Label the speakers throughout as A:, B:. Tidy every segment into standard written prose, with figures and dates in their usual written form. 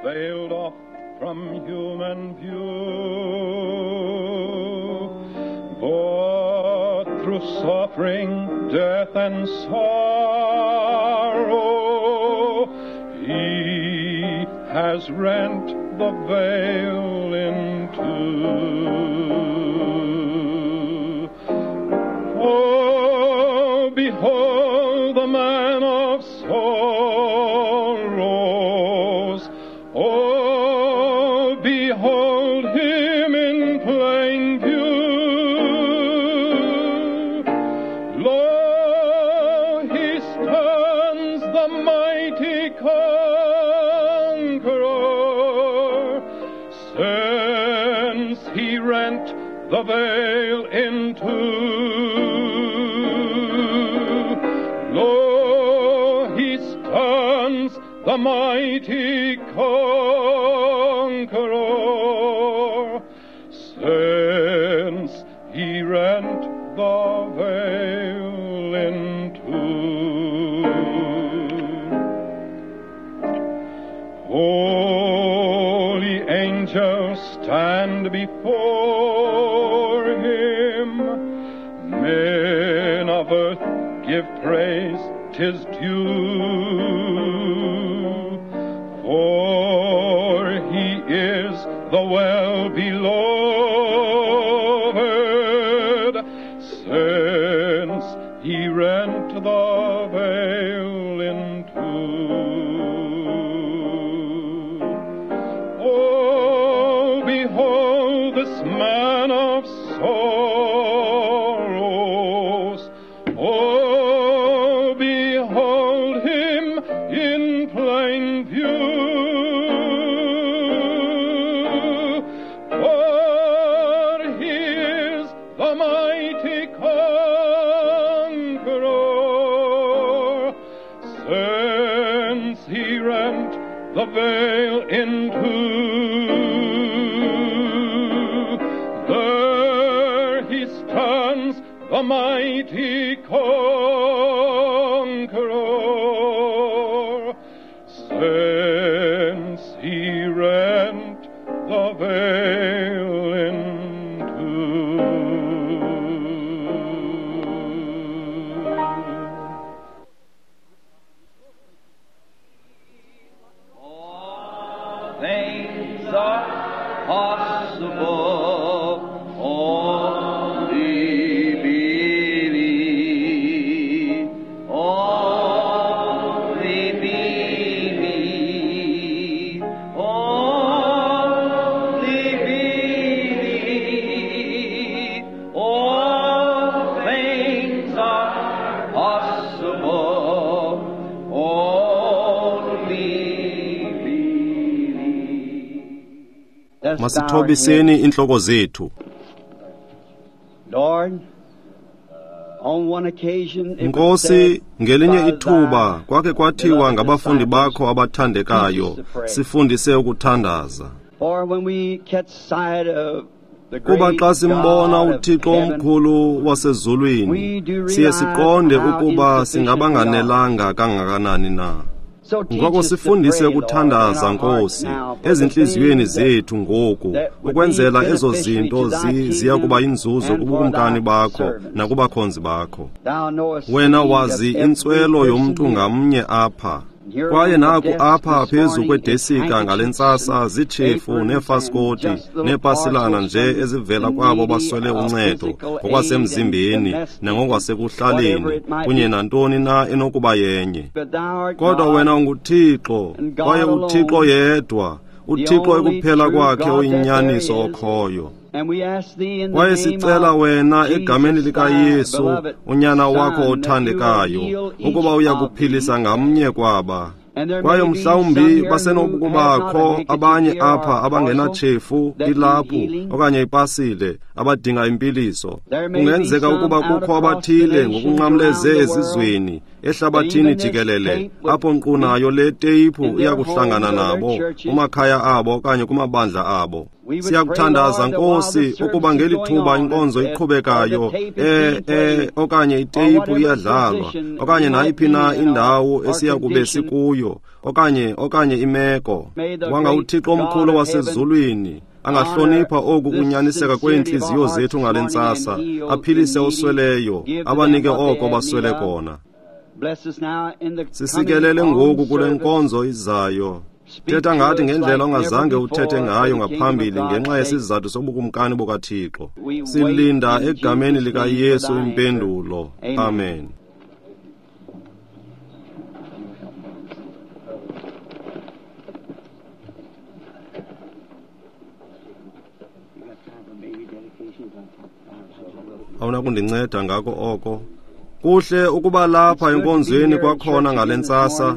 A: veiled off from human view. But through suffering, death, and sorrow, he has rent the veil in two. Oh, behold the man of sorrows. Oh, behold him in plain view. Lo, he stands the mighty conqueror, since he rent the veil in two. Lo, he stands the mighty conqueror, since he rent the veil in two. Holy angels stand before him, men of earth give praise, 'tis due, for he is the well-beloved, since he rent the veil in two. Oh, behold this man of sorrows. Oh, behold him in plain view. For he is the mighty conqueror, since he rent the veil in two. There he stands, the mighty conqueror, since he rent the veil in two.
B: All things are possible, only believe, only believe, only believe. All things are possible, only believe.
C: Masithobiseni inhloko zethu.
B: Lord, on one occasion it was
C: Nkosi,
B: said
C: ngelinye
B: by
C: ithuba
B: thy
C: kwake kwathiwa ngabafundi bakho abathandekayo, sifundise ukuthandaza.
B: For when we catch sight of the
C: Kuba
B: great
C: xa simbona
B: God of
C: uThixo
B: heaven,
C: omkhulu wasezulwini,
B: we do
C: siye
B: realize
C: siqonde
B: how
C: ukuba
B: insufficient we are.
C: singabanganelanga kangakanani na.
B: So teach
C: Ngoko
B: us to
C: sifundise
B: pray, Lord, in
C: ukuthandaza,
B: our hearts
C: Nkosi,
B: now for the
C: ezintliziyweni
B: things that
C: zethu ngoku,
B: that would be
C: ukwenzela ezo
B: beneficiary
C: zinto
B: to thy
C: ziya kuba
B: kingdom
C: yinzuzo
B: and for
C: kubukumkani
B: thy
C: bakho
B: servants.
C: nakubakhonzi bakho.
B: Thou knowest the
C: Wena
B: need of
C: wazi
B: every
C: intswelo
B: person
C: yomntu
B: here.
C: ngamnye apha.
B: And here
C: Kwaye
B: on the
C: naku
B: desk
C: apha
B: this
C: phezu
B: morning is
C: kwedesika ngale
B: handkerchiefs
C: ntsasa
B: and
C: ziitshefu
B: aprons and
C: neefaskoti
B: just little
C: neepasilana
B: parcels
C: nje
B: from
C: ezivela
B: the
C: kwabo
B: needy
C: baswele
B: of
C: uncedo
B: physical aid and
C: ngokwasemzimbeni
B: domestic and
C: nangokwasekuhlaleni
B: whatever it might
C: kunye
B: be.
C: nantoni na enokuba yenye.
B: But thou art
C: Kodwa
B: God,
C: wena unguThixo,
B: and God
C: kwaye uThixo
B: alone,
C: yedwa,
B: the
C: uThixo
B: only
C: ekuphela
B: true
C: kwakhe
B: God that there
C: oyinyaniso
B: is.
C: okhoyo.
B: And we ask thee in the
C: Kwaye
B: name
C: sicela
B: of
C: wena egameni
B: Jesus, thy
C: likaYesu,
B: beloved
C: unyana wakho
B: Son, that you will
C: othandekayo,
B: heal each
C: ukuba uya
B: of
C: kuphilisa
B: these.
C: ngamnye kwaba.
B: And there
C: Kwaye
B: may be some
C: mhlawumbi
B: here who have not a
C: basenokubakho
B: handkerchief
C: abanye
B: here or
C: apha
B: a parcel
C: abangenatshefu,
B: that need
C: ilaphu
B: healing.
C: okanye ipasile abadinga impiliso.
B: There may be
C: Kungenzeka
B: some
C: ukuba
B: out
C: kukho
B: across the
C: abathile
B: nations around
C: ngokunqamleze
B: the world
C: ezizweni
B: that
C: ehlabathini
B: even this
C: jikelele
B: tape would
C: apho nkqu
B: meet
C: nayo le teyiphu
B: in
C: iya
B: their
C: kuhlangana
B: homes or their
C: nabo
B: churches.
C: kumakhaya abo okanye kumabandla abo. Siyakuthandaza, Nkosi, ukuba ngeli thuba inkonzo iqhubekayo, okanye iteyiphu iyadlalwa, okanye nayiphi na indawo esiyakube sikuyo, okanye imeko, wanga uThixo omkhulu wasezulwini angahlonipha oku kunyaniseka kweentliziyo zethu ngale ntsasa, aphilise osweleyo, abanike oko baswele kona. Sisikelele ngoku kule nkonzo izayo. Thetha ngathi ngendlela ongazange uthethe ngayo ngaphambili ngenxa yesizathu sobukumkani bukaThixo. Silinda egameni likaYesu impendulo. Amen. Awunakundinceda ngako oko. Kuhle ukuba lapha enkonzweni kwakhona ngale ntsasa.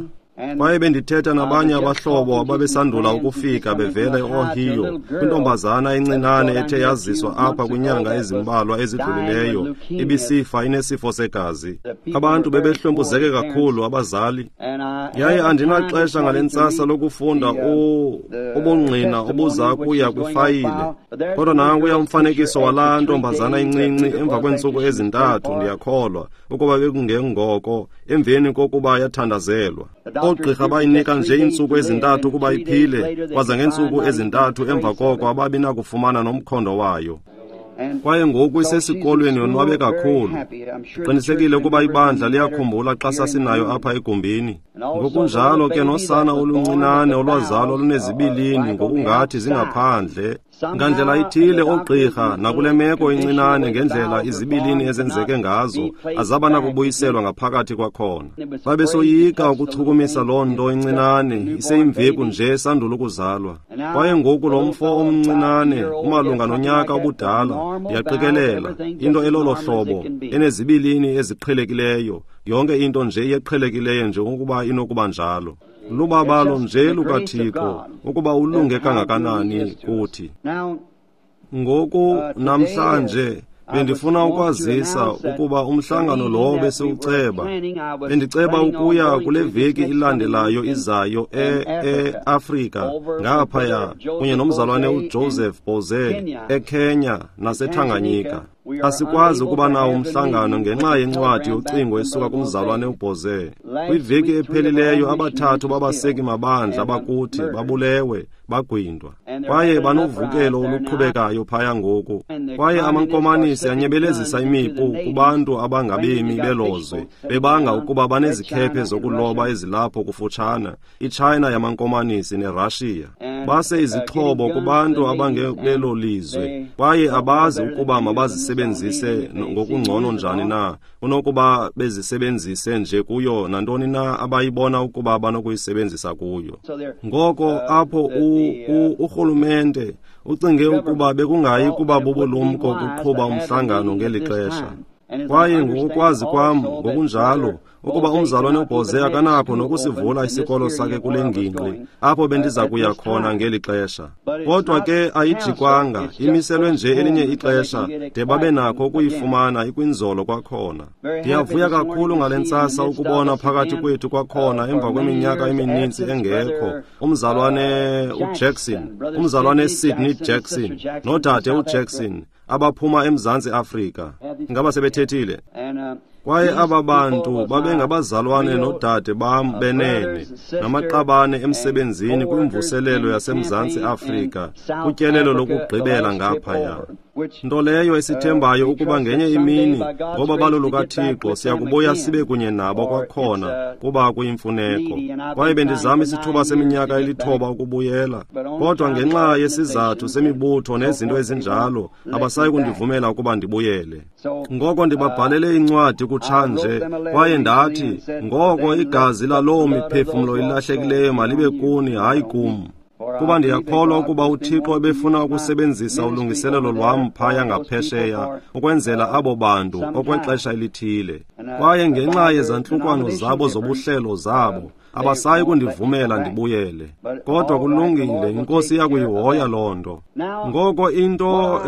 C: Kwaye bendithetha nabanye abahlobo ababesandula ukufika bevela eOhio, kwintombazana encinane ethe yaziswa apha kwinyanga ezimbalwa ezidlulileyo, ibisifa inesifo segazi. Abantu bebehlwempuzeke kakhulu, abazali. Yaye andinaxesha ngale ntsasa lokufunda ubungqina obuza kuya kwifayile. Kodwa nankuya umfanekiso walaa ntombazana incinci emva kweentsuku ezintathu, ndiyakholwa, ukuba bekungengoko, emveni kokuba yathandazelwa. Oogqirha bayinika nje iintsuku ezintathu ukuba iphile, kwaza ngeentsuku ezintathu emva koko ababi nakufumana nomkhondo wayo. Kwaye ngoku isesikolweni yonwabe kakhulu. Ndiqinisekile ukuba ibandla liyakhumbula xa sasinayo apha egumbini. Ngokunjalo ke nosana oluncinane olwazalwa lunezibilini ngokungathi zingaphandle. Ngandlela ithile oogqirha nakule meko incinane ngendlela izibilini ezenzeke ngazo azaba nakubuyiselwa ngaphakathi kwakhona. Babesoyika ukuchukumisa loo nto incinane iseyimveku nje sandula ukuzalwa. Kwaye ngoku lo mfo omncinane umalunga nonyaka obudala, ndiyaqikelela, into elolo hlobo, enezibilini eziqhelekileyo, yonke into nje iyeqhelekileyo njengokuba inokuba njalo. Lubabalo nje lukaThixo ukuba ulunge kangakanani kuthi. Ngoku namhlanje bendifuna ukwazisa ukuba umhlangano lowo besiwuceba. Bendiceba ukuya kule veki ilandelayo izayo e-Afrika ngaphaya kunye nomzalwane uJoseph Boze eKenya naseTanganyika. Asikwazi ukuba nawo umhlangano ngenxa yencwadi yocingo esuka kumzalwane uBoze. Kwiveki ephelileyo abathathu babaseki mabandla bakuthi babulewe, bagwintwa. Kwaye banovukelo oluqhubekayo phaya ngoku. Kwaye amankomanisi anyebelezisa imipu kubantu abangabemi belozwe, bebanga ukuba banezikhephe zokuloba ezilapho kufutshane, iChina yamankomanisi neRussia. Base izixhobo kubantu abangebelo lizwe, kwaye abazi ukuba mabazisebenzise ngokungcono njani na, kunokuba bezisebenzise nje kuyo nantoni na abayibona ukuba banokuyisebenzisa kuyo. Ngoko apho urhulumente ucinge ukuba bekungayi kuba bubulumko kuqhuba umhlangano ngeli xesha. Kwaye ngokukwazi kwam ngokunjalo ukuba umzalwane uBoze akanakho nokusivula isikolo sakhe kule ngingqi apho bendiza kuya khona ngeli xesha. Kodwa ke ayijikwanga, imiselwe nje elinye ixesha de babe nakho ukuyifumana ikwinzolo kwakhona. Ndiyavuya kakhulu ngale ntsasa ukubona phakathi kwethu kwakhona emva kweminyaka emininzi engekho umzalwane uJackson, umzalwane Sidney Jackson nodade uJackson abaphuma eMzantsi Afrika. Ngaba sebethethile? Kwaye aba bantu babengabazalwane nodade bam benene namaqabane emsebenzini kwimvuselelo yaseMzantsi Afrika kutyelelo lokugqibela ngaphaya. Nto leyo esithembayo ukuba ngenye imini ngoba balo lukaThixo siyakubuya sibe kunye nabo kwakhona kuba kuyimfuneko. Kwaye bendizama isithuba seminyaka elithoba ukubuyela, kodwa ngenxa yesizathu semibutho nezinto ezinjalo abasayi kundivumela ukuba ndibuyele. Ngoko ndibabhalele incwadi kutshanje, kwaye ndathi, ngoko igazi laloo miphefumlo ilahlekileyo malibe kuni, hayi kum. Kuba ndiyakholwa ukuba uThixo ebefuna ukusebenzisa ulungiselelo lwam phaya ngaphesheya ukwenzela abo bantu okwexesha elithile. Kwaye ngenxa yezantlukwano zabo zobuhlelo zabo, abasayi kundivumela ndibuyele. Kodwa kulungile, iNkosi iyakuyihoya loo nto. Ngoko into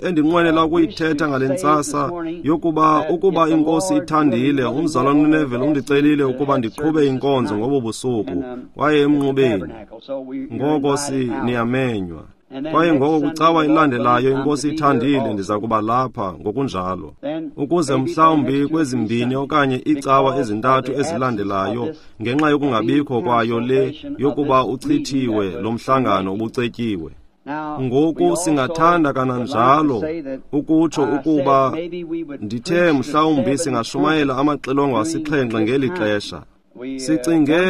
C: endinqwenela ukuyithetha ngale ntsasa yokuba ukuba iNkosi ithandile, umzalwane uNeville undicelile ukuba ndiqhube inkonzo ngobo busuku kwaye emnqubeni. Ngoko niyamenywa. Kwaye ngoko kwicawa ilandelayo, iNkosi ithandile, ndiza kuba lapha ngokunjalo, ukuze mhlawumbi kwezimbini okanye iicawa ezintathu ezilandelayo, ngenxa yokungabikho kwayo le yokuba uchithiwe lo mhlangano ubucetyiwe. Ngoku singathanda kananjalo ukutsho ukuba ndithe mhlawumbi singashumayela amaxilongo asixhenxe ngeli xesha. Sicinge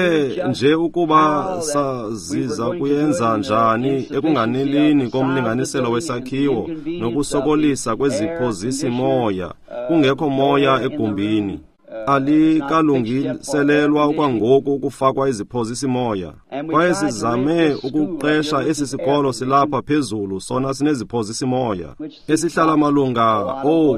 C: nje ukuba saziza kuyenza njani ekunganelini komlinganiselo wesakhiwo nokusokolisa kweziphozisi-moya, kungekho moya egumbini. Alikalungiselelwa okwangoku ukufakwa iziphozisi-moya. Kwaye sizame ukuqesha esi sikolo silapha phezulu, sona sineziphozisi-moya esihlala malunga,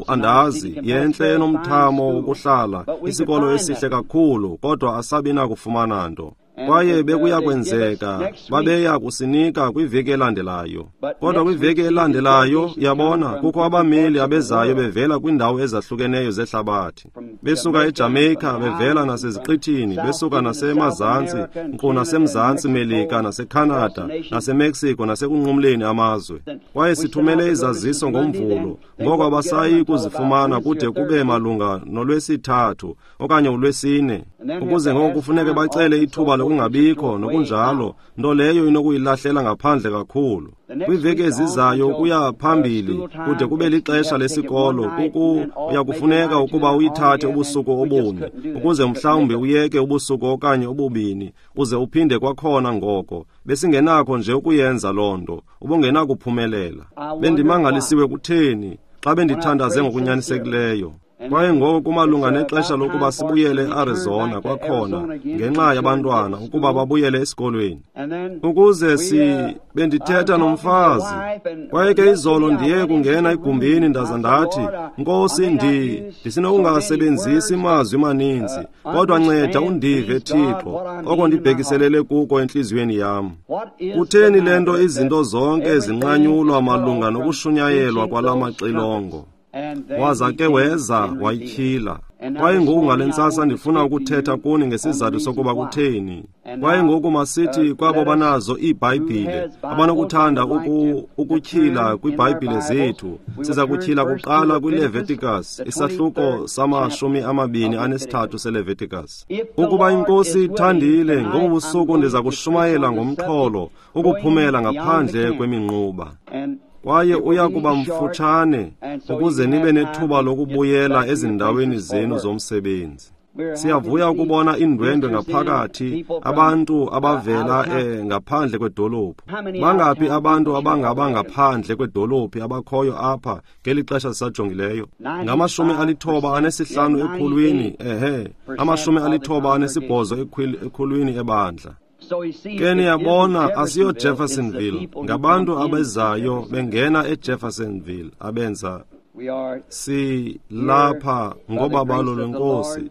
C: andazi, yentle enomthamo wokuhlala, isikolo esihle kakhulu, kodwa asabi nakufumana nto. Kwaye bekuya kwenzeka babeya kusinika kwiveki elandelayo. Kodwa kwiveki elandelayo, yabona, kukho abameli abezayo bevela kwiindawo ezahlukeneyo zehlabathi, besuka eJamaica, bevela naseziqithini, besuka nasemazantsi, nkqu nasemzantsi Melika, naseCanada, naseMexico, nasekunqumleni amazwe. Kwaye sithumele izaziso ngoMvulo, ngoko abasayi kuzifumana kude kube malunga nolwesithathu okanye ulwesine, ukuze ngoko kufuneke bacele ithuba lokungabikho nokunjalo, nto leyo inokuyilahlela ngaphandle kakhulu. Kwiveki ezizayo ukuya phambili kude kube lixesha lesikolo, uya kufuneka ukuba uyithathe ubusuku obune, ukuze mhlawumbi uyeke ubusuku okanye obubini, uze uphinde kwakhona ngoko. Besingenakho nje ukuyenza loo nto, ubungenakuphumelela. Bendimangalisiwe kutheni xa bendithandaze ngokunyanisekileyo. Kwaye ngoko kumalunga nexesha lokuba sibuyele eArizona kwakhona ngenxa yabantwana ukuba babuyele esikolweni. Ukuze bendithetha nomfazi. Kwaye ke izolo ndiye kungena egumbini ndaza ndathi, Nkosi, ndisinokungasebenzisi mazwi maninzi, kodwa nceda undive, Thixo, oko ndibhekiselele kuko entliziyweni yam. Kutheni le nto izinto zonke zinqanyulwa malunga nokushunyayelwa kwala maxilongo? Waza ke weza wayityhila. Kwaye ngoku ngale ntsasa ndifuna ukuthetha kuni ngesizathu sokuba kutheni. Kwaye ngoku masithi kwabo banazo iiBhayibhile, abanokuthanda ukutyhila kwiiBhayibhile zethu, siza kutyhila kuqala kwiLeviticus, isahluko sama-23 seLeviticus. Ukuba iNkosi ithandile, ngobu busuku ndiza kushumayela ngomxholo ukuphumela ngaphandle kweminquba. Kwaye uya kuba mfutshane ukuze nibe nethuba lokubuyela ezindaweni zenu zomsebenzi. Siyavuya ukubona iindwendwe ngaphakathi, abantu abavela ngaphandle kwedolophu. Bangaphi abantu abangaba ngaphandle kwedolophu abakhoyo apha ngeli xesha sisajongileyo? Ngama-95 ekhulwini, 98 ekhulwini ebandla. Ke niyabona, asiyo Jeffersonville, ngabantu abezayo bengena eJeffersonville abenza silapha ngobabalo lweNkosi.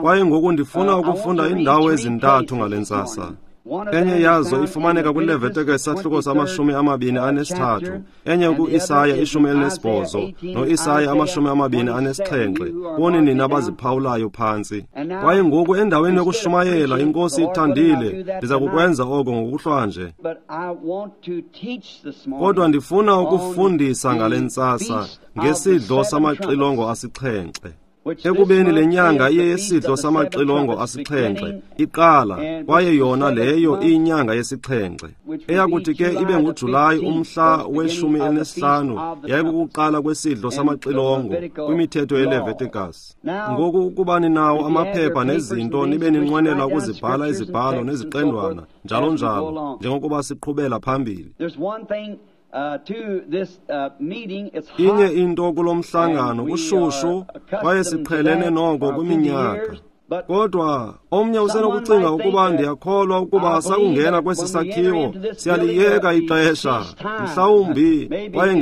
C: Kwaye ngoku ndifuna ukufunda iindawo ezintathu ngale ntsasa. Enye yazo ifumaneka kwiLeviticus isahluko sama-23, enye ku-Isaya 18 no-Isaya 27, kuni nina abaziphawulayo phantsi. Kwaye ngoku endaweni yokushumayela, iNkosi ithandile, ndiza kukwenza oko ngokuhlwanje. Kodwa ndifuna ukufundisa ngale ntsasa ngesidlo samaxilongo asixhenxe. Ekubeni le nyanga iye yesidlo samaxilongo asixhenxe iqala, kwaye yona leyo iyinyanga yesixhenxe, eyakuthi ke ibe nguJulayi umhla we-15, yayikukuqala kwesidlo samaxilongo kwimithetho yeLeviticus. Ngoku ukuba ninawo amaphepha nezinto, nibe ninqwenela ukuzibhala izibhalo neziqendwana njalo njalo, njengokuba siqhubela phambili. Inye into kulo mhlangano kushushu, kwaye siqhelene noko kwiminyaka. Kodwa omnye usenokucinga ukuba ndiyakholwa ukuba sakungena kwesi sakhiwo siyaliyeka ixesha, mhlawumbi, kwaye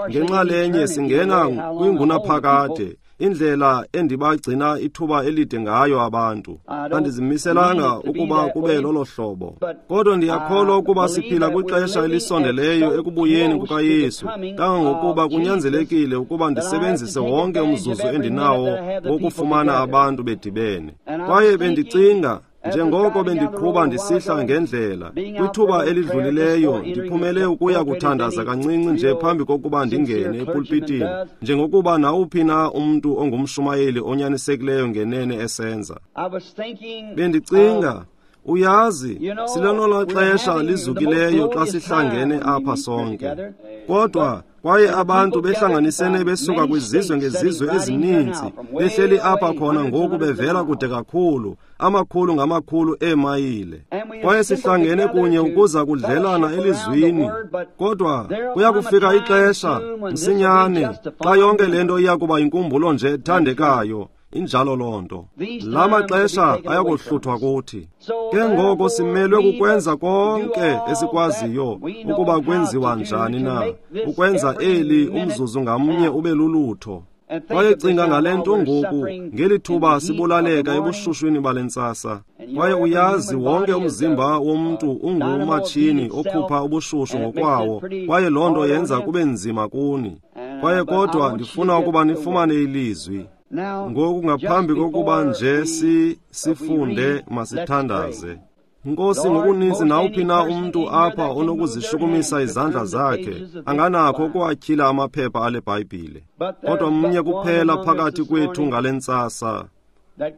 C: ngenxalenye singena kwingunaphakade. Indlela endibagcina ithuba elide ngayo abantu, andizimiselanga ukuba kube lolo hlobo. Kodwa ndiyakholwa ukuba siphila kwixesha elisondeleyo ekubuyeni kukaYesu, kangangokuba kunyanzelekile ukuba ndisebenzise wonke umzuzu endinawo wokufumana abantu bedibene. Kwaye bendicinga, Njengoko bendiqhuba ndisihla ngendlela kwithuba elidlulileyo, ndiphumele ukuya kuthandaza kancinci nje phambi kokuba ndingene epulpitini, njengokuba nawuphi na umntu ongumshumayeli onyanisekileyo ngenene esenza. Bendicinga, uyazi, silelona xesha lizukileyo xa sihlangene apha sonke. Kodwa kwaye abantu behlanganisene besuka kwizizwe ngezizwe ezininzi, behleli apha khona ngoku bevela kude kakhulu, amakhulu ngamakhulu eemayile. Kwaye sihlangene kunye ukuza kudlelana elizwini. Kodwa kuya kufika ixesha msinyane xa yonke le nto iya kuba yinkumbulo nje ethandekayo. Injalo loo nto. La maxesha ayakuhluthwa kuthi. Ke ngoko simelwe kukwenza konke esikwaziyo ukuba kwenziwa njani na, ukwenza eli umzuzu ngamnye ube lulutho. Kwaye cinga ngale nto ngoku, ngeli thuba sibulaleka ebushushwini bale ntsasa. Kwaye uyazi, wonke umzimba womntu ungumatshini okhupha ubushushu ngokwawo, kwaye loo nto yenza kube nzima kuni. Kwaye kodwa ndifuna ukuba nifumane ilizwi. Ngoku ngaphambi kokuba nje sifunde, masithandaze. Nkosi, ngokuninzi nawuphi na umntu apha onokuzishukumisa izandla zakhe, anganakho ukuwatyhila amaphepha ale Bhayibhile. Kodwa mnye kuphela phakathi kwethu ngale ntsasa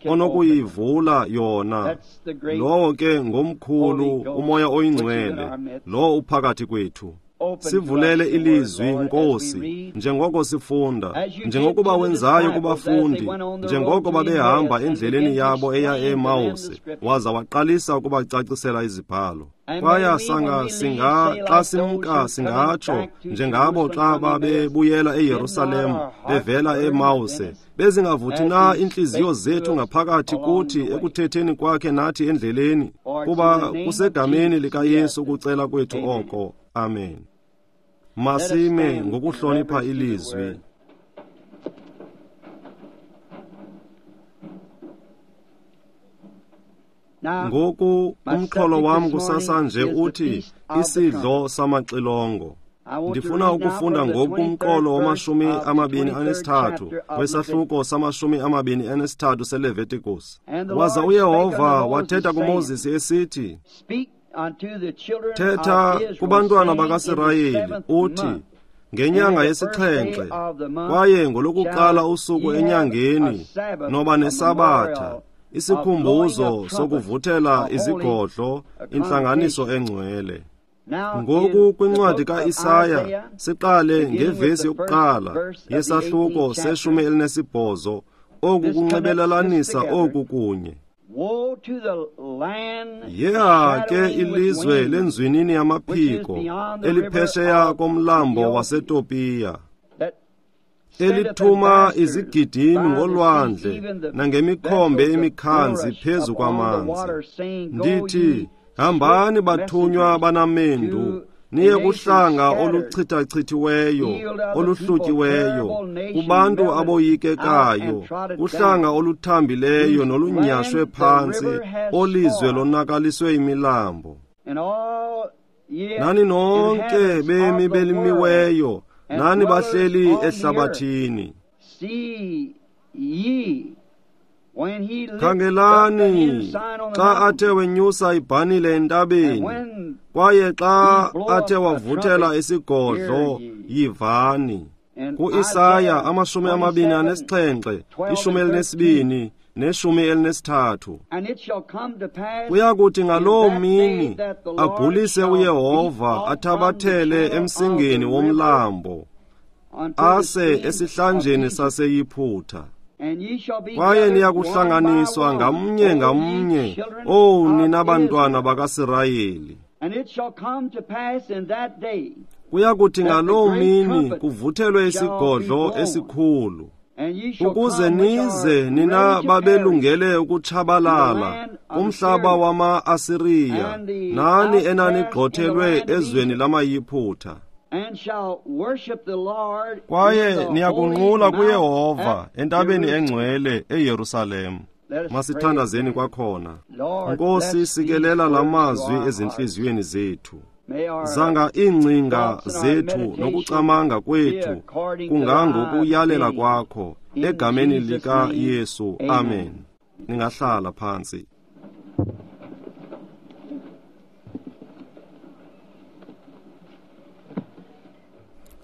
C: onokuyivula yona. Lowo ke ngomkhulu uMoya oyiNgcwele, lowo uphakathi kwethu. Sivulele ilizwi, Nkosi, njengoko sifunda, njengokuba wenzayo kubafundi, njengoko babehamba endleleni yabo eya eEmawusi, waza waqalisa ukubacacisela izibhalo. Kwaya xa simka singatsho njengabo xa babebuyela eYerusalem bevela eEmawuse, bezingavuthi na iintliziyo zethu ngaphakathi kuthi ekuthetheni kwakhe nathi endleleni? Kuba kusegameni likaYesu ukucela kwethu oko. Amen. Masime ngokuhlonipha ilizwi. Ngoku umxholo wam kusasa nje uthi isidlo samaxilongo. Ndifuna ukufunda ngoku kumqolo wama-23 wesahluko sama-23 seLevitikus. Waza uYehova wathetha kuMoses esithi, thetha kubantwana bakaSirayeli uthi, ngenyanga yesixhenxe kwaye ngolokuqala usuku enyangeni noba nesabatha, isikhumbuzo sokuvuthela izigodlo, intlanganiso engcwele. Ngoku kwincwadi kaIsaya siqale ngevesi yokuqala yesahluko se-18. Oku kunxibelelanisa oku kunye. Yeha ke ilizwe lenzwinini yamaphiko eliphesheya komlambo waseTopiya, elithuma izigidimi ngolwandle nangemikhombe emikhanzi phezu kwamanzi. Ndithi, hambani bathunywa banamendu, niye kuhlanga oluchithachithiweyo, oluhlutyiweyo, kubantu aboyikekayo, kuhlanga oluthambileyo nolunyashwe phantsi, olizwe lonakaliswe imilambo. Nani nonke bemi belimiweyo, nani bahleli ehlabathini. Khangelani xa athe wenyusa ibhanile entabeni, kwaye xa athe wavuthela isigodlo, yivani. KuIsaya 27, 12 ne-13. Kuya kuthi ngaloo mini abhulise uYehova, athabathele emsingeni womlambo, ase esihlanjeni saseYiphutha. Kwaye niya kuhlanganiswa ngamnye ngamnye, owu nina bantwana bakaSirayeli. Kuya kuthi ngaloo mini kuvuthelwe isigodlo esikhulu, ukuze nize nina babelungele ukutshabalala kumhlaba wama-Asiriya, nani enanigxothelwe ezweni lamaYiphutha. Kwaye niyakunqula kuYehova entabeni engcwele eYerusalem. Masithandazeni kwakhona. Nkosi, sikelela la mazwi ezintliziyweni zethu. Zanga iingcinga zethu nokucamanga kwethu kungangokuyalela kwakho, egameni likaYesu. Amen. Ningahlala phantsi.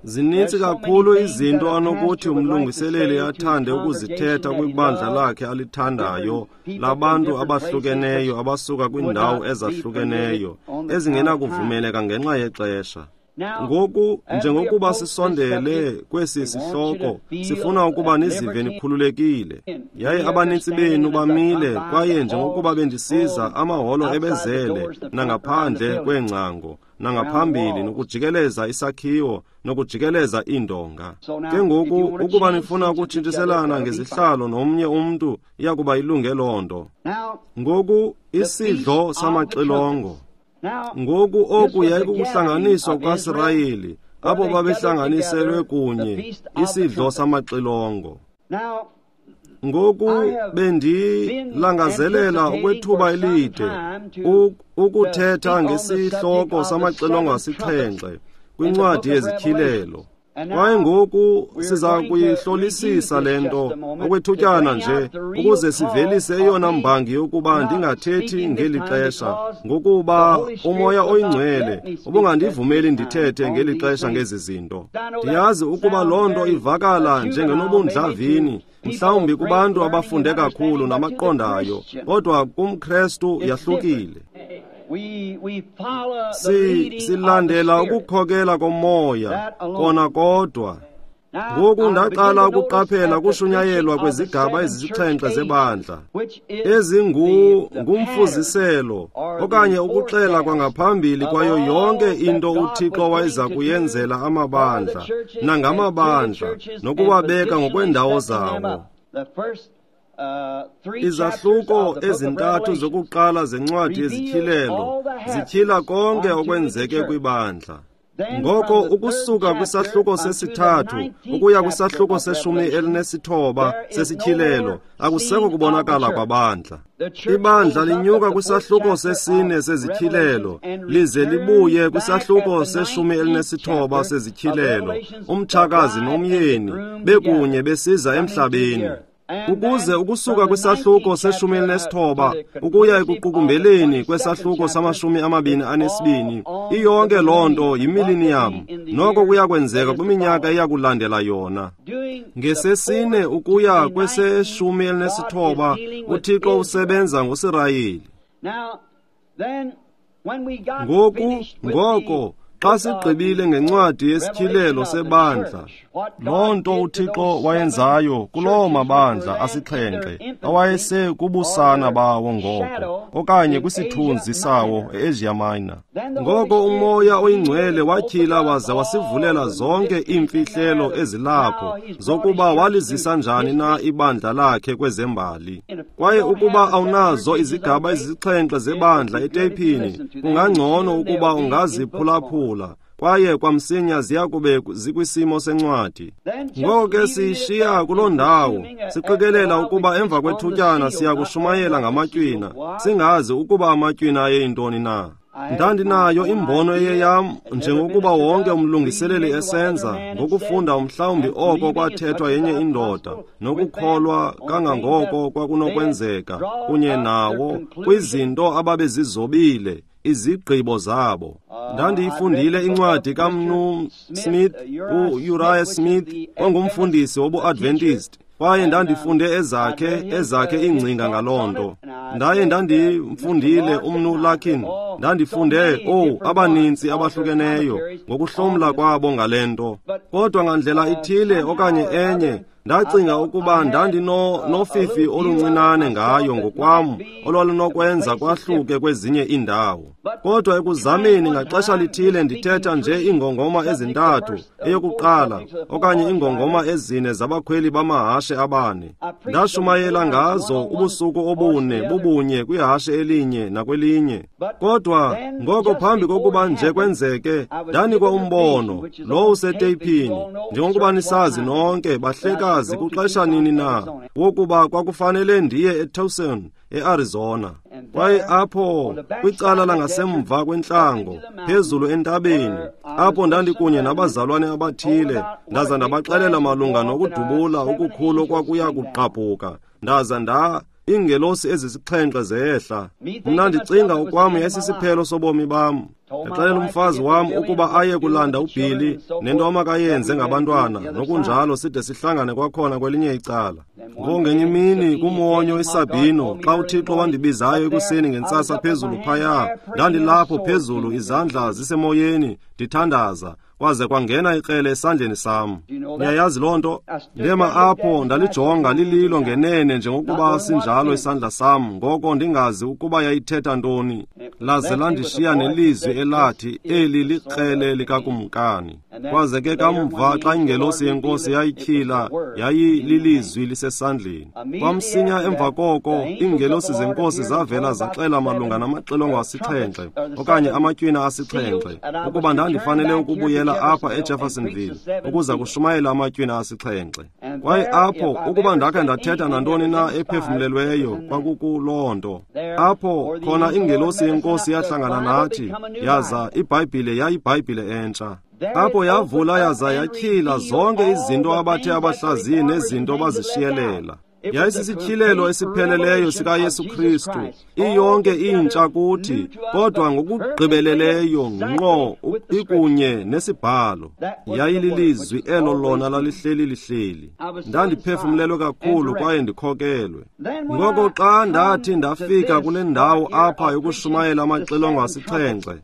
C: Zininzi kakhulu izinto anokuthi umlungiseleli athande ukuzithetha kwibandla lakhe alithandayo labantu abahlukeneyo abasuka kwiindawo ezahlukeneyo ezingenakuvumeleka ngenxa yexesha. Ngoku, njengokuba sisondele kwesi sihloko, sifuna ukuba nizive nikhululekile. Yaye abanintsi benu bamile, kwaye njengokuba bendisiza, amaholo ebezele nangaphandle kweengcango, nangaphambili, nokujikeleza isakhiwo, nokujikeleza iindonga. Ke ngoku, ukuba nifuna ukutshintshiselana ngezihlalo nomnye umntu, iyakuba ilunge loo nto. Ngoku, isidlo samaxilongo. Ngoku oku yayikukuhlanganiswa kukaSirayeli, abo babehlanganiselwe kunye, isidlo samaxilongo. Ngoku bendilangazelela okwethuba elide ukuthetha ngesihloko samaxilongo asixhenxe kwincwadi yezityhilelo. Kwaye ngoku siza kuyihlolisisa le nto okwethutyana nje ukuze sivelise eyona mbangi yokuba ndingathethi ngeli xesha, ngokuba uMoya oyiNgcwele ubungandivumeli ndithethe ngeli xesha ngezi zinto. Ndiyazi ukuba loo nto ivakala njengenobundlavini, mhlawumbi kubantu abafunde kakhulu namaqondayo, kodwa kumKrestu yahlukile. Silandela ukukhokela komoya kona kodwa. Ngoku ndaqala ukuqaphela kushunyayelwa kwezigaba ezisixhenxe zebandla, ezingumfuziselo okanye ukuxela kwangaphambili kwayo yonke into uThixo wayeza kuyenzela amabandla nangamabandla nokuwabeka ngokweendawo zawo. Izahluko ezintathu zokuqala zencwadi yezityhilelo zityhila konke okwenzeke kwibandla. Ngoko ukusuka kwisahluko sesithathu ukuya kwisahluko se-19 sesityhilelo akusekho kubonakala kwabandla. Ibandla linyuka kwisahluko sesine sezityhilelo lize libuye kwisahluko se-19 sezityhilelo, umtshakazi nomyeni bekunye besiza emhlabeni. Ukuze ukusuka kwisahluko se-19 ukuya ekuqukumbeleni kwesahluko sama-22, iyonke loo nto yimiliniyam, noko kuyakwenzeka kwiminyaka eyakulandela yona. Ngesesine ukuya kwese-19 uThixo usebenza ngoSirayeli. Ngoku, ngoko, xa sigqibile ngencwadi yesityhilelo sebandla, loo nto uThixo wayenzayo kuloo mabandla asixhenxe awayese kubusana bawo ngoko, okanye kwisithunzi sawo e-Asia Minor. Ngoko uMoya oyiNgcwele watyhila waze wasivulela zonke iimfihlelo ezilapho zokuba walizisa njani na ibandla lakhe kwezembali. Kwaye ukuba awunazo izigaba ezisixhenxe zebandla eteyiphini, kungangcono ukuba ungaziphulaphula, kwaye kwamsinya ziya kube zikwisimo sencwadi. Ngoko ke siyishiya kuloo ndawo, siqikelela ukuba emva kwethutyana siya kushumayela ngamatywina, singazi ukuba amatywina ayeyintoni na. Ndandinayo imbono eyeyam, njengokuba wonke umlungiseleli esenza, ngokufunda mhlawumbi oko kwathethwa yenye indoda, nokukholwa kangangoko kwakunokwenzeka kunye nawo kwizinto ababezizobile, izigqibo zabo. Ndandiyifundile incwadi kaMnu Smith, u-Uriah Smith, ongumfundisi wobu-Adventist, kwaye ndandifunde ezakhe iingcinga ngaloo nto. Ndaye ndandimfundile uMnu Larkin, ndandifunde abaninzi abahlukeneyo ngokuhlomla kwabo ngale nto. Kodwa ngandlela ithile okanye enye, ndacinga ukuba ndandinofifi oluncinane ngayo ngokwam olwalunokwenza kwahluke kwezinye iindawo. Kodwa ekuzameni ngaxesha lithile ndithetha nje iingongoma ezintathu, eyokuqala okanye iingongoma ezine zabakhweli bamahashe abane. Ndashumayela ngazo ubusuku obune bubunye kwihashe elinye nakwelinye. Kodwa ngoko phambi kokuba nje kwenzeke, ndanikwa umbono lo useteyiphini, njengokuba nisazi nonke bahlekazi kuxesha nini na, wokuba kwakufanele ndiye eTucson, eArizona. Kwaye apho kwicala langasemva kwentlango, phezulu entabeni, apho ndandikunye nabazalwane abathile, ndaza ndabaxelela malunga nokudubula okukhulu okwakuya kugqabhuka, ndaza Iingelosi ezisixhenxe zehla. Mna ndicinga okwam yayisisiphelo sobomi bam. Ndaxelela umfazi wam ukuba aye kulanda uBilly nento amakayenze ngabantwana, nokunjalo side sihlangane kwakhona kwelinye icala. Ngongenye imini kumwonyo iSabino, xa uThixo wandibizayo ekuseni ngentsasa phezulu phaya, ndandilapho phezulu izandla zisemoyeni ndithandaza, kwaze kwangena ikrele esandleni sam. Niyayazi loo nto? Ndema apho ndalijonga lililo ngenene njengokuba sinjalo isandla sam, ngoko ndingazi ukuba yayithetha ntoni. Laze landishiya nelizwi elathi, eli likrele likakumkani. Kwaze ke kamva xa ingelosi yenkosi yayityhila, yayililizwi lisesandleni. Kwamsinya emva koko, iingelosi zenkosi zavela zaxela malunga namaxilongo asixhenxe okanye amatywina asixhenxe, ukuba ndandifanele ukubuyela apha eJeffersonville ukuza kushumayela amatywina asixhenxe. Kwaye apho, ukuba ndakhe ndathetha nantoni na ephefumlelweyo, kwakukuloo nto. Apho khona ingelosi yenkosi yahlangana nathi, yaza iBhayibhile yayiBhayibhile entsha. Apho yavula yaza yatyhila zonke izinto abathe abahlaziyi nezinto bazishiyelela. Yayisisityhilelo esipheleleyo sikaYesu Kristu, iyonke intsha kuthi, kodwa ngokugqibeleleyo ngqo ikunye nesibhalo. Yayililizwi elo lona lalihleli lihleli. Ndandiphefumlelwe kakhulu kwaye ndikhokelwe. Ngoko xa ndathi ndafika kule ndawo apha yokushumayela amaxilongo asixhenxe,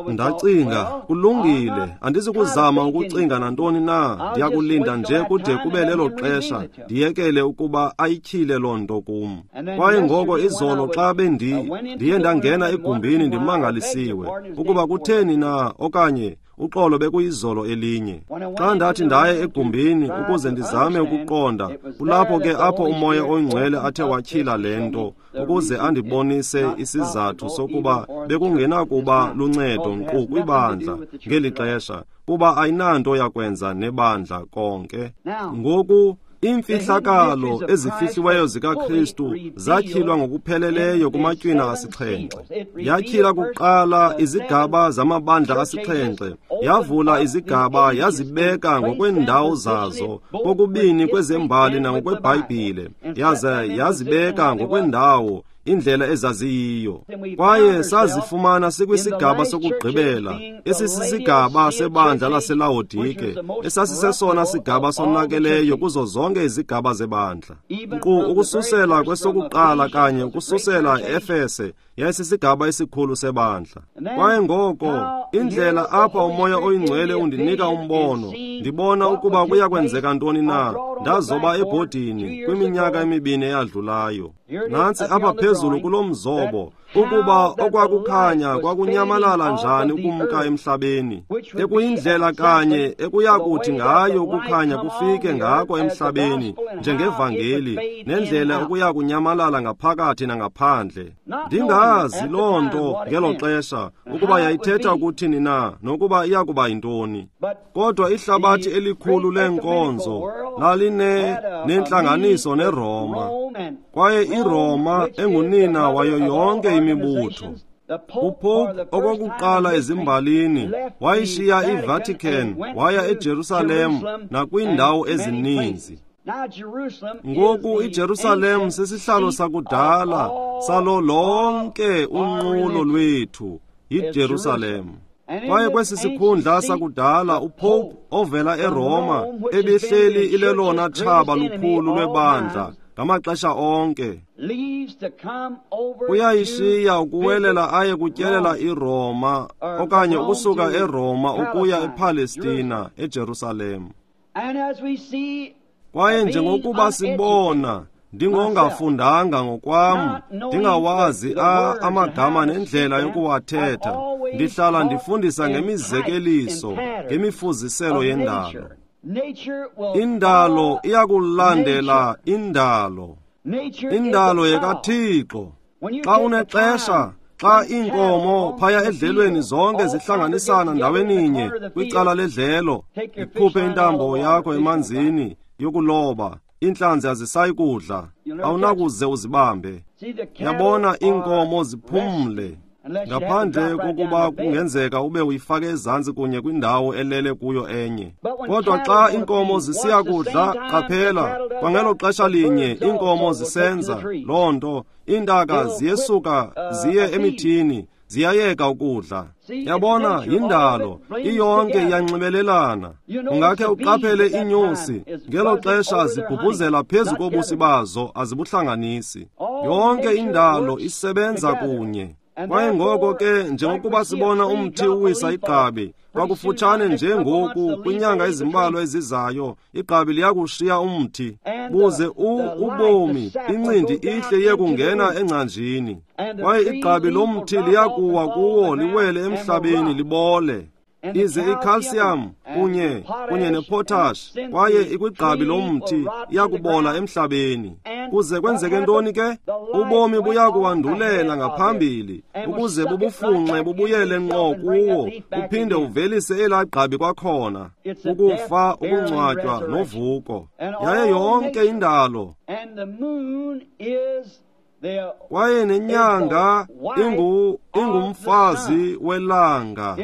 C: ndacinga, kulungile, andizukuzama ukucinga nantoni na, ndiyakulinda nje kude kube lelo xesha, ndiyekele ukuba ayityhile loo nto kum. Kwaye ngoko izolo xa ndiye ndangena egumbini ndimangalisiwe ukuba kutheni na, okanye uxolo bekuyizolo elinye. Xa ndathi ndaye egumbini ukuze ndizame ukuqonda, kulapho ke apho uMoya oyiNgcwele athe watyhila le nto, ukuze andibonise isizathu sokuba bekungenakuba luncedo nkqu kwibandla ngeli xesha, kuba ayinanto yakwenza nebandla konke. Ngoku iimfihlakalo ezifihliweyo zikaKristu zatyhilwa ngokupheleleyo kumatywina asixhenxe. Yatyhila kuqala izigaba zamabandla asixhenxe, yavula izigaba yazibeka ngokweendawo zazo, kokubini kwezembali nangokweBhayibhile, yaza yazibeka ngokwendawo indlela ezaziyiyo. Kwaye sazifumana sikwisigaba sokugqibela, esisisigaba sebandla laseLawodike, esasisesona sigaba sonakeleyo kuzo zonke izigaba zebandla. Nkqu ukususela kwesokuqala kanye ukususela e-Efese, yayisisigaba esikhulu sebandla. Kwaye ngoko, indlela apha uMoya oyiNgcwele undinika umbono, ndibona ukuba kuya kwenzeka ntoni na, ndazoba ebhodini kwiminyaka emibini eyadlulayo. Nantsi apha phezulu kulo mzobo, ukuba okwakukhanya kwakunyamalala njani ukumka emhlabeni, ekuyindlela kanye ekuyakuthi ngayo ukukhanya kufike ngako emhlabeni njengevangeli, nendlela okuya kunyamalala ngaphakathi nangaphandle. Ndingazi loo nto ngelo xesha ukuba yayithetha ukuthini na, nokuba iyakuba yintoni. Kodwa ihlabathi elikhulu leenkonzo lalinenhlanganiso neRoma, kwaye iRoma engunina wayo yonke imibutho. UPope okokuqala ezimbalini wayishiya iVatican waya eJerusalem nakwiindawo ezininzi. Ngoku iJerusalem sisihlalo sakudala salo lonke unqulo lwethu, yiJerusalem. Kwaye kwesi sikhundla sakudala uPope ovela eRoma ebehleli ilelona tshaba lukhulu lwebandla ngamaxesha onke. Uyayishiya ukuwelela aye kutyelela iRoma, okanye ukusuka eRoma ukuya ePalestina, eJerusalem. Kwaye njengokuba sibona, ndingongafundanga ngokwam, ndingawazi amagama nendlela yokuwathetha, ndihlala ndifundisa ngemizekeliso, ngemifuziselo yendalo. Indalo iyakulandela indalo. Indalo yekaThixo. Xa unexesha, xa iinkomo phaya edlelweni zonke zihlanganisana ndaweninye kwicala ledlelo, ikhuphe intambo yakho emanzini yokuloba, iintlanzi azisayi kudla, awunakuze uzibambe. Yabona, iinkomo ziphumle. Ngaphandle kokuba kungenzeka ube uyifake ezantsi kunye kwindawo elele kuyo enye. Kodwa xa iinkomo zisiya kudla, qaphela, kwangelo xesha linye iinkomo zisenza loo nto, iintaka ziyesuka ziye emithini, ziyayeka ukudla. Yabona, yindalo, iyonke iyanxibelelana. Ungakhe uqaphele iinyosi, ngelo xesha zibhubhuzela phezu kobusi bazo, azibuhlanganisi. Yonke indalo isebenza kunye. Kwaye ngoko ke, njengokuba sibona umthi uwisa igqabi, kwakufutshane nje ngoku, kwinyanga ezimbalwa ezizayo, igqabi liyakushiya umthi, buze ubomi, incindi ihle iye kungena engcanjini. Kwaye igqabi lomthi liyakuwa kuwo, liwele emhlabeni, libole. Ize ikhalsiyam kunye nepotash, kwaye ikwigqabi lomthi iyakubola emhlabeni. Kuze kwenzeke ntoni ke? Ubomi buyakuwandulela ngaphambili, ukuze bubufunxe bubuyele ngqo kuwo, uphinde uvelise elaa gqabi kwakhona. Ukufa, ukungcwatywa novuko. Yaye yonke indalo, kwaye nenyanga ingumfazi welanga,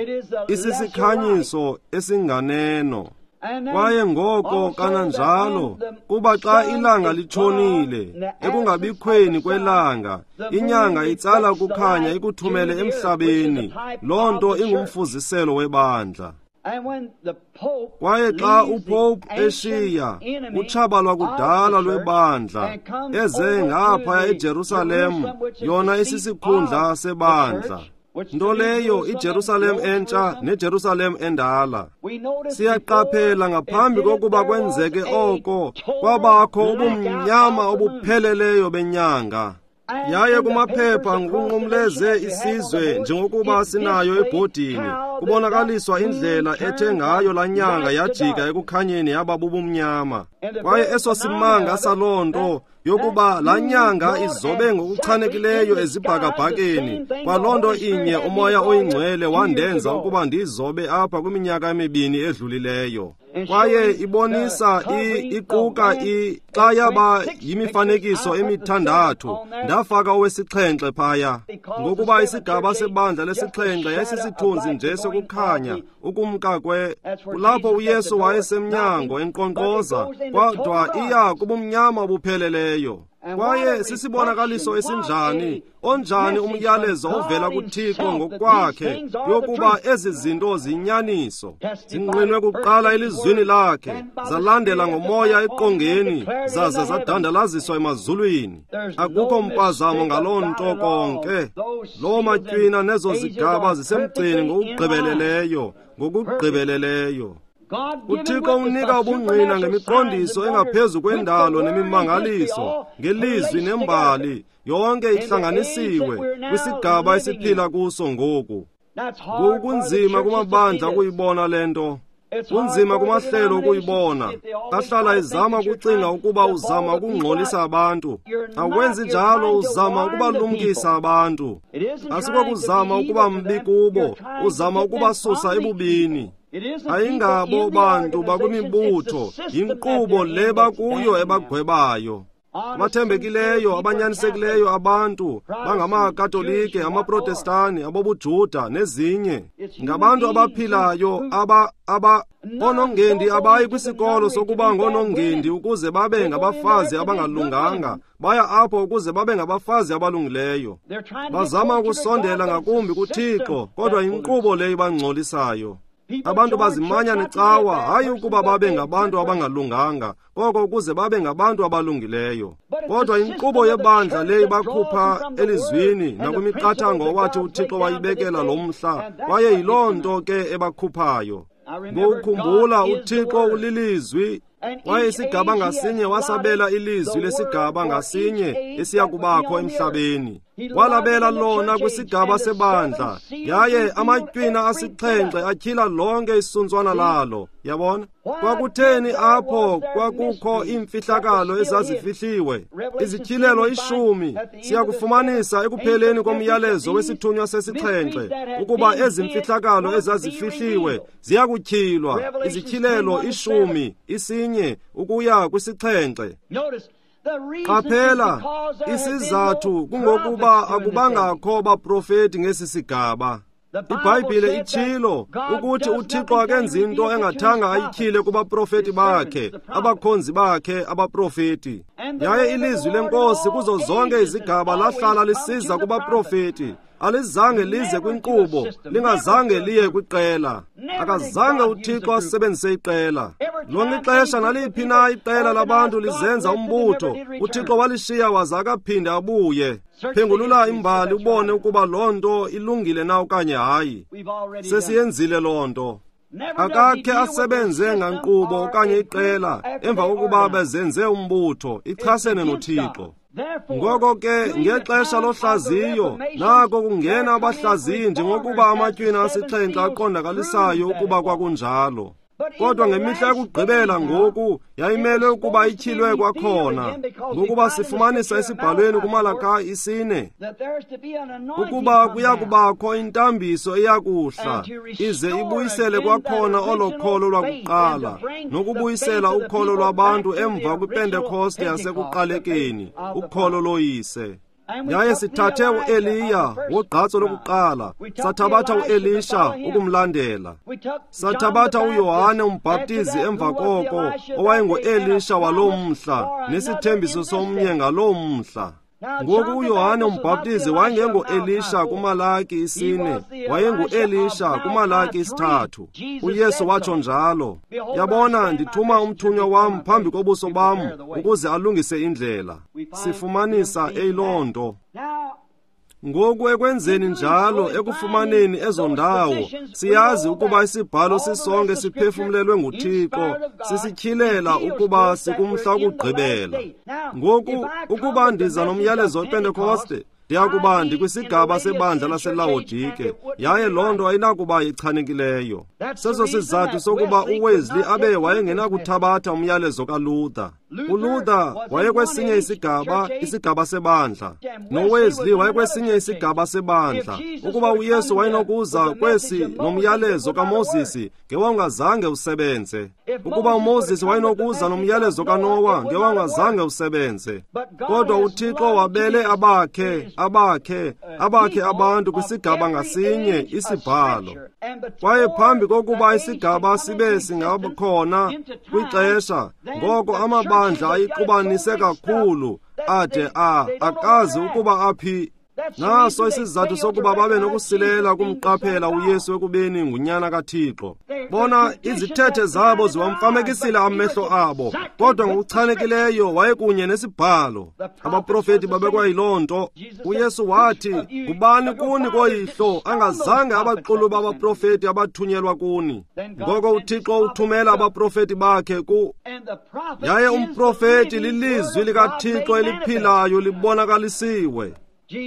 C: isisikhanyiso esinganeno. Kwaye ngoko kananjalo, kuba xa ilanga litshonile, ekungabikhweni kwelanga, inyanga itsala ukukhanya ikuthumele emhlabeni. Loo nto ingumfuziselo webandla. Kwaye xa uPope eshiya utshaba lwakudala lwebandla, eze ngaphaya eJerusalem, yona isisikhundla sebandla, nto leyo iJerusalem entsha neJerusalem endala. Siyaqaphela ngaphambi kokuba kwenzeke oko, kwabakho ubumnyama obupheleleyo benyanga. Yaye kumaphepha ngokunqumleze isizwe njengokuba sinayo ebhodini, kubonakaliswa indlela ethe ngayo laa nyanga yajika ekukhanyeni yaba bubumnyama. Kwaye eso simanga saloo nto yokuba laa nyanga izobe ngokuchanekileyo ezibhakabhakeni, kwaloo nto inye uMoya oyiNgcwele wandenza ukuba ndiyizobe apha kwiminyaka emibini edlulileyo. Kwaye ibonisa iquka xa yaba yimifanekiso emithandathu, ndafaka owesixhenxe phaya, ngokuba isigaba sebandla lesixhenxe yayisisithunzi nje sokukhanya ukumka kwe. Kulapho uYesu wayesemnyango enkqonkqoza, kodwa iya kubumnyama obupheleleyo. Kwaye sisibonakaliso esinjani, onjani umyalezo ovela kuThixo ngokwakhe yokuba ezi zinto ziyinyaniso, zingqinwe kuqala elizwini lakhe, zalandela ngomoya eqongeni, zaze zadandalaziswa emazulwini. Akukho mpazamo ngaloo nto konke. Loo matywina nezo zigaba zisemgceni ngokugqibeleleyo, ngokugqibeleleyo. uThixo unika ubungqina ngemiqondiso engaphezu kwendalo nemimangaliso, ngelizwi nembali, yonke ihlanganisiwe kwisigaba esiphila kuso ngoku. Ngokunzima kumabandla ukuyibona le nto. Kunzima kumahlelo ukuyibona. Ahlala ezama ukucinga ukuba uzama ukungxolisa abantu. Awenzi njalo, uzama ukubalumkisa abantu. Asikokuzama ukuba mbi kubo, uzama ukubasusa ebubini. Ayingabo bantu bakwimibutho, yinkqubo le bakuyo ebagwebayo. Abathembekileyo, abanyanisekileyo abantu bangamaKatolike, amaProtestani, abobuJuda nezinye. Ngabantu abaphilayo aba oonongendi abayi kwisikolo sokuba ngoonongendi ukuze babe ngabafazi abangalunganga. Baya apho ukuze babe ngabafazi abalungileyo. Bazama ukusondela ngakumbi kuThixo, kodwa yinkqubo le ibangcolisayo. Abantu bazimanya necawa, hayi ukuba babe ngabantu abangalunganga, koko ukuze babe ngabantu abalungileyo. Kodwa inkqubo yebandla le ibakhupha elizwini nakwimiqathango owathi uThixo wayibekela lo mhla, kwaye yiloo nto ke ebakhuphayo. Ngokukhumbula, uThixo ulilizwi, kwaye isigaba ngasinye wasabela ilizwi lesigaba ngasinye esiya kubakho emhlabeni. Walabela lona kwisigaba sebandla, yaye amatywina asixhenxe atyhila lonke isuntswana lalo. Yabona? Kwakutheni apho kwakukho iimfihlakalo ezazifihliwe? Izityhilelo 10 siyakufumanisa ekupheleni komyalezo wesithunywa sesixhenxe ukuba ezi mfihlakalo ezazifihliwe ziyakutyhilwa. Izityhilelo 10, 1 ukuya kwisixhenxe. Qaphela, isizathu kungokuba akubangakho baprofeti ngesi sigaba. IBhayibhile itshilo ukuthi uThixo akenzi into engathanga ayityhile kubaprofeti bakhe, abakhonzi bakhe abaprofeti. Yaye ilizwi leNkosi kuzo zonke izigaba lahlala lisiza kubaprofeti. Alizange lize kwinkqubo, lingazange liye kwiqela. Akazange uThixo asebenzise iqela. Lonke ixesha naliphi na iqela labantu lizenza umbutho, uThixo walishiya waza akaphinda abuye. Phengulula imbali ubone ukuba loo nto ilungile na okanye hayi. Sesiyenzile loo nto. Akakhe asebenze ngankqubo okanye iqela emva kokuba bezenze umbutho, ichasene noThixo. Ngoko ke ngexesha lohlaziyo nako kungena abahlaziyi njengokuba amatywina asixhenxe aqondakalisayo ukuba kwakunjalo. Kodwa ngemihla yokugqibela ngoku yayimelwe ukuba ityhilwe kwakhona, ngokuba sifumanisa esibhalweni kuMalakayi 4 ukuba kuya kubakho intambiso eyakuhla ize ibuyisele kwakhona olo kholo lwakuqala, nokubuyisela ukholo lwabantu emva kwiPentekoste yasekuqalekeni, ukholo loyise. Yaye sithathe uEliya wogqatso lokuqala, sathabatha uElisha ukumlandela, sathabatha uYohane umbhaptizi emva koko, owayenguElisha waloo mhla, nesithembiso somnye ngaloo mhla. Ngoku uYohane umbhaptizi wayengenguElisha kuMalaki 4, wayenguElisha kuMalaki 3. uYesu watsho njalo. Yabona, ndithuma umthunywa wam phambi kobuso bam ukuze alungise indlela. Sifumanisa eyiloo nto. Ngoku ekwenzeni njalo, ekufumaneni ezo ndawo, siyazi ukuba isibhalo sisonke siphefumlelwe nguThixo, sisityhilela ukuba sikumhla wokugqibela. Ngoku ukuba ndiza nomyalezo wePentekoste, ndiyakuba ndikwisigaba sebandla laseLawodike, yaye loo nto ayinakuba ichanekileyo. Seso sizathu sokuba uWesley abe wayengenakuthabatha umyalezo kaLuther. uLuther wayekwesinye isigaba, isigaba sebandla, noWesley wayekwesinye isigaba sebandla. Ukuba uYesu wayenokuza kwesi nomyalezo kaMoses, ngewawungazange usebenze. Ukuba uMoses wayenokuza nomyalezo kaNowa, ngewawungazange usebenze. Kodwa uThixo wabele abakhe abantu kwisigaba ngasinye isibhalo. Kwaye phambi kokuba isigaba sibe singakhona kwixesha, ngoko amabandla ayiqubanise kakhulu ade akazi ukuba aphi. Naso isizathu sokuba babe nokusilela kumqaphela uYesu ekubeni ngunyana kaThixo. Bona, izithethe zabo ziwamfamekisile amehlo abo, kodwa ngokuchanekileyo wayekunye nesibhalo. Abaprofeti babekwayiloo nto. uYesu wathi, ngubani kuni koyihlo angazange abaxuluba abaprofeti abathunyelwa kuni? Ngoko uThixo uthumela abaprofeti bakhe ku. Yaye umprofeti lilizwi likaThixo eliphilayo libonakalisiwe.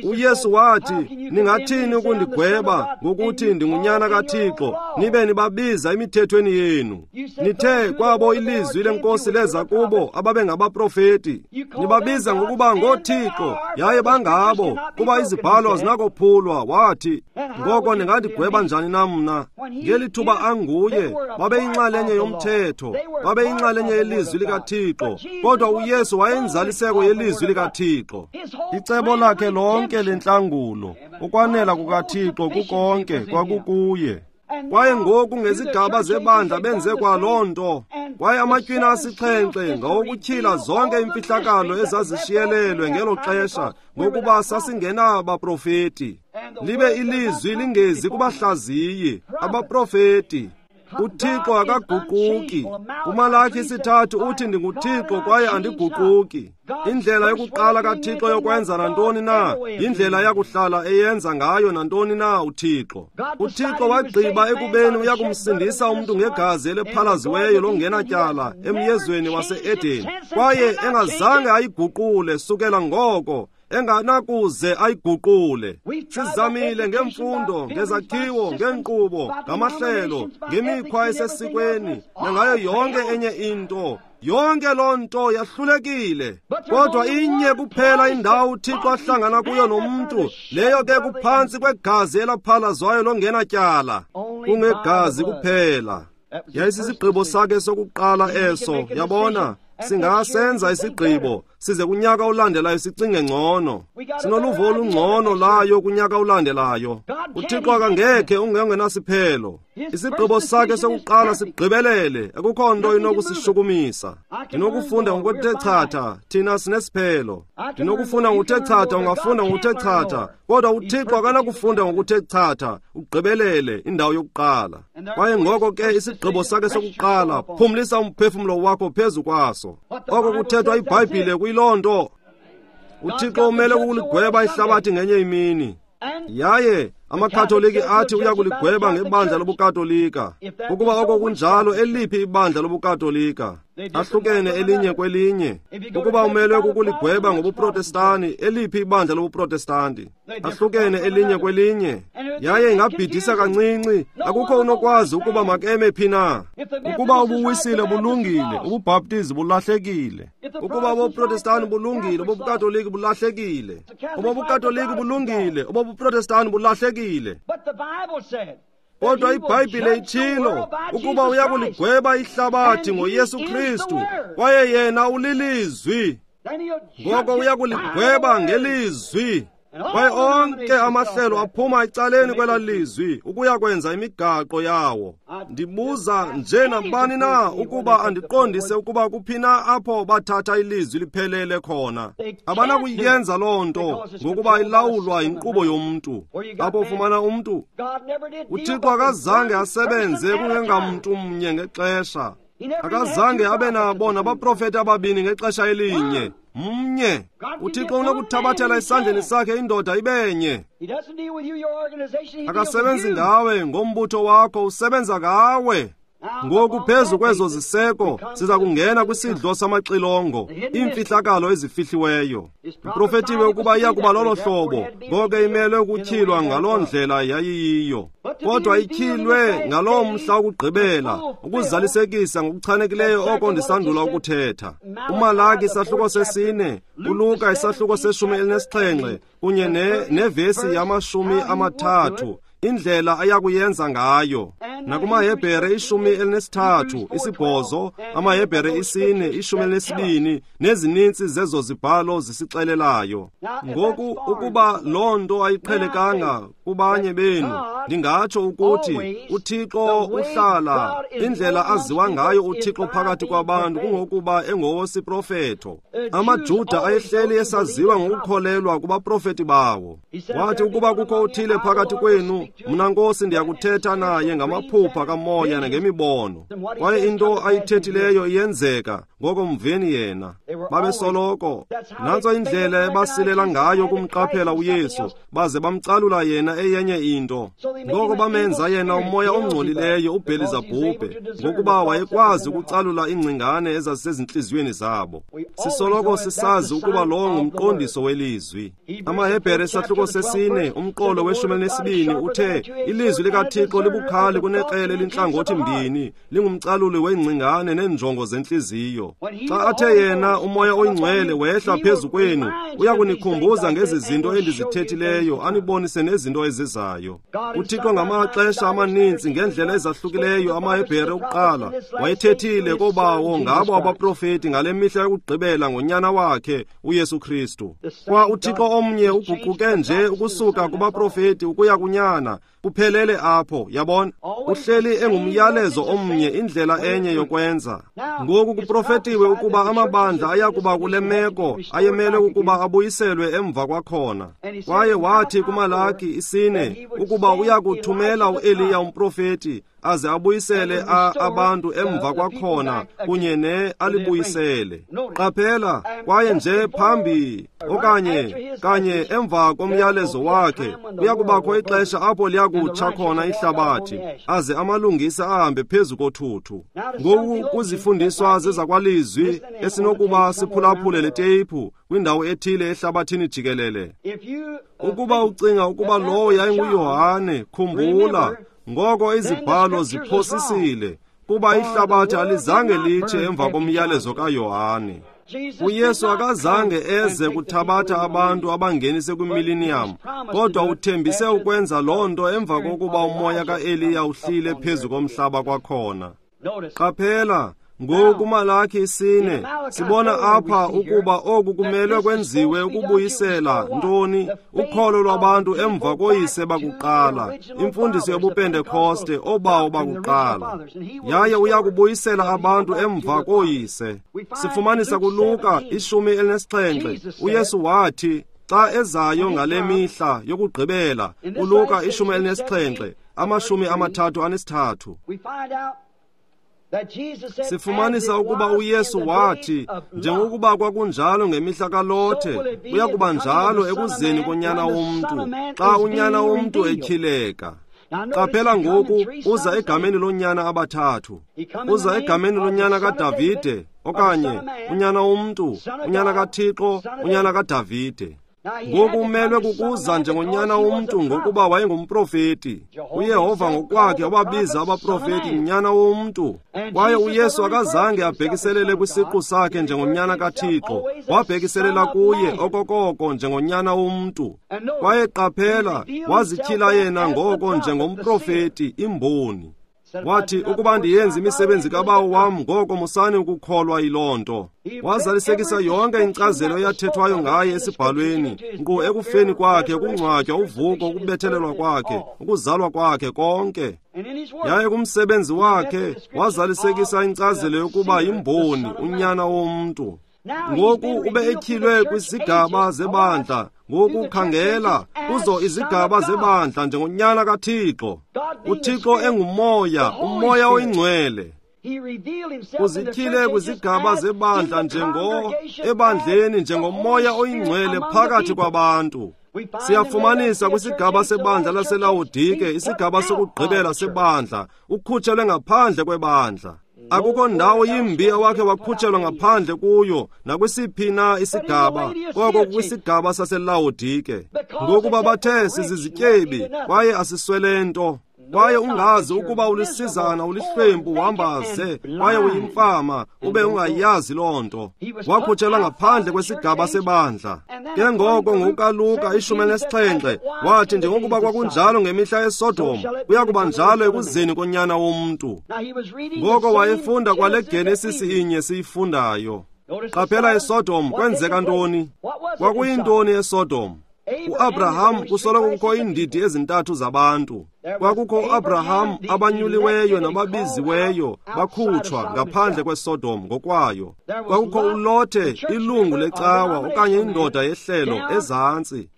C: uYesu wathi, ningathini ukundigweba ngokuthi ndingunyana kaThixo, nibe nibabiza emithethweni yenu? Nithe kwabo ilizwi leNkosi leza kubo ababengabaprofeti. Nibabiza ngokuba ngooThixo, yaye bangabo, kuba izibhalo azinakophulwa. Wathi, ngoko ningandigweba njani na mna? Ngeli thuba anguye, babeyinxalenye yomthetho, babeyinxalenye yelizwi likaThixo, kodwa uYesu wayenzaliseko yelizwi likaThixo. Icebo lakhe lonke lentlangulo, ukwanela kukaThixo kukonke kwakukuye. Kwaye ngoku ngezigaba zebandla benze kwaloo nto. Kwaye amatywina asixhenxe ngawokutyhila zonke imfihlakalo ezazishiyelelwe ngelo xesha, ngokuba sasingenabaprofeti. Libe ilizwi lingezi kubahlaziyi, abaprofeti. uThixo akaguquki. KuMalaki 3 uthi ndinguThixo kwaye andiguquki. Indlela yokuqala kaThixo yokwenza nantoni na, yindlela yakuhlala eyenza ngayo nantoni na uThixo. uThixo wagqiba ekubeni uyakumsindisa umntu ngegazi eliphalaziweyo longenatyala emyezweni wase-Edeni, kwaye engazange ayiguqule sukela ngoko, enganakuze ayiguqule. Sizamile ngemfundo, ngezakhiwo, ngeenkqubo, ngamahlelo, ngemikhwa esesikweni, nangayo yonke enye into. Yonke loo nto yahlulekile. Kodwa inye kuphela indawo uThixo ahlangana kuyo nomntu, leyo ke kuphantsi kwegazi elaphalazwayo longenatyala. Kungegazi kuphela. Yayisisigqibo sakhe sokuqala eso, yabona. Singasenza isigqibo, size kunyaka olandelayo sicinge ngcono. Sinoluvo olungcono layo kunyaka olandelayo. UThixo akangekhe ungengenasiphelo. Isigqibo sakhe sokuqala sigqibelele, akukho nto inokusishukumisa. Ndinokufunda ngokuthe chatha, thina sinesiphelo. Ndinokufunda ngokuthe chatha, ungafunda ngokuthe chatha, kodwa uThixo akanakufunda ngokuthe chatha, ugqibelele indawo yokuqala. Kwaye ngoko ke isigqibo sakhe sokuqala, phumlisa umphefumlo wakho phezu kwaso. Oko kuthethwa iBhayibhile kuyiloo nto. UThixo umele ukuligweba ihlabathi ngenye imini. Yaye amaKatoliki athi uya kuligweba ngebandla lobuKatolika. Ukuba oko kunjalo, eliphi ibandla lobuKatolika? Ahlukene elinye kwelinye. Ukuba umelwe kukuligweba ngobuProtestani, eliphi ibandla lobuProtestanti? Ahlukene elinye kwelinye. Yaye ingabhidisa kancinci, akukho unokwazi ukuba makeme phi na. Ukuba ubuwisile bulungile, ubuBhaptizi bulahlekile. Ukuba ubuProtestani bulungile, ubuKatoliki bulahlekile. UbuKatoliki bulungile, ubuProtestani bulahlekile. Kodwa iBhayibhile itshilo ukuba uya kuligweba ihlabathi ngoYesu Kristu, kwaye yena ulilizwi. Ngoko uya kuligweba ngelizwi. Kwaye onke amahlelo aphuma ecaleni kwela lizwi ukuya kwenza imigaqo yawo. Ndibuza nje nabani na ukuba andiqondise ukuba kuphi na apho bathatha ilizwi liphelele khona. Abanakuyenza loo nto ngokuba ilawulwa yinkqubo yomntu. Apho ufumana umntu, uThixo akazange asebenze kungengamntu mnye ngexesha. Akazange abe nabo nabaprofeti ababini ngexesha elinye. Mnye. UThixo unokuthabathela esandleni sakhe indoda ibenye. Akasebenzi ngawe ngombutho wakho, usebenza ngawe. Ngoku phezu kwezo ziseko siza kungena kwisidlo samaxilongo, iimfihlakalo ezifihliweyo. Iprofetiwe ukuba iya kuba lolo hlobo, ngoko imelwe ukutyhilwa ngaloo ndlela yayiyiyo. Kodwa ityhilwe ngaloo mhla wokugqibela, ukuzalisekisa ngokuchanekileyo oko ndisandula ukuthetha. UMalaki isahluko 4, uLuka isahluko 17 kunye nevesi 30. Indlela ayakuyenza ngayo. NakumaHebhere 13, 8, amaHebhere 4, 12, nezininzi zezo zibhalo zisixelelayo. Ngoku ukuba loo nto ayiqhelekanga kubanye benu, ndingatsho ukuthi uThixo uhlala indlela aziwa ngayo uThixo phakathi kwabantu kungokuba engowesiprofeto. AmaJuda ayehleli esaziwa ngokukholelwa kubaprofeti bawo. Wathi ukuba kukho uthile phakathi kwenu, mna Nkosi ndiyakuthetha naye ngamaphupha kamoya nangemibono. Kwaye into ayithethileyo iyenzeka, ngoko mveni yena. Babesoloko. Nantso indlela ebasilela ngayo kumqaphela uYesu, baze bamcalula yena eyenye into. Ngoko bamenza yena umoya ongcolileyo uBhelizabhubhe, ngokuba wayekwazi ukucalula iingcingane ezazisezintliziyweni zabo. Sisoloko sisazi ukuba lowo ngumqondiso welizwi. AmaHebhere isahluko 4, umqolo we-12 uthe ilizwi likaThixo libukhali kunekrele elintlangothi mbini, lingumcaluli weengcingane neenjongo zentliziyo. Xa athe yena umoya oyingcwele wehla phezu kwenu, uya kunikhumbuza ngezi zinto endizithethileyo, anibonise nezinto ezizayo. UThixo ngamaxesha amaninzi ngendlela ezahlukileyo amaHebhere okuqala wayethethile kobawo ngabo abaprofeti ngale mihla yokugqibela ngonyana wakhe uYesu Kristu. Kwa uThixo omnye uguquke nje ukusuka kubaprofeti ukuya kunyana, kuphelele apho, yabona. Uhleli engumyalezo omnye, indlela enye yokwenza. Ngoku kuprofetiwe ukuba amabandla ayakuba kule meko ayemele ukuba abuyiselwe emva kwakhona. Kwaye wathi kuMalaki 4 ukuba uyakuthumela uEliya umprofeti aze abuyisele abantu emva kwakhona kunye ne alibuyisele. Qaphela, kwaye nje phambi okanye kanye emva komyalezo wakhe kuyakubakho ixesha apho liyakutsha khona ihlabathi, aze amalungisa ahambe phezu kothuthu. Ngoku kuzifundiswa zezakwalizwi esinokuba siphulaphule le teyiphu kwindawo ethile ehlabathini jikelele. Ukuba ucinga ukuba lowo yayinguYohane, khumbula, ngoko izibhalo ziphosisile, kuba ihlabathi alizange litshe emva komyalezo kaYohane. uYesu akazange eze kuthabatha abantu abangenise kwimiliniyam, kodwa uthembise ukwenza loo nto emva kokuba umoya kaEliya uhlile phezu komhlaba kwakhona. Qaphela, Ngoku Malaki 4 sibona apha ukuba oku kumelwe kwenziwe ukubuyisela ntoni ukholo lwabantu emva koyise bakuqala, imfundiso yobuPentekoste, obawo bakuqala. Yaye uya kubuyisela abantu emva koyise. Sifumanisa kuLuka 17 uYesu wathi xa ezayo ngale mihla yokugqibela, uLuka 17 33. Sifumanisa ukuba uYesu wathi njengokuba kwakunjalo ngemihla kaLothe, kuya kuba njalo ekuzeni koNyana womntu, xa uNyana womntu etyhileka. Qaphela ngoku uza egameni lonyana abathathu. Uza egameni lonyana kaDavide, okanye unyana womntu, unyana kaThixo, unyana kaDavide. Ngoku umelwe kukuza njengonyana womntu ngokuba wayengumprofeti. uYehova ngokwakhe wababiza abaprofeti nyana womntu. Kwaye uYesu akazange abhekiselele kwisiqu sakhe njengonyana kaThixo, wabhekiselela kuye okokoko njengonyana womntu. Kwaye qaphela, wazityhila yena ngoko njengomprofeti, imboni. Wathi, ukuba ndiyenze imisebenzi kaBawo wam, ngoko musani ukukholwa yiloo nto. Wazalisekisa yonke inkcazelo eyathethwayo ngaye esibhalweni, nkqu ekufeni kwakhe, ukungcwatywa, uvuko, ukubethelelwa kwakhe, ukuzalwa kwakhe, konke. Yaye kumsebenzi wakhe wazalisekisa inkcazelo yokuba yimboni, unyana womntu. Ngoku ube etyhilwe kwizigaba zebandla. Ngoku khangela kuzo izigaba zebandla njengonyana kaThixo. uThixo engumoya, umoya oyingcwele. Uzityhile kwizigaba zebandla ebandleni njengomoya oyingcwele phakathi kwabantu. Siyafumanisa kwisigaba sebandla laseLawodike, isigaba sokugqibela sebandla, ukhutshelwe ngaphandle kwebandla. Akukho ndawo yimbi awakhe wakhutshelwa ngaphandle kuyo nakwisiphi na isigaba, koko kwisigaba saseLawodike. Ngokuba bathe sizizityebi kwaye asiswele nto, kwaye ungazi ukuba ulisizana, ulihlwempu, uhambaze, kwaye uyimfama, ube ungayazi loo nto. Wakhutshelwa ngaphandle kwesigaba sebandla. Ke ngoko ngokukaLuka 17 wathi njengokuba kwakunjalo ngemihla yeSodom, kuya kuba njalo ekuzeni koNyana womntu. Ngoko wayefunda kwale Genesis inye siyifundayo. Qaphela eSodom kwenzeka ntoni? Kwakuyintoni eSodom? uAbraham, kusoloko kukho iindidi ezintathu zabantu. Kwakukho uAbraham, abanyuliweyo nababiziweyo bakhutshwa ngaphandle kweSodom ngokwayo. Kwakukho uLothe, ilungu lecawa okanye indoda yehlelo ezantsi.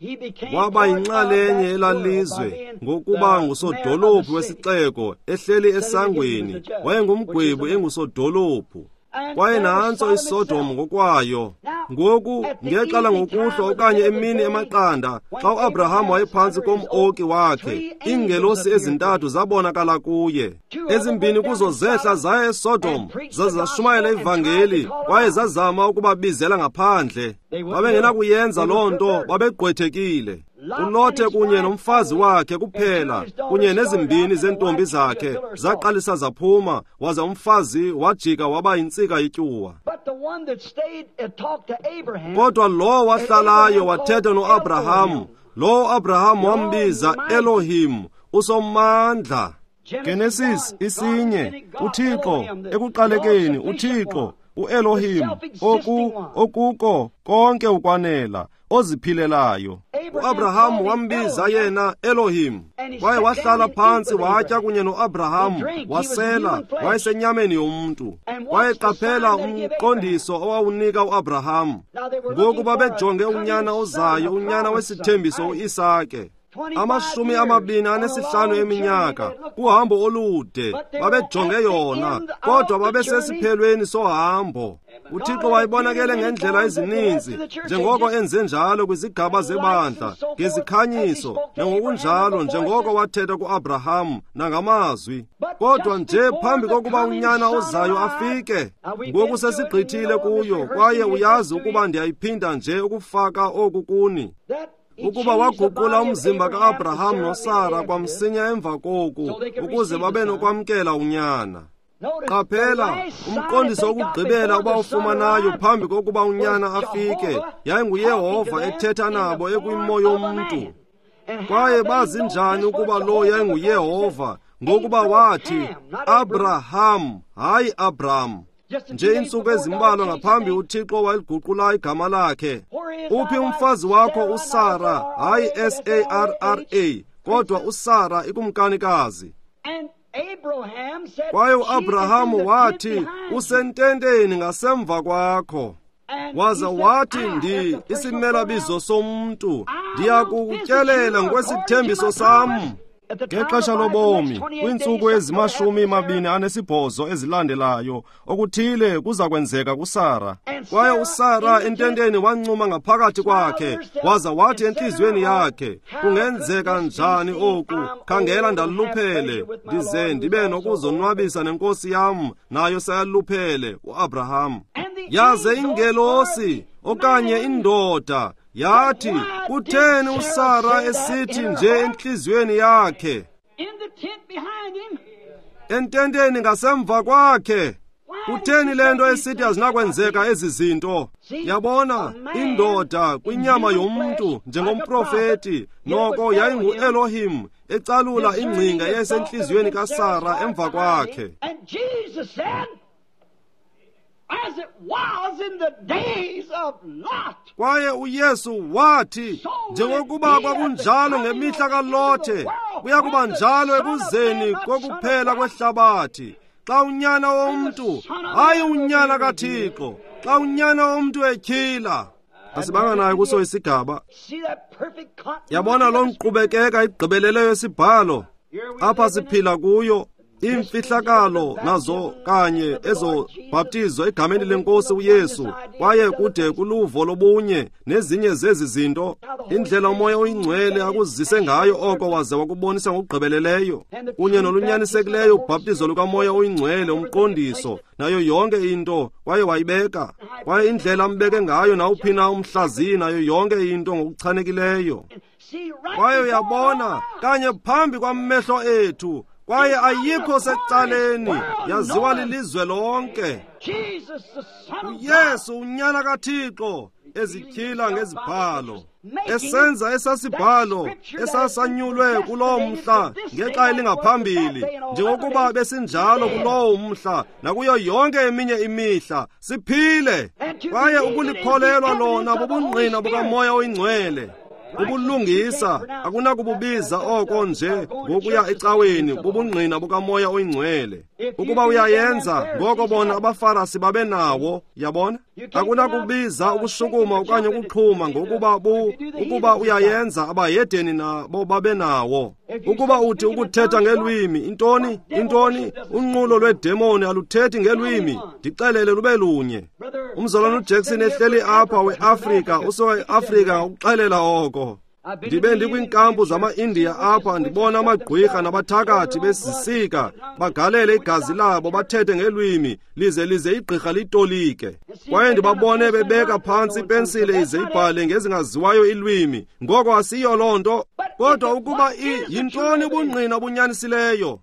C: Waba yinxalenye elalizwe ngokuba ngusodolophu wesixeko, ehleli esangweni. Wayengumgwebu engusodolophu. Kwaye nantso iSodom ngokwayo. Ngoku ngexa langokuhlwa okanye emini emaqanda, xa uAbraham wayephantsi kom-oki wakhe, iingelosi ezintathu zabonakala kuye. Ezimbini kuzo zehla zaya eSodom, zaze zashumayela ivangeli, kwaye zazama ukubabizela ngaphandle. Babengenakuyenza loo nto, babegqwethekile. uLothe kunye nomfazi wakhe kuphela, kunye nezimbini zeentombi zakhe, zaqalisa zaphuma, waza umfazi wajika waba yintsika yetyuwa. Kodwa lo wahlalayo wathetha noAbraham, lo Abraham wambiza Elohim, uSomandla. Genesis 1, uThixo ekuqalekeni, uThixo uElohim, okuko konke ukwanela, oziphilelayo. uAbraham wambiza yena Elohim, kwaye wahlala phantsi watya kunye noAbraham, wasela, wayesenyameni yomntu. Kwaye qaphela umqondiso owawunika uAbraham. Ngoku babejonge unyana ozayo, unyana wesithembiso uIsake. 25 eminyaka kuhambo olude babejonge yona, kodwa babesesiphelweni sohambo. uThixo wayebonakele ngendlela ezininzi, njengoko enze njalo kwizigaba zebandla, ngezikhanyiso nangokunjalo, njengoko wathetha kuAbraham nangamazwi. Kodwa nje phambi kokuba unyana ozayo afike, ngoku sesigqithile kuyo, kwaye uyazi ukuba ndiyayiphinda nje ukufaka oku kuni, ukuba waguqula umzimba ka-Abraham noSara kwamsinya emva koku, ukuze babe nokwamkela unyana. Qaphela, umqondiso wokugqibela abawufumanayo phambi kokuba unyana afike, yayinguYehova ethetha nabo ekwimo yomntu. Kwaye bazi njani ukuba lo yayinguYehova? Ngokuba wathi, Abraham, hayi Abraham. Nje iintsuku ezimbalwa ngaphambi uThixo waliguqula igama lakhe. Uphi umfazi wakho uSara? Hayi S-A-R-R-A, kodwa uSara ikumkanikazi. Kwaye uAbrahamu wathi, usententeni ngasemva kwakho. Waza wathi, ndi isimelabizo somntu, ndiyakutyelela ngokwesithembiso sam. Ngexesha lobomi, kwiintsuku ezi-28 ezilandelayo, okuthile kuza kwenzeka kuSara. Kwaye uSara ententeni wancuma ngaphakathi kwakhe, waza wathi entliziyweni yakhe, kungenzeka njani oku? Khangela, ndaluphele, ndize ndibe nokuzonwabisa nenkosi yam, nayo seyaluphele, uAbraham. Yaze ingelosi okanye indoda yathi, kutheni uSara esithi nje entliziyweni yakhe, ententeni ngasemva kwakhe? Kutheni le nto esithi azinakwenzeka ezi zinto? Yabona, indoda kwinyama yomntu njengomprofeti, noko yayinguElohim ecalula ingcinga eyayisentliziyweni kaSara emva kwakhe. Kwaye uYesu wathi, njengokuba kwakunjalo ngemihla kaLothe, kuya kuba njalo ekuzeni kokuphela kwehlabathi. Xa unyana womntu, hayi unyana kaThixo, xa unyana womntu etyhila. Asibanga nayo kuso isigaba. Yabona loo nkqubekeka igqibeleleyo esibhalo apha siphila kuyo. Iimfihlakalo nazo kanye ezobhaptizo egameni lenkosi uYesu, kwaye kude kuluvo lobunye nezinye zezi zinto, indlela uMoya oyiNgcwele akuzise ngayo oko waze wakubonisa ngokugqibeleleyo, kunye nolunyanisekileyo ubhaptizo lukaMoya oyiNgcwele, umqondiso, nayo yonke into, kwaye wayibeka. Kwaye indlela ambeke ngayo nawuphi na umhlaziyi nayo yonke into ngokuchanekileyo. Kwaye uyabona kanye phambi kwamehlo ethu, kwaye ayikho secaleni, yaziwa lilizwe lonke. uYesu unyana kaThixo ezityhila ngezibhalo, esenza esasibhalo esasanyulwe kulowo mhla ngexa elingaphambili, njengokuba besinjalo kulowo mhla nakuyo yonke eminye imihla, siphile. Kwaye ukulikholelwa lona bubungqina bukaMoya oyiNgcwele. Ubulungisa akunakububiza oko nje ngokuya ecaweni, bubungqina bukaMoya oyiNgcwele. Ukuba uyayenza, ngoko bona abaFarisi babenawo, yabona? Akunakubiza ukushukuma okanye ukuxhuma ngokuba ukuba uyayenza, abahedeni nabo babenawo. Ukuba uthi ukuthetha ngelwimi, intoni? Intoni? Unqulo lwedemoni aluthethi ngelwimi, ndixelele lube lunye. Umzalwana uJackson ehleli apha weAfrika, usuka eAfrika ukuxelela oko. Ndibe ndikwinkampu zama-Indiya apha, ndibona amagqwirha nabathakathi besisika, bagalele igazi labo, bathethe ngelwimi, lize igqirha litolike. Kwaye ndibabone bebeka phantsi ipensile ize ibhale ngezingaziwayo ilwimi. Ngoko asiyo loo nto. Kodwa ukuba yintoni ubungqina obunyanisileyo?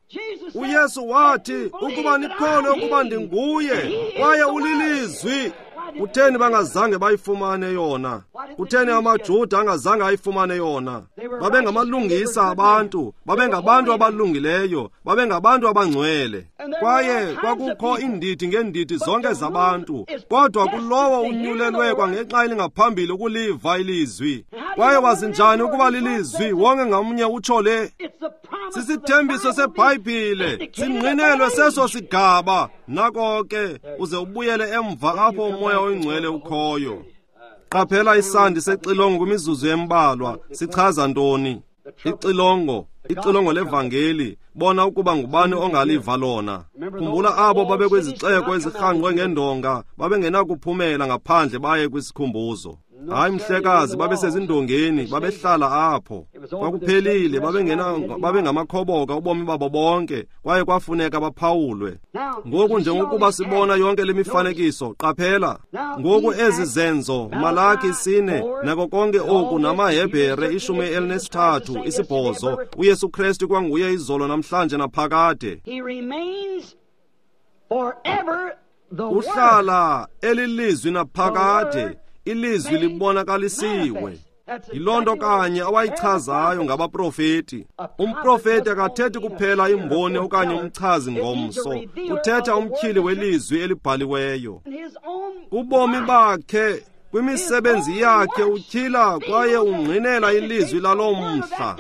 C: uYesu wathi, ukuba nikholwe ukuba ndinguye, kwaye ulilizwi. Kutheni bangazange bayifumane yona? Kutheni amaJuda angazange ayifumane yona? Babengamalungisa abantu, babengabantu abalungileyo, babengabantu abangcwele. Kwaye kwakukho iindidi ngeendidi zonke zabantu, kodwa kulowo unyulelwe kwangexa elingaphambili ukuliva ilizwi. Kwaye wazi njani ukuba lilizwi? Wonke ngamnye utsho le. Sisithembiso seBhayibhile, singqinelwe seso sigaba. Nako ke, uze ubuyele emva apho uMoya oyiNgcwele ukhoyo. Qaphela isandi sexilongo kwimizuzu embalwa. Sichaza ntoni? Ixilongo, ixilongo levangeli. Bona ukuba ngubani ongaliva lona. Khumbula abo babekwizixeko ezirhangqwe ngendonga, babengenakuphumela ngaphandle baye kwisikhumbuzo. Hayi mhlekazi, babesezindongeni, babehlala apho. Kwakuphelile, babengamakhoboka ubomi babo bonke, kwaye kwafuneka baphawulwe. Ngoku njengokuba sibona yonke le mifanekiso, qaphela. Ngoku ezi zenzo, Malaki 4, nako konke oku, namaHebhere 13, 8, uYesu Kristu kwanguye izolo namhlanje naphakade. Uhlala elilizwi naphakade. Ilizwi libonakalisiwe. Yiloo nto kanye awayichazayo ngabaprofeti. Umprofeti akathethi kuphela imboni okanye umchazi ngomso, uthetha umtyhili welizwi elibhaliweyo. Kubomi bakhe, kwimisebenzi yakhe, utyhila kwaye ungqinela ilizwi laloo mhla.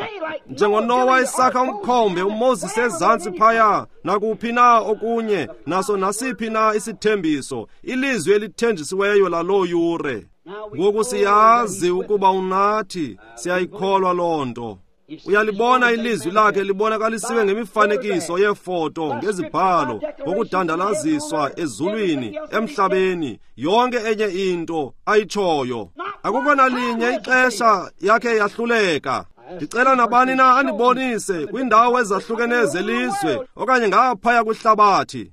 C: NjengoNowa esakha umkhombe, uMoses ezantsi phaya, nakuphi na okunye, naso nasiphi na isithembiso, ilizwi elithenjisiweyo laloo yure. Ngoku siyazi ukuba unathi, siyayikholwa loo nto. Uyalibona ilizwi lakhe libonakalisiwe ngemifanekiso yeefoto, ngezibhalo, ngokudandalaziswa ezulwini, emhlabeni, yonke enye into ayitshoyo. Akukho nalinye ixesha yakhe yahluleka. Ndicela nabani na andibonise kwiindawo ezahlukeneyo zelizwe okanye ngaphaya kwihlabathi.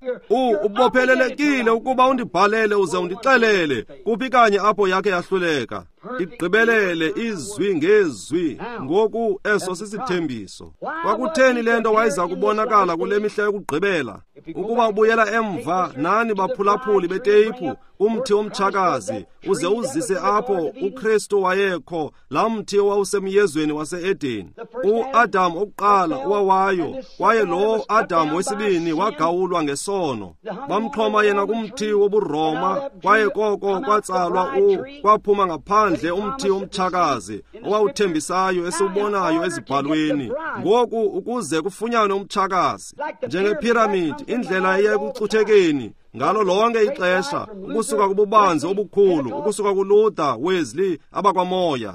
C: Ubophelelekile ukuba undibhalele uze undixelele kuphi kanye apho yakhe yahluleka. Igqibelele izwi ngezwi. Ngoku eso sisithembiso. Kwakutheni le nto wayeza kubonakala kule mihla yokugqibela? Ukuba ubuyela emva nani baphulaphuli beteyiphu, umthi womtshakazi uze uzise apho uKristu wayekho, laa mthi owawusemyezweni wase-Edeni. UAdam okuqala owawayo, kwaye lo Adam wesibini wagawulwa ngesono. Bamxhoma yena kumthi wobuRoma, kwaye koko kwatsalwa kwaphuma ngaphandle umthi womtshakazi owawuthembisayo esiwubonayo ezibhalweni. Ngoku ukuze kufunyanwe umtshakazi, njengephiramidi, indlela eya ekucuthekeni ngalo lonke ixesha, ukusuka kububanzi obukhulu, ukusuka kuLuther, Wesley, abakwamoya,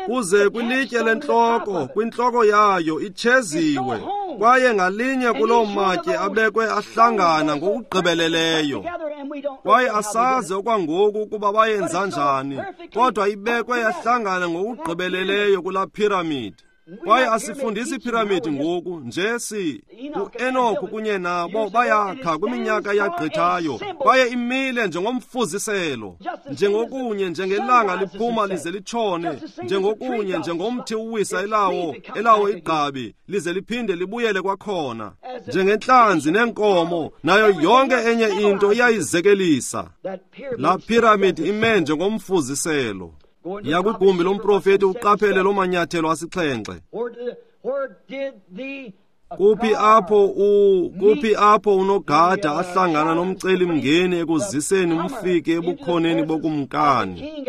C: kuze kwilitye lentloko, kwintloko yayo itsheziwe, kwaye ngalinye kuloo matye abekwe ahlangana ngokugqibeleleyo. Kwaye asazi okwangoku ukuba bayenza njani, kodwa ibekwe yahlangana ngokugqibeleleyo kulaa phiramidi. Kwaye asifundisi iphiramidi ngoku nje, si uEnoku kunye nabo bayakha kwiminyaka eyagqithayo, kwaye imile njengomfuziselo, njengokunye njengelanga liphuma lize litshone, njengokunye njengomthi uwisa elawo igqabi lize liphinde libuyele kwakhona, njengentlanzi neenkomo nayo yonke enye into iyayizekelisa. Laa phiramidi ime njengomfuziselo. Yiya kwigumbi lomprofeti uqaphele loo manyathelo asixhenxe. Kuphi apho unogada ahlangana nomcelimngeni ekuziseni umfiki ebukhoneni bokumkani?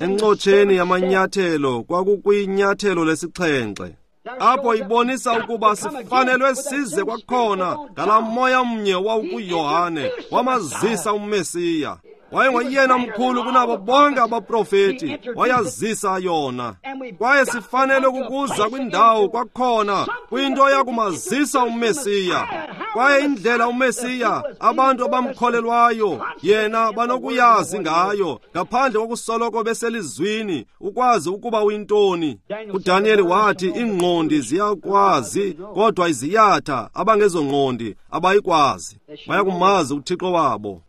C: Encotsheni yamanyathelo kwakukwinyathelo lesixhenxe. Apho ibonisa ukuba sifanelwe size kwakhona ngalaa moya mnye wawukuYohane wamazisa uMesiya. Wayengoyena mkhulu kunabo bonke abaprofeti, wayazisa yona. Kwaye sifanele ukuza kwindawo kwakhona, kwinto yakumazisa uMesiya. Kwaye indlela uMesiya abantu abamkholelwayo yena banokuyazi ngayo, ngaphandle kokusoloko beselizwini, ukwazi ukuba uyintoni. UDaniyeli wathi iingqondi ziyakwazi, kodwa iziyatha abangezongqondi abayikwazi. Bayakumazi uThixo wabo.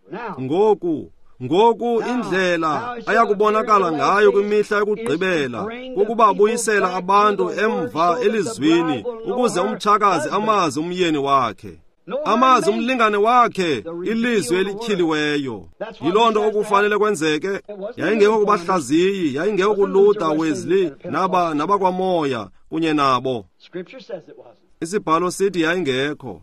C: Ngoku indlela ayakubonakala ngayo kwimihla yokugqibela kukuba abuyisela abantu emva elizwini, ukuze umtshakazi amazi umyeni wakhe, amazi umlingane wakhe, ilizwi elityhiliweyo. Yiloo nto okufanele kwenzeke. Yayingekho kubahlaziyi, yayingekho kuLuther, Wesley, nabakwamoya kunye nabo. Isibhalo sithi yayingekho,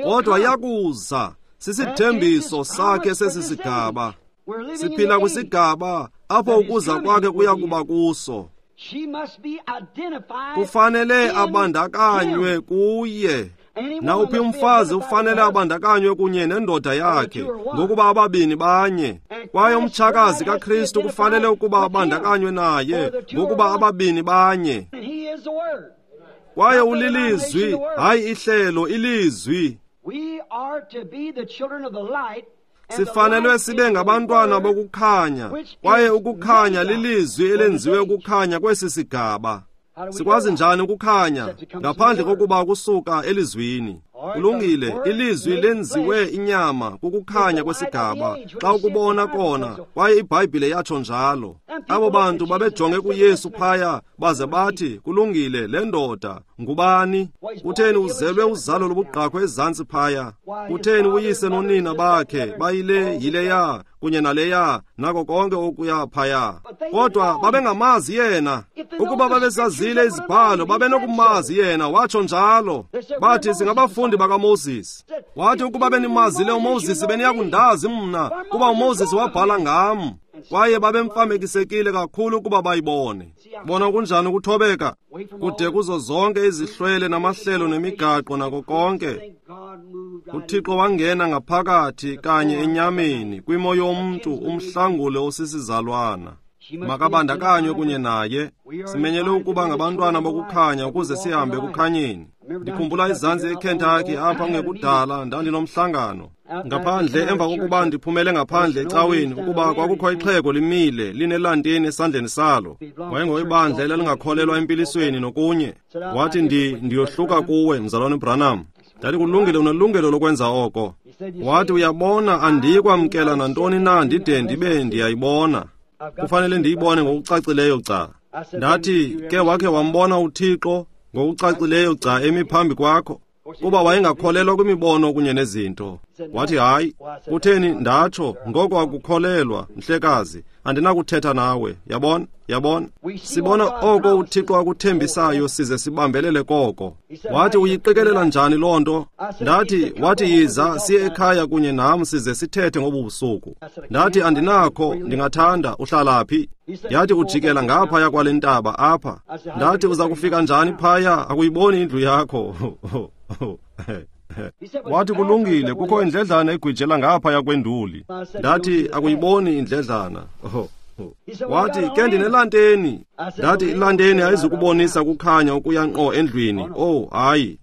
C: kodwa yakuza. Sisithembiso sakhe sesi sigaba. Siphila kwisigaba apho ukuza kwakhe kuya kuba kuso. Kufanele abandakanywe kuye. Nawuphi umfazi ufanele abandakanywe kunye nendoda yakhe, ngokuba ababini banye. Kwaye umtshakazi kaKristu kufanele ukuba abandakanywe naye, ngokuba ababini banye. Kwaye ulilizwi, hayi ihlelo, ilizwi. Sifanelwe sibe ngabantwana bokukhanya, kwaye ukukhanya lilizwi elenziwe ukukhanya kwesi sigaba. Sikwazi njani ukukhanya ngaphandle kokuba kusuka elizwini? Kulungile, ilizwi lenziwe inyama kukukhanya kwesigaba. Xa ukubona kona, kwaye iBhayibhile yatsho njalo. Abo bantu babejonge kuYesu phaya baze bathi, kulungile, le ndoda ngubani? Kutheni uzelwe uzalo lobugqakho ezantsi phaya? Kutheni uyise nonina bakhe bayile yileya kunye naleya nako konke okuya phaya? Kodwa babengamazi yena. Ukuba babesazile izibhalo, babenokumazi yena. Watsho njalo. Bathi, singabafundi bakaMoses. Wathi, ukuba benimazile uMoses, beniyakundazi mna, kuba uMoses wabhala ngam. Kwaye babemfamekisekile kakhulu ukuba bayibone. Bona kunjani ukuthobeka kude kuzo zonke izihlwele namahlelo nemigaqo nako konke. UThixo wangena ngaphakathi kanye enyameni kwimo yomntu, umhlangule osisizalwana. Makabandakanywe kunye naye. Simenyelwe ukuba ngabantwana bokukhanya ukuze sihambe ekukhanyeni. Ndikhumbula izantsi eKentucky apha kungekudala, ndandinomhlangano ngaphandle emva kokuba ndiphumele ngaphandle ecaweni, ukuba kwakukho ixhego limile linelanteni esandleni salo. Wayengowebandla elalingakholelwa empilisweni nokunye. Wathi, ndiyohluka kuwe, mzalwane Branham. Ndathi, kulungile, unelungelo lokwenza oko. Wathi, uyabona, andiyikwamkela nantoni na ndide ndibe ndiyayibona. Kufanele ndiyibone ngokucacileyo gca. Ndathi, ke wakhe wambona uThixo ngokucacileyo gca emi phambi kwakho? Kuba wayengakholelwa kwimibono kunye nezinto. Wathi, hayi. Kutheni, ndatsho, ngoko akukholelwa, mhlekazi, andinakuthetha nawe. Yabona? Yabona? Sibona oko uThixo akuthembisayo size sibambelele koko. Wathi, uyiqikelela njani loo nto? Ndathi, wathi, yiza siye ekhaya kunye nam size sithethe ngobu busuku. Ndathi, andinakho, ndingathanda. Uhlala phi? Yathi, ujikela ngaphaya kwale ntaba apha. Ndathi, uza kufika njani phaya? Akuyiboni indlu yakho. Wathi, kulungile, kukho indledlana egwijela ngaphaya kwenduli. Ndathi, akuyiboni indledlana. Wathi, ke ndinelanteni. Ndathi, ilanteni ayizukubonisa kukhanya ukuya ngqo endlwini. Oh, hayi.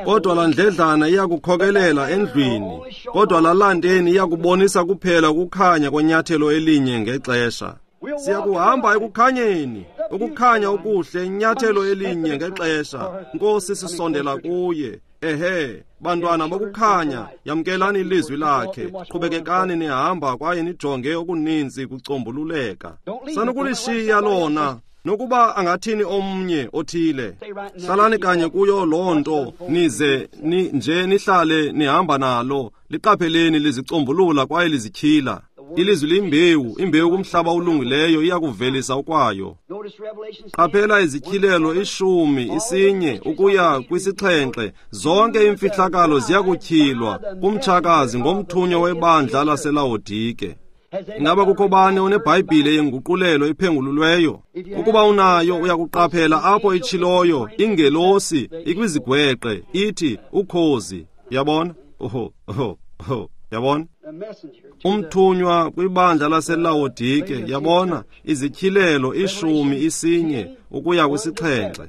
C: Kodwa laa ndledlana iyakukhokelela endlwini. Kodwa laa lanteni iyakubonisa kuphela ukukhanya kwenyathelo elinye ngexesha. Siyakuhamba ekukhanyeni, ukukhanya okuhle, inyathelo elinye ngexesha. Nkosi, sisondela kuye. Ehe, bantwana bokukhanya, yamkelani ilizwi lakhe. Qhubekekani nihamba kwaye nijonge okuninzi kucombululeka. Sanukulishiya lona, nokuba angathini omnye othile. Hlalani kanye kuyo loo nto, nize nje nihlale nihamba nalo. Liqapheleni lizicombulula kwaye lizityhila. Ilizwi liyimbewu, imbewu kumhlaba olungileyo iyakuvelisa okwayo. Qaphela izityhilelo 10, 1 ukuya kwi-7, zonke iimfihlakalo ziyakutyhilwa kumtshakazi ngomthunywa webandla laseLawodike. Ingaba kukho bani oneBhayibhile yenguqulelo ephengululweyo? Ukuba unayo, uyakuqaphela apho itshiloyo ingelosi ikwizigweqe ithi ukhozi. Yabona? Oho, oho, oho. Yabona? Umthunywa kwibandla laseLawodike, yabona, izityhilelo 10, 1 ukuya kwi-7.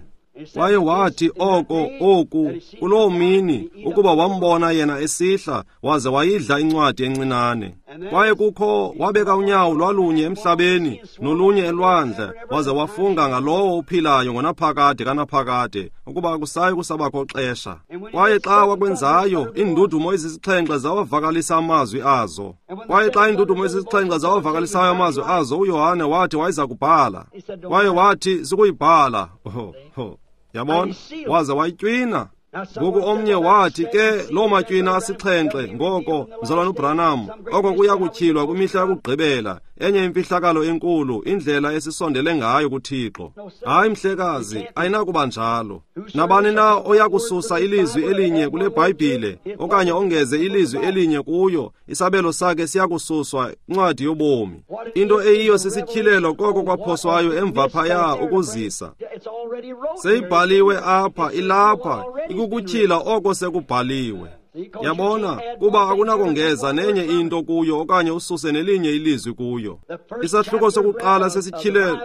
C: Kwaye wathi oko oku kuloo mini ukuba wambona yena esihla waze wayidla incwadi encinane. Kwaye kukho wabeka unyawo lwalunye emhlabeni nolunye elwandle, waze wafunga ngalowo uphilayo ngonaphakade kanaphakade ukuba akusayi kusabakho xesha. Kwaye xa wakwenzayo, iindudumo ezisixhenxe zawavakalisa amazwi azo. Kwaye xa iindudumo ezisixhenxe zawavakalisayo amazwi azo, uYohane wathi wayeza kubhala. Kwaye wathi sukuyibhala. Yabona? Waze wayitywina. Ngoku omnye wathi, ke loo matywina asixhenxe, ngoko mzalwana uBranham, oko kuya kutyhilwa kwimihla yokugqibela, enye imfihlakalo enkulu, indlela esisondele ngayo kuThixo. Hayi, mhlekazi, ayinakuba njalo. Nabani na oya kususa ilizwi elinye kule Bhayibhile okanye ongeze ilizwi elinye kuyo, isabelo sakhe siyakususwa incwadi yobomi. Into eyiyo sisityhilelo koko kwaphoswayo emva phaya ukuzisa. Seyibhaliwe apha, ilapha, ikukutyhila oko sekubhaliwe. Yabona, kuba akunakongeza nenye into kuyo okanye ususe nelinye ilizwi kuyo. Isahluko sokuqala sesityhilelo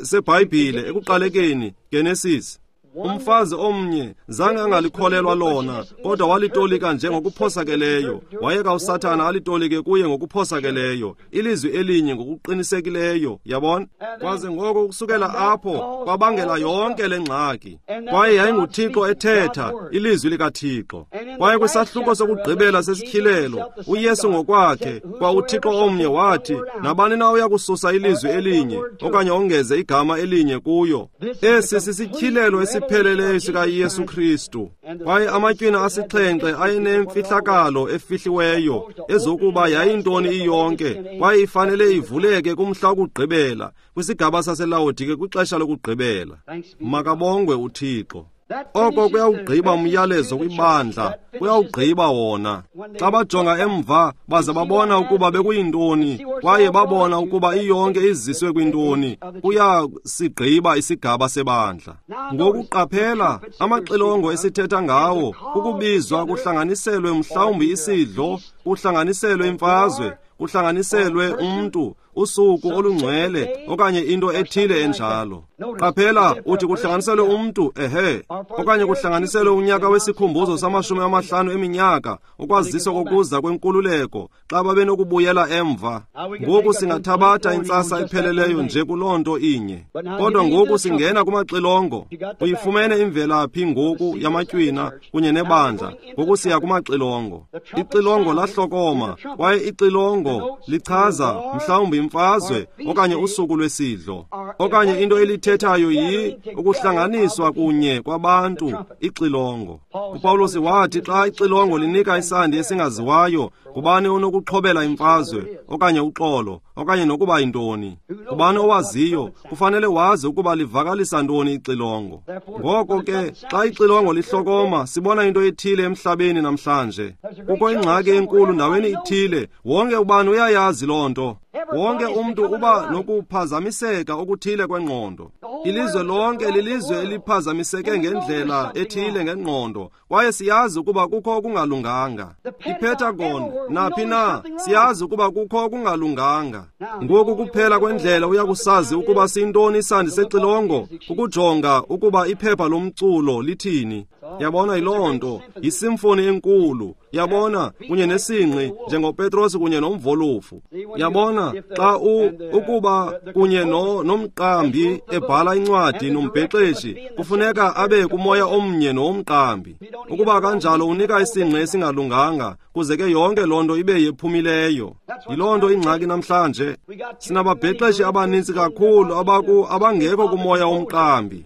C: seBhayibhile ekuqalekeni, Genesis. Umfazi omnye zange angalikholelwa lona, kodwa walitolika nje ngokuphosakeleyo. Wayeka uSathana alitolike kuye ngokuphosakeleyo, ilizwi elinye ngokuqinisekileyo, yabona? Kwaze ngoko ukusukela apho kwabangela yonke le ngxaki. Kwaye yayinguThixo ethetha, ilizwi likaThixo. Kwaye kwisahluko sokugqibela sesityhilelo, uYesu ngokwakhe, kwa uThixo omnye wathi, nabani na uya kususa ilizwi elinye okanye ongeze igama elinye kuyo. Esi sisityhilelo esipheleleyo sikaYesu Kristu. Kwaye amatywina asixhenxe ayenemfihlakalo efihliweyo ezokuba yayintoni iyonke, kwaye ifanele ivuleke kumhla wokugqibela, kwisigaba saseLawodike kwixesha lokugqibela. Makabongwe uThixo. Oko kuyawugqiba umyalezo kwibandla, kuyawugqiba wona. Xa bajonga emva baze babona ukuba bekuyintoni, kwaye babona ukuba iyonke iziswe kwintoni, kuyasigqiba isigaba sebandla. Ngoku qaphela, amaxilongo esithetha ngawo, kukubizwa kuhlanganiselwe mhlawumbi isidlo, kuhlanganiselwe imfazwe, kuhlanganiselwe umntu, usuku olungcwele okanye into ethile enjalo. Qaphela, uthi kuhlanganiselwe umntu, ehe, okanye kuhlanganiselwe unyaka wesikhumbuzo sama-50 eminyaka, ukwaziswa kokuza kwenkululeko, xa babenokubuyela emva. Ngoku singathabatha intsasa epheleleyo nje kuloo nto inye. Kodwa ngoku singena kumaxilongo. Uyifumene imvelaphi ngoku yamatywina kunye nebandla. Ngoku siya kumaxilongo. Ixilongo lahlokoma, kwaye ixilongo lichaza mhlawumbi imfazwe okanye usuku lwesidlo, okanye into elithethayo yi ukuhlanganiswa kunye kwabantu, ixilongo. uPawulos wathi xa ixilongo linika isandi esingaziwayo, ngubani onokuxhobela imfazwe okanye uxolo okanye nokuba yintoni? Ngubani owaziyo? Kufanele wazi ukuba livakalisa ntoni ixilongo. Ngoko ke xa ixilongo lihlokoma, sibona into ethile emhlabeni namhlanje. Kukho ingxaki enkulu ndaweni ithile, wonke ubani uyayazi loo nto. Wonke umntu uba nokuphazamiseka okuthile kwengqondo. Ilizwe lonke lilizwe eliphazamiseke ngendlela ethile ngengqondo, kwaye siyazi ukuba kukho okungalunganga. IPentagon, naphi na, siyazi ukuba kukho okungalunganga. Ngoku kuphela kwendlela uyakusazi ukuba siyintoni isandi sexilongo, kukujonga ukuba iphepha lomculo lithini. Yabona, yiloo nto, yisimfoni enkulu, yabona, kunye nesingqi njengoPetros kunye nomvolufu. Yabona, xa ukuba kunye nomqambi ebhala incwadi nombhexeshi, kufuneka abe kumoya omnye nowomqambi. Ukuba kanjalo unika isingqi esingalunganga, kuze ke yonke loo nto ibe yephumileyo. Yiloo nto ingxaki namhlanje. Sinababhexeshi abanintsi kakhulu abangekho kumoya womqambi.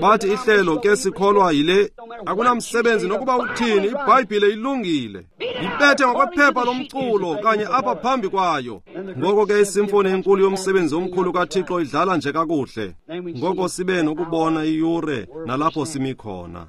C: Bathi ihlelo ke sikholwa yile, akunamsebenzi nokuba uthini, iBhayibhile ilungile. Yibethe ngokwephepha lomculo kanye apha phambi kwayo. Ngoko ke isimfoni enkulu yomsebenzi omkhulu kaThixo idlala nje kakuhle. Ngoko sibe nokubona iyure nalapho simi khona.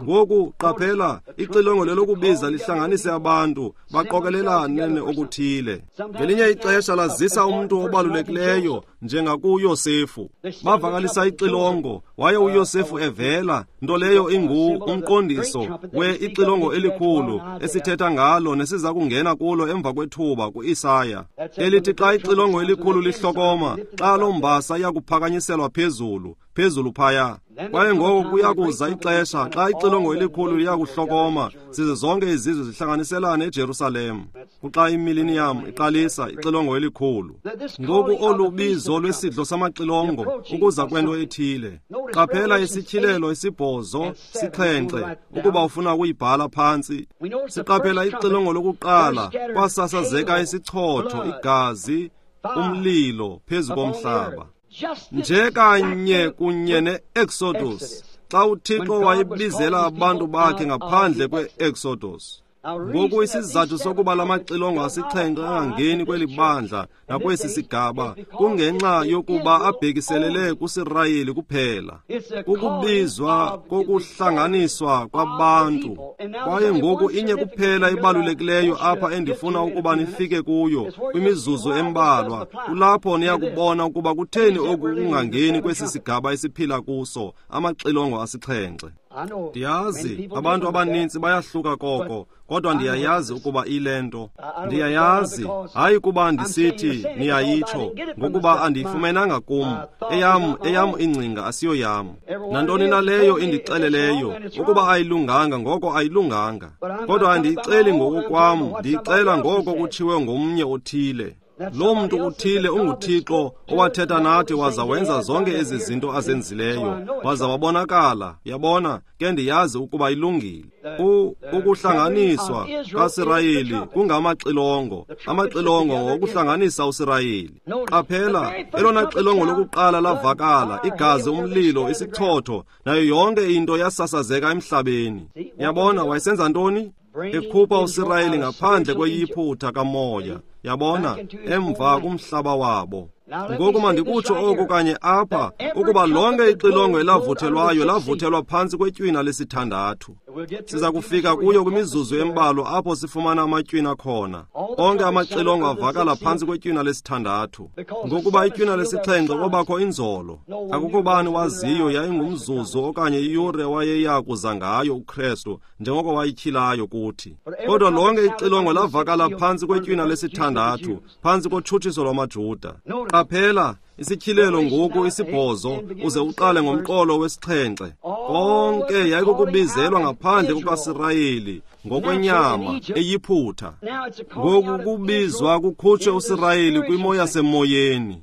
C: Ngoku qaphela, ixilongo lelokubiza lihlanganise abantu, baqokelelane okuthile. Ngelinye ixesha lazisa umntu obalulekileyo njengakuYosefu. Bavakalisa ixilongo, waye uYosefu evela, nto leyo ingu umqondiso we ixilongo elikhulu esithetha ngalo nesiza kungena kulo emva kwethuba kuIsaya. Elithi xa ixilongo elikhulu lihlokoma, xa loo mbasa iyakuphakanyiselwa phezulu, phezulu phaya. Kwaye ngoko kuyakuza ixesha xa ixilongo elikhulu liyakuhlokoma, zize zonke izizwe zihlanganiselane eJerusalem. Kuxa imiliniyam iqalisa ixilongo elikhulu. Ngoku olu bizo lwesidlo samaxilongo ukuza kwento ethile. Qaphela isityhilelo 8 7, ukuba ufuna ukuyibhala phantsi. Siqaphela ixilongo lokuqala, kwasasazeka isichotho, igazi, umlilo phezu komhlaba. Nje kanye kunye ne-Exodus, xa uThixo wayebizela abantu bakhe ngaphandle kwe-Exodus. Ngoku isizathu sokuba lamaxilongo asixhenxe angangeni kweli bandla nakwesi sigaba kungenxa yokuba abhekiselele kuSirayeli kuphela. Kukubizwa kokuhlanganiswa kwabantu. Kwaye ngoku inye kuphela ibalulekileyo apha endifuna ukuba nifike kuyo kwimizuzu embalwa. Kulapho niyakubona ukuba kutheni oku kungangeni kwesi sigaba esiphila kuso, amaxilongo asixhenxe. Ndiyazi abantu abaninzi bayahluka koko, kodwa ndiyayazi ukuba ilento. Ndiyayazi, hayi kuba ndisithi niyayitsho, ngokuba andiyifumenanga kum. Eyam ingcinga asiyo yam. Nantoni na leyo indixeleleyo ukuba ayilunganga, ngoko ayilunganga. Kodwa andiyixeli ngokokwam, ndiyixela ngoko kutshiwe ngomnye othile. Loo mntu uthile unguThixo owathetha nathi waza wenza zonke ezi zinto azenzileyo, waza wabonakala. Yabona ke, ndiyazi ukuba ilungile. Ukuhlanganiswa kaSirayeli kungamaxilongo, amaxilongo ngokuhlanganisa uSirayeli. Qaphela, elona xilongo lokuqala lavakala, igazi, umlilo, isichotho, nayo yonke into yasasazeka emhlabeni. Yabona, wayesenza ntoni? Ekhupha uSirayeli ngaphandle kweyiphutha kamoya, yabona, emva kumhlaba wabo. Ngoku mandikutsho oku kanye apha, ukuba lonke ixilongo elavuthelwayo lavuthelwa phantsi kwetywina lesithandathu. Siza kufika kuyo kwimizuzu embalwa apho sifumana amatywina khona. Onke amaxilongo avakala phantsi kwetywina lesithandathu, ngokuba itywina lesixhenxe kwabakho inzolo. Akukho bani waziyo yayingumzuzu okanye iyure wayeya kuza ngayo uKrestu, njengoko wayityhilayo kuthi. Kodwa lonke ixilongo lavakala phantsi kwetywina lesithandathu, phantsi kotshutshiso lwamaJuda. Qaphela, isityhilelo ngoku isibhozo, uze uqale ngomqolo wesixhenxe. Konke yayikukubizelwa ngaphandle kukaSirayeli ngokwenyama eyiphutha. Ngoku kubizwa kukhutshwe uSirayeli kwimo yasemoyeni.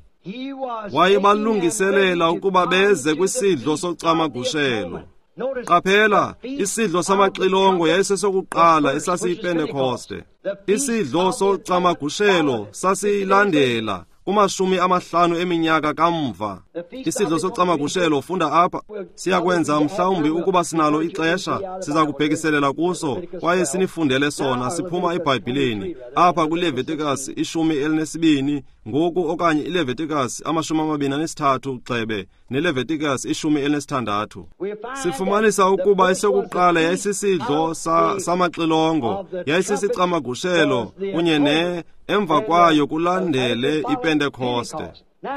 C: Wayebalungiselela ukuba beze kwisidlo socamagushelo. Qaphela, isidlo samaxilongo yayisesokuqala esasiyiPentekoste. Isidlo socamagushelo sasiyilandela kuma-50 eminyaka kamva. Isidlo socamagushelo, funda apha, siyakwenza mhlawumbi ukuba sinalo ixesha, siza kubhekiselela kuso kwaye sinifundele sona siphuma eBhayibhileni apha kwiLeviticus 12 ngoku, okanye iLeviticus 23 gxebe neLeviticus 16. Sifumanisa ukuba esokuqala yayisisidlo samaxilongo, yayisisicamagushelo kunye ne emva kwayo kulandele iPentekoste.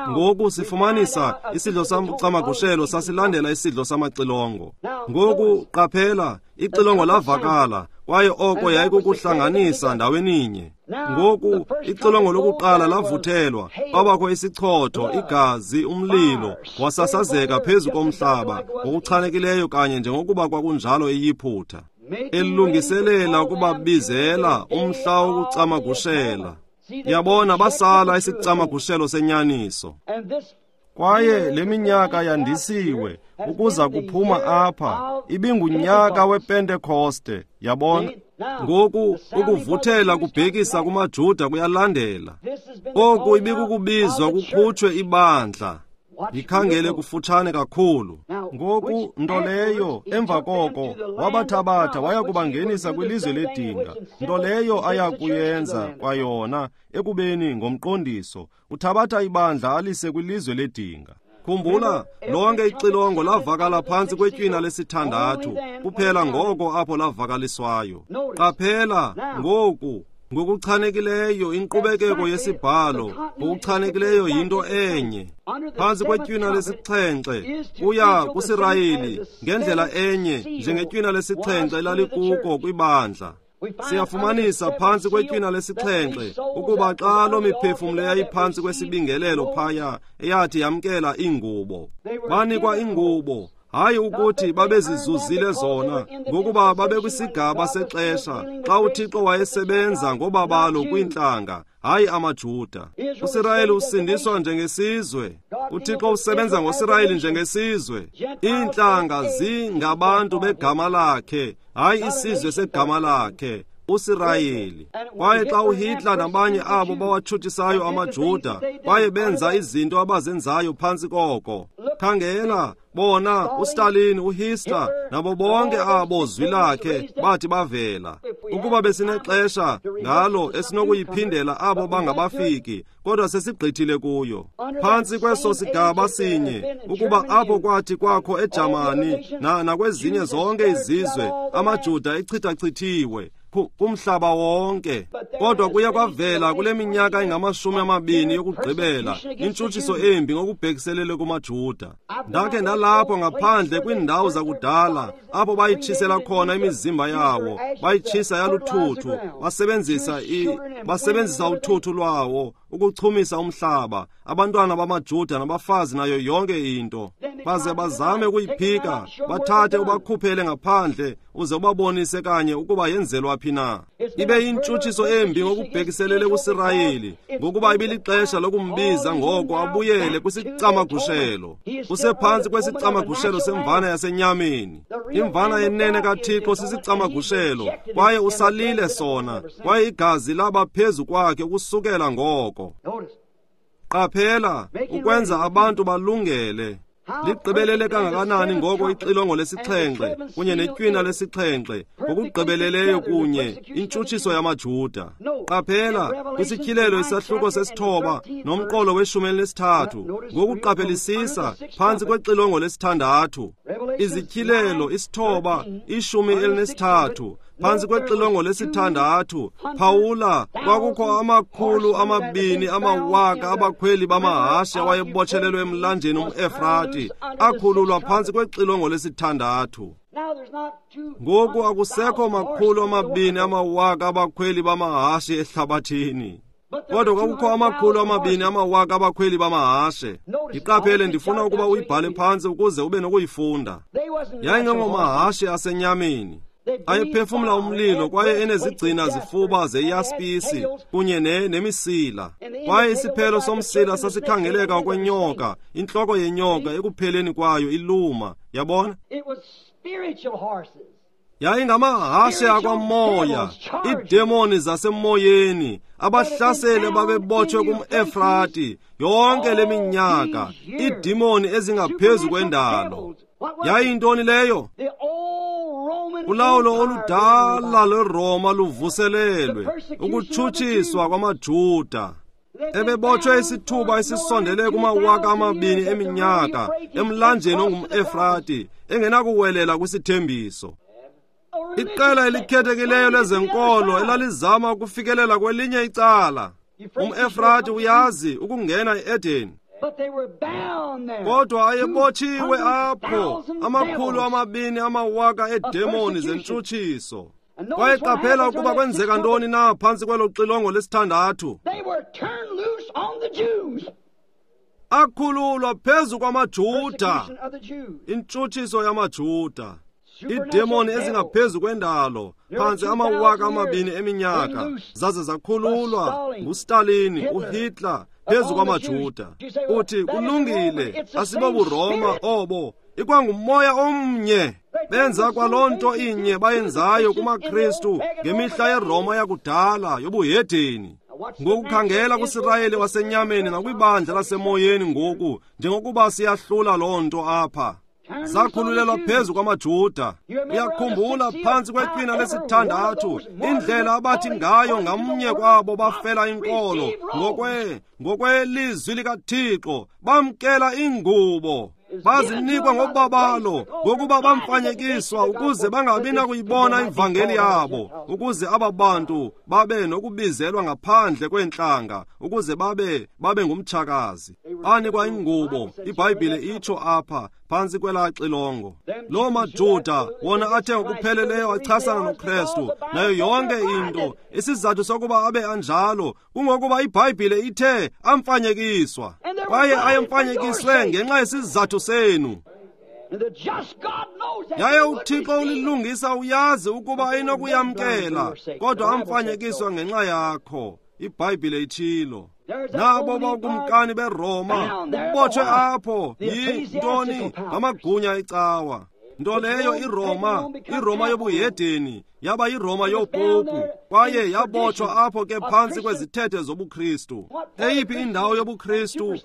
C: Ngoku sifumanisa isidlo samcamagushelo sasilandela isidlo samaxilongo. Ngoku qaphela, ixilongo lavakala, kwaye oko yayikukuhlanganisa ndaweninye. Ngoku ixilongo lokuqala lavuthelwa, kwabakho isichotho, igazi, umlilo wasasazeka phezu komhlaba ngokuchanekileyo kanye njengokuba kwakunjalo eYiphutha, elungiselela ukubabizela umhla wokucamagushela. Yabona, basala isicamagushelo senyaniso. Kwaye le minyaka yandisiwe ukuza kuphuma apha ibingunyaka wePentekoste. Yabona, ngoku ukuvuthela kubhekisa kumaJuda kuyalandela. Oku ibikukubizwa kukhutshwe ibandla. Yikhangele kufutshane kakhulu. Ngoku nto leyo emva koko wabathabatha waya kubangenisa kwilizwe ledinga, nto leyo aya kuyenza kwayona ekubeni ngomqondiso uthabatha ibandla alise kwilizwe ledinga. Khumbula, lonke ixilongo lavakala phantsi kwetywina lesithandathu kuphela ngoko apho lavakaliswayo. Qaphela ngoku, ngokuchanekileyo inkqubekeko yesibhalo ngokuchanekileyo yinto enye. Phantsi kwetywina lesixhenxe kuya kuSirayeli ngendlela enye njengetywina lesixhenxe elalikuko kwibandla. Siyafumanisa phantsi kwetywina lesixhenxe ukuba xa loo miphefumlo eyayiphantsi kwesibingelelo phaya eyathi yamkela iingubo, banikwa iingubo, hayi ukuthi babezizuzile zona, ngokuba babekwisigaba sexesha xa uThixo wayesebenza ngobabalo kwiintlanga, hayi amaJuda. uSirayeli usindiswa njengesizwe. uThixo usebenza ngoSirayeli njengesizwe. Iintlanga zingabantu begama lakhe, hayi isizwe segama lakhe, uSirayeli. Kwaye xa uHitler nabanye abo bawatshutshisayo amaJuda kwaye benza izinto abazenzayo phantsi koko, khangela bona uStalin, uHitler nabo bonke abo zwi lakhe bathi bavela. Ukuba besinexesha ngalo esinokuyiphindela abo bangabafiki, kodwa sesigqithile kuyo. Phantsi kweso sigaba sinye, ukuba apho kwathi kwakho eJamani nakwezinye zonke izizwe amaJuda echithachithiwe. kumhlaba wonke. Kodwa kuye kwavela kule minyaka engama-20 yokugqibela intshutshiso embi ngokubhekiselele kumaJuda. Ndakhe ndalapho ngaphandle kwiindawo zakudala apho bayitshisela khona imizimba yawo, bayitshisa yaluthuthu, basebenzisa uthuthu lwawo ukuchumisa umhlaba, abantwana bamaJuda nabafazi nayo yonke into. Baze bazame ukuyiphika, bathathe ubakhuphele ngaphandle uze ubabonise kanye ukuba yenzelwa phi na. Ibe yintshutshiso embi ngokubhekiselele kuSirayeli, ngokuba ibilixesha lokumbiza ngoko abuyele kwisicamagushelo. Usephantsi kwesicamagushelo semvana yasenyameni. Imvana yenene kaThixo sisicamagushelo, kwaye usalile sona, kwaye igazi laba phezu kwakhe ukusukela ngoko. Qaphela, ukwenza abantu balungele. Ligqibelele kangakanani ngoko ixilongo lesixhenxe kunye netywina lesixhenxe ngokugqibeleleyo kunye intshutshiso yamaJuda. Qaphela kwisityhilelo isahluko 9 nomqolo we-13, ngokuqaphelisisa phantsi kwexilongo lesithandathu. Izityhilelo 9 13 phantsi kwexilongo lesithandathu. Phawula, kwakukho 200,000 abakhweli bamahashe awayebotshelelwe emlanjeni umEfrati, akhululwa phantsi kwexilongo lesithandathu. Ngoku akusekho 200,000 abakhweli bamahashe ehlabathini, kodwa kwakukho 200,000 abakhweli bamahashe. Ndiqaphele, ndifuna ukuba uyibhale phantsi ukuze ube nokuyifunda. Yayingengomahashe asenyameni, ayephefumla umlilo kwaye enezigcina zifuba zeyaspisi kunye nemisila. Kwaye isiphelo somsila sasikhangeleka okwenyoka, intloko yenyoka ekupheleni kwayo iluma. Yabona? Yayingamahashe akwamoya, iidemoni zasemoyeni, abahlaseli babebotshwe kumEfrati yonke le minyaka, iidemoni ezingaphezu kwendalo. Yayintoni leyo? Ulawulo oludala lweRoma luvuselelwe, ukutshutshiswa kwamaJuda. Ebebotshwe isithuba esisondele kuma-2000 eminyaka emlanjeni ongumEfrati, engenakuwelela kwisithembiso. Iqela elikhethekileyo lezenkolo elalizama ukufikelela kwelinye icala. UmEfrati uyazi ukungena e-Edeni, kodwa ayebotshiwe apho 200,000 eedemoni zentshutshiso. Kwaye qaphela ukuba kwenzeka ntoni na phantsi kwelo xilongo lesithandathu. Akhululwa phezu kwamaJuda, intshutshiso yamaJuda. Iidemoni ezingaphezu kwendalo phantsi 2000 eminyaka zaze zakhululwa nguStalin, uHitler phezu kwamaJuda. Uthi kulungile, asibobuRoma obo, ikwangumoya omnye. Benza kwaloo nto inye bayenzayo kumaKristu ngemihla yeRoma yakudala yobuhedeni. Ngokukhangela kuSirayeli wasenyameni nakwibandla lasemoyeni ngoku, njengokuba siyahlula loo nto apha. Zakhululelwa phezu kwamaJuda. Uyakhumbula phantsi kwetywina lesithandathu indlela abathi ngayo ngamnye kwabo bafela inkolo ngokwelizwi likaThixo, bamkela ingubo, bazinikwa ngobabalo ngokuba bamfanyekiswa ukuze bangabi nakuyibona ivangeli yabo, ukuze aba bantu babe nokubizelwa ngaphandle kweentlanga, ukuze babe ngumtshakazi. Banikwa ingubo, iBhayibhile itsho apha phantsi kwelaa xilongo. Loo maJuda wona athe ngokupheleleyo achasana noKrestu nayo yonke into. Isizathu sokuba abe anjalo kungokuba iBhayibhile ithe amfanyekiswa, kwaye ayemfanyekiswe ngenxa yesizathu senu. Yaye uThixo ulilungisa, uyazi ukuba ayinokuyamkela, kodwa amfanyekiswa ngenxa yakho. iBhayibhile itshilo. Nabo bokumkani beRoma ubotshwe apho yintoni? Ngamagunya ecawa. Nto leyo iRoma yobuhedeni yaba yiRoma yopopu, kwaye yabotshwa apho ke phantsi kwezithethe zobuKristu. Eyiphi indawo yobuKristu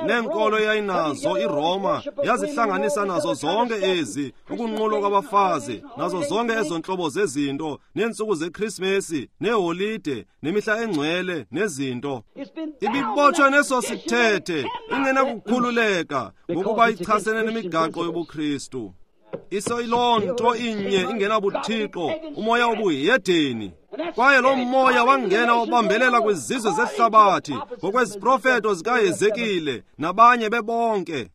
C: neenkolo eyayinazo iRoma yazihlanganisa nazo zonke ezi, ukunqulwa kwabafazi nazo zonke ezo ntlobo zezinto, neentsuku zeKrismesi neeholide nemihla engcwele nezinto. Ibibotshwe neso sithethe, ingenakukhululeka ngokuba ichasene nemigaqo yobuKristu. Iseyiloo nto inye ingenabuthixo, umoya obuhedeni. Kwaye lo moya wangena wabambelela kwizizwe zehlabathi ngokweziprofeto zikaHezekile nabanye bebonke.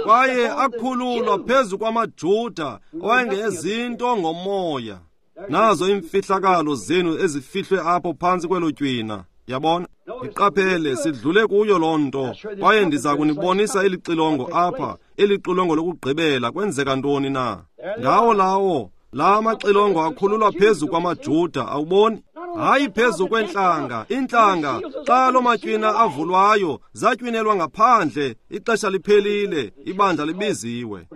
C: Kwaye akhululwa phezu kwamaJuda owayengezinto ngomoya. Nazo iimfihlakalo zenu ezifihlwe apho phantsi kwelo tywina. Yabona? Iqaphele, sidlule kuyo loo nto, kwaye ndiza kunibonisa eli xilongo apha, eli xilongo lokugqibela. Kwenzeka ntoni na? Ngawo lawo la maxilongo akhululwa phezu kwamaJuda, awuboni? Hayi phezu kweentlanga. Iintlanga, xa loo matywina avulwayo, zatywinelwa ngaphandle. Ixesha liphelile, ibandla libiziwe.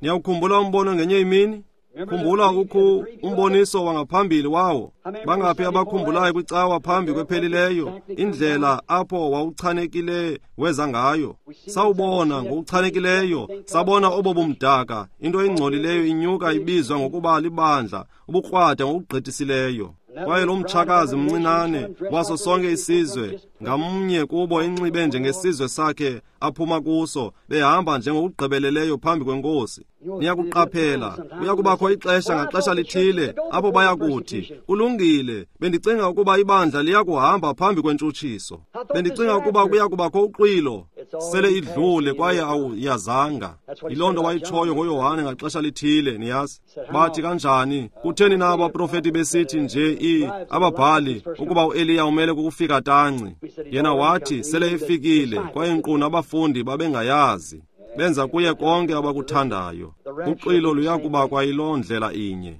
C: Niyawukhumbula umbono ngenye imini? Khumbula ukho umboniso wangaphambili wawo. Bangaphi abakhumbulayo kwicawa phambi kwephelileyo indlela apho wawuchanekile weza ngayo? Sawubona ngokuchanekileyo, sabona obo bumdaka, into engcolileyo inyuka ibizwa ngokuba libandla, ubukrwada ngokugqithisileyo. Kwaye lo mtshakazi mncinane waso sonke isizwe, ngamnye kubo inxibe njengesizwe sakhe aphuma kuso, behamba njengokugqibeleleyo phambi kwenkosi. Niyakuqaphela, kuyakubakho ixesha ngaxesha lithile apho bayakuthi, kulungile, bendicinga ukuba ibandla liyakuhamba phambi kwentshutshiso. Bendicinga ukuba kuyakubakho uxwilo. Sele idlule kwaye awuyazanga. Yiloo nto wayitshoyo ngoYohane ngaxesha lithile, niyazi. Bathi kanjani, kutheni na abaprofeti besithi nje ababhali ukuba uEliya umele kukufika tanci? Yena wathi sele efikile, kwaye nkqu nabafundi babengayazi. Benza kuye konke abakuthandayo. Uxwilo luyakuba kwayiloo ndlela inye.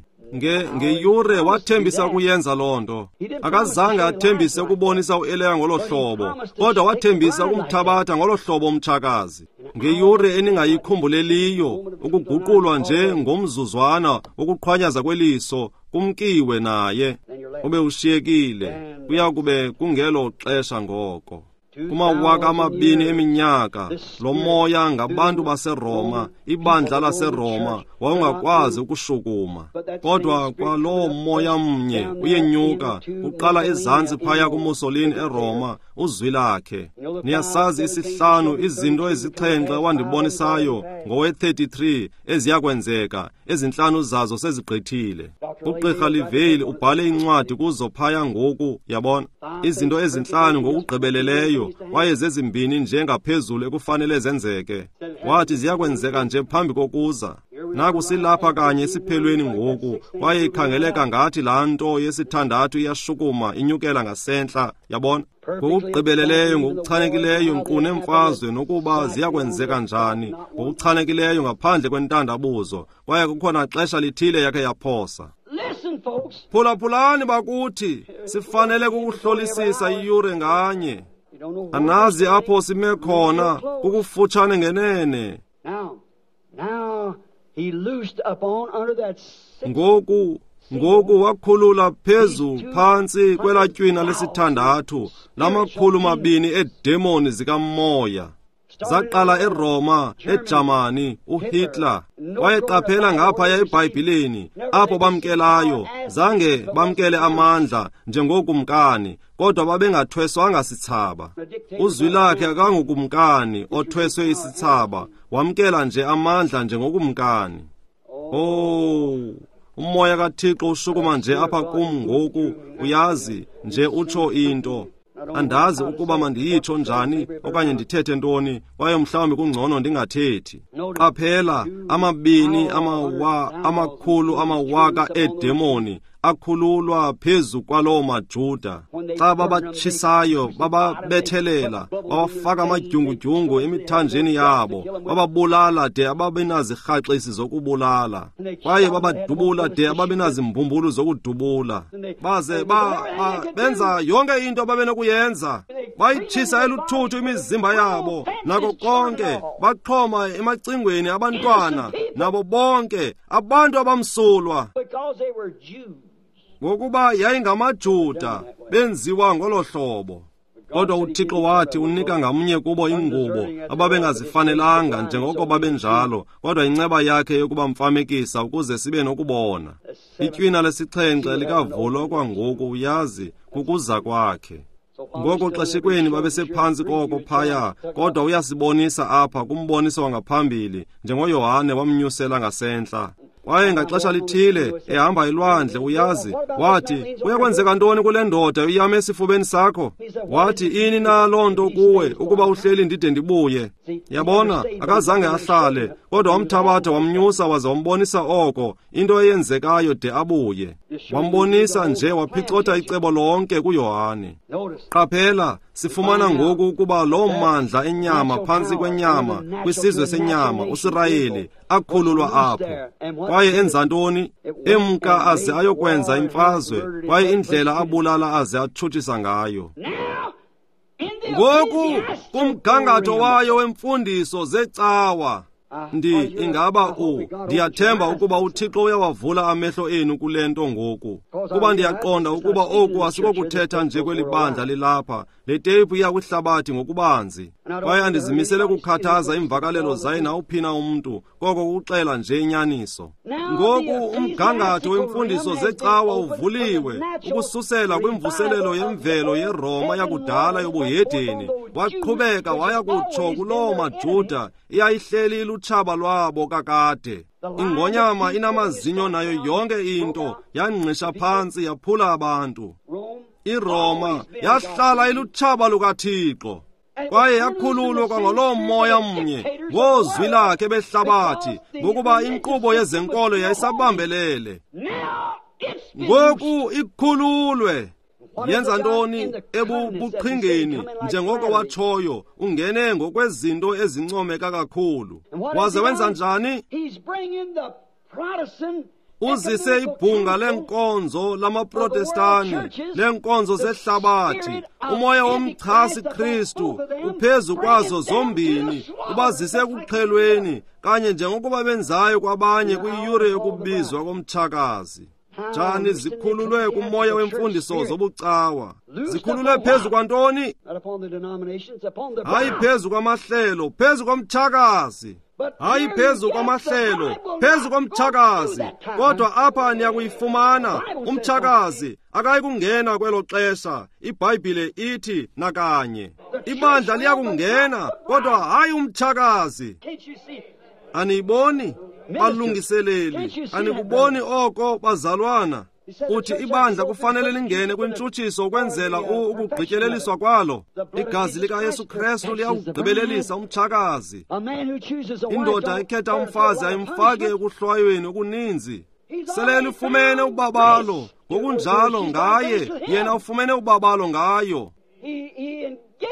C: Ngeyure wathembisa ukuyenza loo nto. Akazange athembise ukubonisa uEliya ngolo hlobo, kodwa wathembisa ukumthabatha ngolo hlobo umtshakazi. Ngeyure eningayikhumbuleliyo, ukuguqulwa nje ngomzuzwana wokuqhwanyaza kweliso, kumkiwe naye, ube ushiyekile. Kuya kube kungelo xesha ngoko. Kumawaka amabini eminyaka, lo moya ngabantu baseRoma, ibandla laseRoma, wawungakwazi ukushukuma. Kodwa kwaloo moya mnye uyenyuka, uqala ezantsi phaya kuMussolini eRoma, uzwi lakhe. Niyasazi isihlanu izinto ezixhenxe wandibonisayo ngowe-33 eziyakwenzeka, ezintlanu zazo sezigqithile. Ugqirha Livale ubhale incwadi kuzo phaya ngoku, yabona? Izinto ezintlanu ngokugqibeleleyo, kwaye zezimbini nje ngaphezulu ekufanele zenzeke. Wathi ziyakwenzeka nje phambi kokuza. Naku silapha kanye esiphelweni ngoku, kwaye ikhangeleka ngathi laa nto yesithandathu iyashukuma inyukela ngasentla, yabona? Ngokugqibeleleyo, ngokuchanekileyo, nkqu neemfazwe nokuba ziyakwenzeka njani, ngokuchanekileyo ngaphandle kwentandabuzo, kwaye kukhona xesha lithile yakhe yaphosa. Phulaphulani bakuthi, sifanele kukuhlolisisa iyure nganye. Anazi apho sime khona, kukufutshane ngenene. Ngoku wakhulula phezu phantsi kwelaa tywina lesithandathu lama-200 eedemoni zikamoya. Zaqala eRoma, eJamani, uHitler. Kwaye qaphela ngaphaya eBhayibhileni, apho bamkelayo, zange bamkele amandla njengokumkani, kodwa babengathweswanga sithsaba. Uzwi lakhe akangukumkani othweswe isithsaba, wamkela nje amandla njengokumkani. Oh, umoya kaThixo ushukuma nje apha kum ngoku, uyazi, nje utsho into. Andazi ukuba mandiyitsho njani okanye ndithethe ntoni, kwaye mhlawumbi kungcono ndingathethi. Qaphela, 200 amawaka eedemoni akhululwa phezu kwaloo maJuda. Xa babatshisayo, bababethelela, babafaka amadyungudyungu emithanjeni yabo, bababulala de ababenazirhaxisi zokubulala, kwaye babadubula de ababenazimbumbulu zokudubula. Baze benza yonke into ababenokuyenza, bayitshisa eluthuthu imizimba yabo nako konke, baxhoma emacingweni abantwana nabo bonke abantu abamsulwa. Ngokuba yayingamaJuda, benziwa ngolo hlobo. Kodwa uThixo wathi unika ngamnye kubo ingubo ababengazifanelanga njengoko babenjalo, kodwa inceba yakhe yokubamfamekisa ukuze sibe nokubona. Itywina lesixhenxe likavulwa kwangoku, uyazi, kukuza kwakhe. Ngoko xeshikweni babesephantsi koko phaya, kodwa uyasibonisa apha kumboniso wangaphambili, njengoYohane wamnyusela ngasentla. Kwaye ngaxesha lithile ehamba elwandle, uyazi, wathi, kuyakwenzeka ntoni kule ndoda uyame esifubeni sakho? Wathi, ini na loo nto kuwe ukuba uhleli ndide ndibuye? Yabona, akazange ahlale, kodwa wamthabatha wamnyusa waze wambonisa oko, into eyenzekayo de abuye. Wambonisa nje, waphicotha icebo lonke kuYohane. Qaphela, sifumana ngoku ukuba loo mandla enyama phantsi kwenyama, kwisizwe senyama, uSirayeli, akhululwa apho. Kwaye enza ntoni? Emka aze ayokwenza imfazwe, kwaye indlela abulala aze atshutshisa ngayo. Ngoku kumgangatho wayo wemfundiso zecawa, ndiyathemba ukuba uThixo uyawavula amehlo enu kule nto ngoku, kuba ndiyaqonda ukuba oku asikokuthetha nje kweli bandla lilapha. Le teyiphu iya kwihlabathi ngokubanzi, kwaye andizimisele kukhathaza iimvakalelo zaye nawuphina umntu, koko kuxela nje inyaniso. Ngoku umgangatho wemfundiso zecawa uvuliwe ukususela kwimvuselelo yemvelo yeRoma yakudala yobuhedeni, waqhubeka waya kutsho kuloo maJuda iyayihleli ilutshaba lwabo kakade. Ingonyama inamazinyo nayo yonke into, yangqisha phantsi yaphula abantu. iRoma yahlala ilutshaba lukaThixo, kwaye yakhululwa kwangoloo moya mnye ngozwi lakhe behlabathi, ngokuba inkqubo yezenkolo yayisabambelele. Ngoku ikhululwe. Yenza ntoni? Ebubuqhingeni, njengoko watshoyo, ungene ngokwezinto ezincomeka kakhulu. Waze wenza njani? Uzise ibhunga lenkonzo lamaProtestani, lenkonzo zehlabathi, umoya womchasi Kristu uphezu kwazo zombini, ubazise ekuqhelweni, kanye njengokuba benzayo kwabanye kwiyure yokubizwa komtshakazi. Njani zikhululwe kumoya wemfundiso zobucawa? Zikhululwe phezu kwantoni? Hayi phezu kwamahlelo, phezu komtshakazi. Hayi phezu kwamahlelo, phezu komtshakazi. Kodwa apha niyakuyifumana, umtshakazi akayi kungena kwelo xesha. IBhayibhile ithi nakanye. Ibandla liyakungena, kodwa hayi umtshakazi. Aniyiboni? Balungiseleli, anikuboni oko, bazalwana? Uthi ibandla kufanele lingene kwintshutshiso ukwenzela ukugqityeleliswa kwalo. Igazi likaYesu Kristu liyawugqibelelisa umtshakazi. Indoda ekhetha umfazi ayimfake ekuhlwayweni okuninzi. Sele lufumene ubabalo, ngokunjalo ngaye, yena ufumene ubabalo ngayo.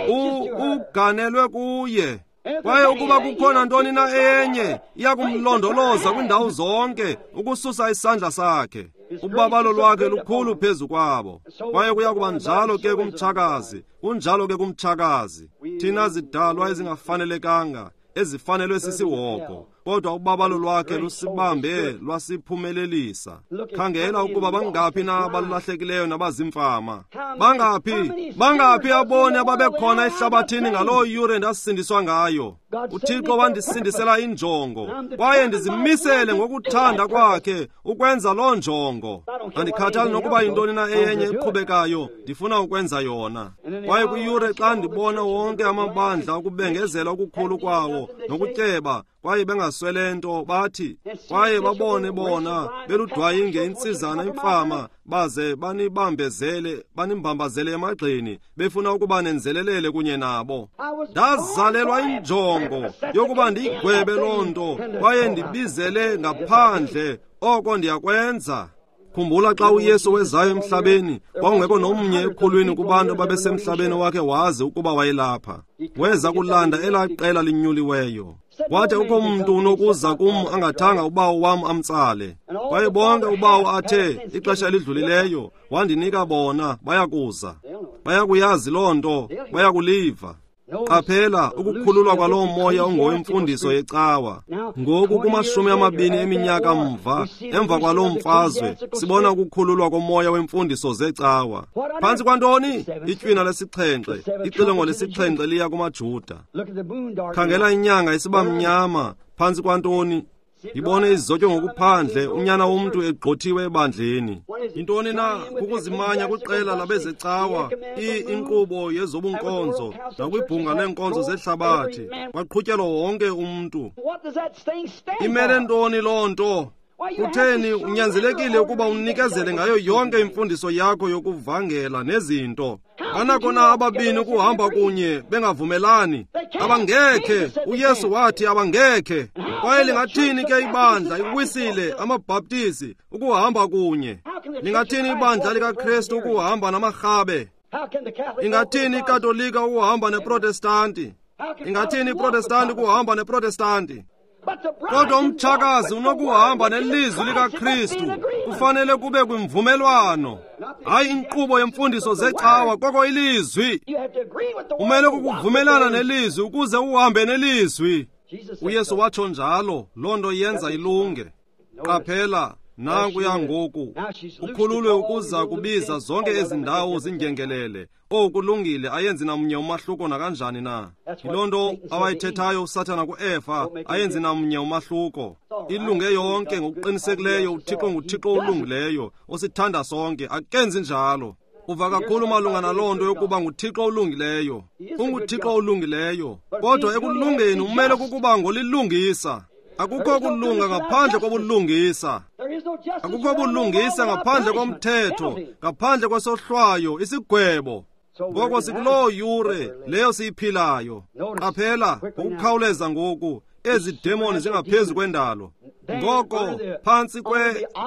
C: Uganelwe kuye. Kwaye ukuba kukhona ntoni na enye, iyakumlondoloza kwindawo zonke ukususa isandla sakhe. Ubabalo lwakhe lukhulu phezu kwabo. Kwaye kuya kuba njalo ke kumtshakazi, kunjalo ke kumtshakazi. Thina zidalwa ezingafanelekanga, ezifanelwe sisihogo, kodwa ubabalo lwakhe lusibambe lwasiphumelelisa. Khangela ukuba bangaphi na abalahlekileyo nabazimfama. Bangaphi aboni ababekhona ehlabathini ngaloo yure ndasindiswa ngayo. uThixo wandisindisela injongo, kwaye ndizimisele ngokuthanda kwakhe ukwenza loo njongo. Andikhathali nokuba yintoni na eyenye eqhubekayo, ndifuna ukwenza yona. Kwaye kwiyure xa ndibona wonke amabandla ukubengezela okukhulu kwawo nokutyeba, kwaye bengaswele nto, bathi, kwaye babone bona beludwayinge intsizana imfama, baze banibambezele, banimbambazele emagxeni, befuna ukuba nenzelelele kunye nabo. Ndazalelwa injongo yokuba ndiyigwebe loo nto, kwaye ndibizele ngaphandle oko ndiyakwenza. Khumbula xa uYesu wezayo emhlabeni, kwakungekho nomnye ekhulwini kubantu ababesemhlabeni wakhe wazi ukuba wayelapha. Weza kulanda elaa qela linyuliweyo. Wathi akukho mntu unokuza kum angathanga ubawo wam amtsale. Kwaye bonke ubawo athe ixesha elidlulileyo wandinika bona bayakuza. Bayakuyazi loo nto, bayakuliva. Qaphela ukukhululwa kwaloo moya ongowemfundiso yecawa. Ngoku kuma-20 eminyaka mva, emva kwaloo mfazwe, sibona ukukhululwa komoya wemfundiso zecawa. Phantsi kwantoni? Itywina lesixhenxe, ixilongo lesixhenxe liya kumaJuda. Khangela inyanga isiba mnyama, phantsi kwantoni? Yibone izotywe ngokuphandle unyana womntu egxothiwe ebandleni. Yintoni na? Kukuzimanya kwiqela labezecawa, inkqubo yezobunkonzo nakwibhunga leenkonzo zehlabathi. Kwaqhutyelwa wonke umntu. Imele ntoni loo nto? Kutheni unyanzelekile ukuba unikezele ngayo yonke imfundiso yakho yokuvangela nezinto? Banako na ababini ukuhamba kunye bengavumelani? Abangekhe. uYesu wathi abangekhe. Kwaye lingathini ke ibandla iwisile, amaBhaptizi, ukuhamba kunye? Lingathini ibandla likaKristu ukuhamba namarhabe? Ingathini iKatolika ukuhamba neProtestanti? Ingathini iProtestanti ukuhamba neProtestanti? Kodwa umtshakazi unokuhamba nelizwi likaKristu. Kufanele kube kwimvumelwano, hayi inkqubo yemfundiso zecawa, koko ilizwi. Umele kukuvumelana nelizwi ukuze uhambe nelizwi. uYesu watsho njalo, loo nto yenza ilunge. Qaphela, nankuya ngoku ukhululwe ukuza kubiza zonke ezi ndawo zingengelele. Oku kulungile, ayenzi namnye umahluko nakanjani na. Yiloo nto awayithethayo uSathana kuEfa, ayenzi namnye umahluko. Ilunge yonke ngokuqinisekileyo. UThixo nguThixo olungileyo, osithanda sonke, akenzi njalo. Uva kakhulu malunga naloo nto yokuba nguThixo olungileyo. UnguThixo olungileyo, kodwa ekulungeni umele kukuba ngolilungisa. Akukho kulunga ngaphandle kobulungisa. Akukho bulungisa ngaphandle komthetho, ngaphandle kwesohlwayo, isigwebo. Ngoko sikuloo yure leyo siyiphilayo. Qaphela ngokukhawuleza ngoku, ezi demoni zingaphezu kwendalo. Ngoko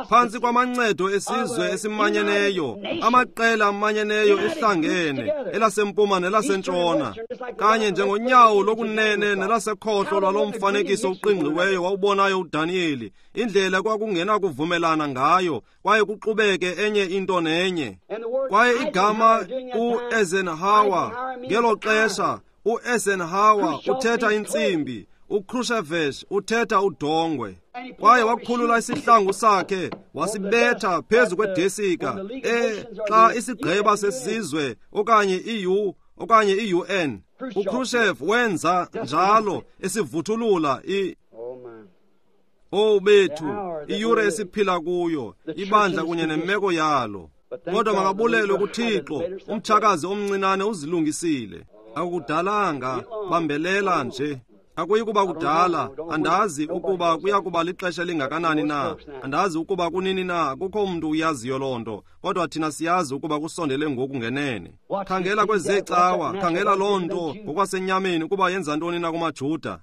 C: phantsi kwamancedo esizwe esimanyeneyo, amaqela amanyeneyo ehlangene, elasempuma nelasentshona, kanye njengonyawo lokunene nelasekhohlo lwalo mfanekiso uqingqiweyo wawubonayo uDaniyeli, indlela kwakungenakuvumelana ngayo, kwaye kuxubeke enye into nenye. Kwaye igama uEisenhower ngelo xesha, uEisenhower uthetha intsimbi, uKhrushchev uthetha udongwe. Kwaye wakhulula isihlangu sakhe wasibetha phezu kwedesika xa isigqeba sesizwe okanye i-U okanye i-UN. uKhrushchev wenza njalo esivuthulula Oh bethu, iyure esiphila kuyo, ibandla kunye nemeko yalo. Kodwa makabulelwe kuThixo, umtshakazi omncinane uzilungisile. Akudalanga, bambelela nje. Akuyi kuba kudala, andazi ukuba kuya kuba lixesha elingakanani na, andazi ukuba kunini na, kukho umntu uyaziyo loo nto, kodwa thina siyazi ukuba kusondele ngoku ngenene. Khangela kwezeecawa, khangela loo nto ngokwasenyameni ukuba yenza ntoni na kumaJuda.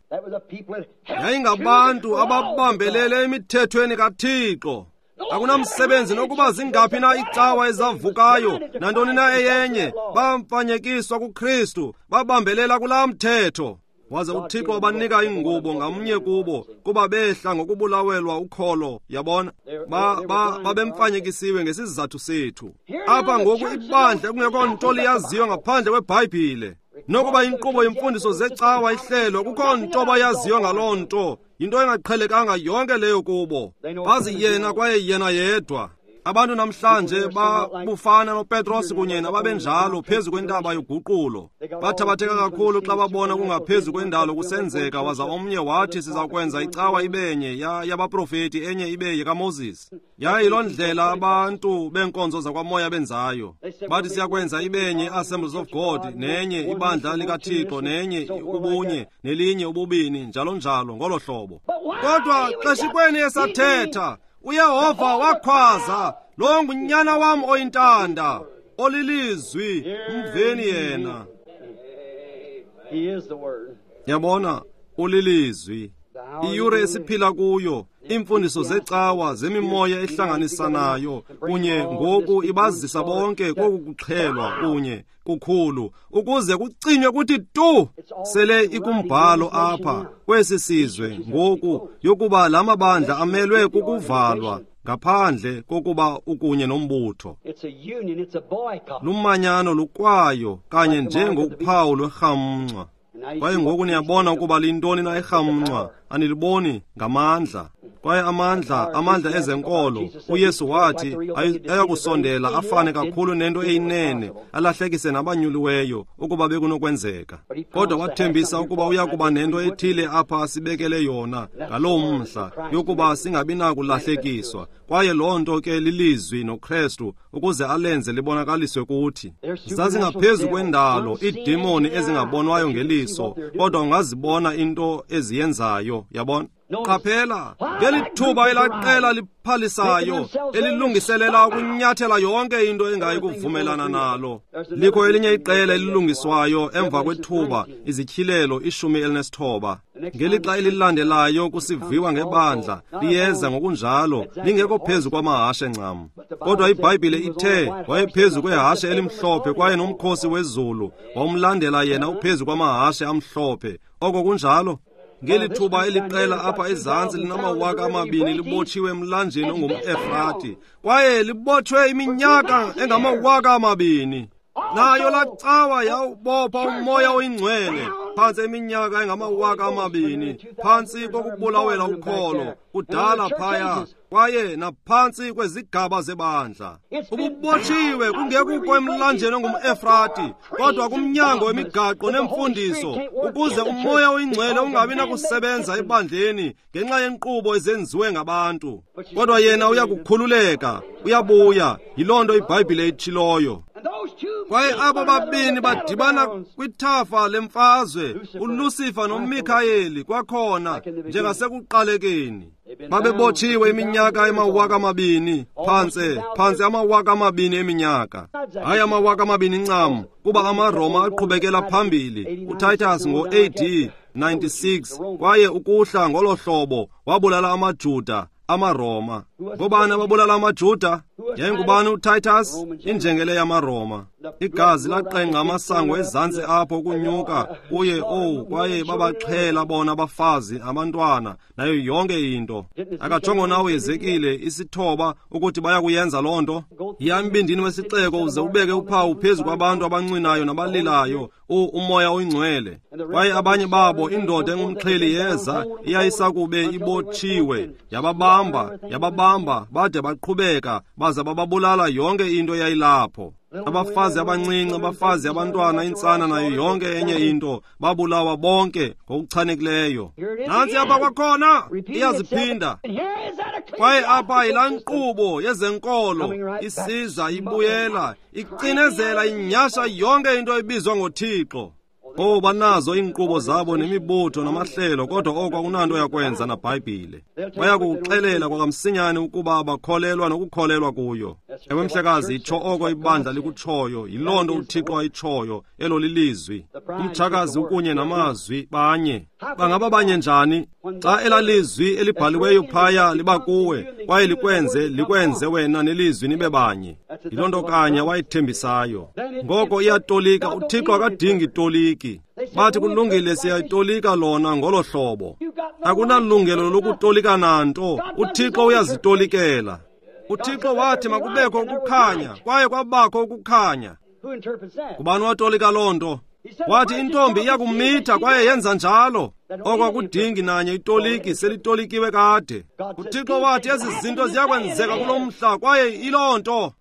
C: Yayingabantu ababambelele emithethweni kaThixo. Akunamsebenzi nokuba zingaphi na icawa ezavukayo nantoni na eyenye, bamfanyekiswa kuKristu, babambelela kulaa mthetho. Waze uThixo wabanika ingubo ngamnye kubo, kuba behla ngokubulawelwa ukholo, yabona. Babemfanyekisiwe ngesizathu sethu. Apha ngoku ibandla ekungekho nto liyaziyo ngaphandle kweBhayibhile. Nokuba inkqubo yemfundiso zecawa ihlelo, kukho nto bayaziyo ngaloo nto. Yinto engaqhelekanga yonke leyo kubo. Bazi yena kwaye yena yedwa. Abantu namhlanje babufana noPetros kunye nababenjalo phezu kwentaba yoguqulo. Bathabatheka kakhulu xa babona kungaphezu kwendalo kusenzeka, waza omnye wathi siza kwenza icawa ibenye yabaprofeti, enye ibe yekaMoses. Yayiloo ndlela abantu beenkonzo zakwamoya benzayo. Bathi siyakwenza ibenye i-Assemblies of God, nenye ibandla likaThixo, nenye ubunye, nelinye ububini, njalo njalo ngolo hlobo. Kodwa xeshikweni esathetha, uYehova wakhwaza, lo ngunyana wam oyintanda, olilizwi, mveni yena. Yabona, ulilizwi. Iyure esiphila kuyo, iimfundiso zecawa zemimoya ehlanganisanayo kunye ngoku ibazisa bonke koku kuxhelwa kunye kukhulu, ukuze kucinywe kuthi tu. Sele ikumbhalo apha kwesi sizwe ngoku yokuba la mabandla amelwe kukuvalwa ngaphandle kokuba ukunye nombutho. Lumanyano lukwayo kanye njengophawu lwerhamncwa. Kwaye ngoku niyabona ukuba liyintoni na irhamncwa, aniliboni ngamandla. Kwaye amandla ezenkolo, uYesu wathi ayakusondela afane kakhulu nento eyinene, alahlekise nabanyuliweyo ukuba bekunokwenzeka. Kodwa wathembisa ukuba uyakuba nento ethile apha asibekele yona ngaloo mhla, yokuba singabi nakulahlekiswa. Kwaye loo nto ke lilizwi noKrestu, ukuze alenze libonakaliswe kuthi. Zazingaphezu kwendalo iidemoni ezingabonwayo ngeliso, kodwa ungazibona into eziyenzayo, yabona. Qaphela, ngeli thuba elaqela liphalisayo elilungiselela ukunyathela yonke into engayi kuvumelana nalo. Likho elinye iqela elilungiswayo emva kwethuba, izityhilelo 19. Ngelixa elilandelayo kusiviwa ngebandla, liyeza ngokunjalo, lingekho phezu kwamahashe ncam. Kodwa iBhayibhile ithe wayephezu kwehashe elimhlophe, kwaye nomkhosi wezulu wawumlandela yena uphezu kwamahashe amhlophe. Oko kunjalo. Ngeli thuba eliqela apha ezantsi linama 2000 libotshiwe emlanjeni ongumEfrati, kwaye libotshwe iminyaka engama 2000. Nayo lacawa yawubopha umoya oyingcwele phantsi iminyaka engama 2000, phantsi kokubulawela ukholo kudala phaya, kwaye naphantsi kwezigaba zebandla. Ububotshiwe kungekukho emlanjeni ongumEfrati, kodwa kumnyango wemigaqo nemfundiso, ukuze umoya oyingcwele ungabi nakusebenza ebandleni ngenxa yenkqubo ezenziwe ngabantu. Kodwa yena uyakukhululeka, uyabuya. Yiloo nto iBhayibhile itshiloyo. Kwaye abo babini badibana kwithafa lemfazwe, uLucifer noMikhayeli kwakhona njengasekuqalekeni. Babebotshiwe iminyaka ema 2000, phantse ama 2000 eminyaka. Hayi ama 2000 ncam, kuba amaRoma aqhubekela phambili. uTitus ngo-AD 96, kwaye ukuhla ngolo hlobo wabulala amaJuda, amaRoma. Ngobani ababulala amaJuda? Yayingubani uTitus? Injengele yamaRoma. Igazi laqengqa amasango ezantsi apho ukunyuka kuye, kwaye babaxhela bona abafazi, abantwana, nayo yonke into. Akajongo nawe Ezekile 9 ukuthi bayakuyenza loo nto. Yiya embindini wesixeko uze ubeke uphawu phezu kwabantu abancwinayo nabalilayo, umoya oyingcwele. Kwaye abanye babo, indoda engumxheli yeza, iyayisakube ibotshiwe, yababamba bade baqhubeka, baza bababulala yonke into eyayilapho. Abafazi abancinci, abafazi, abantwana, intsana, nayo yonke enye into, babulawa bonke ngokuchanekileyo. Nantsi apha kwakhona iyaziphinda. Kwaye apha yilaa nkqubo yezenkolo isiza ibuyela, icinezela, inyasha yonke into ebizwa ngoThixo. Banazo iinkqubo zabo nemibutho namahlelo, kodwa oko akunanto yakwenza naBhayibhile. Bayakuxelela kwakamsinyane ukuba bakholelwa nokukholelwa kuyo. Ewe mhlekazi, itsho oko ibandla likutshoyo, yiloo nto uThixo ayitshoyo, elo lilizwi. Umtshakazi ukunye namazwi banye. Bangaba banye njani? Xa elalizwi elibhaliweyo phaya liba kuwe, kwaye likwenze wena nelizwi nibe banye. Yiloo nto kanye wayithembisayo. Ngoko iyatolika, uThixo akadingi toliki. Bathi kulungile, siyayitolika lona ngolo hlobo. Akunalungelo lokutolika nanto, uThixo uyazitolikela. uThixo wathi makubekho ukukhanya, kwaye kwabakho ukukhanya. Ngubani watolika loo nto? Wathi intombi iyakumitha, kwaye yenza njalo. Oko akudingi nanye itoliki, selitolikiwe kade. uThixo wathi ezi zinto ziyakwenzeka kulo mhla, kwaye iloo nto.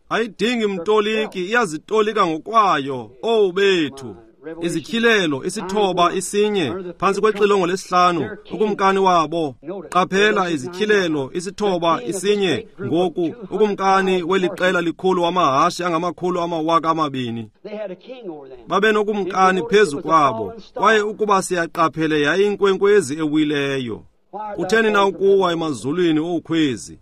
C: Ayidingi mtoliki, iyazitolika ngokwayo. Owu bethu! Izityhilelo 9 1 phantsi kwexilongo lesihlanu, ukumkani wabo. Qaphela, izityhilelo 9 1 ngoku, ukumkani weliqela likhulu wamahashe angama 200,000. Babenokumkani phezu kwabo, kwaye ukuba siyaqaphele yayinkwenkwezi ewileyo. Kutheni na ukuwa emazulwini owukhwezi?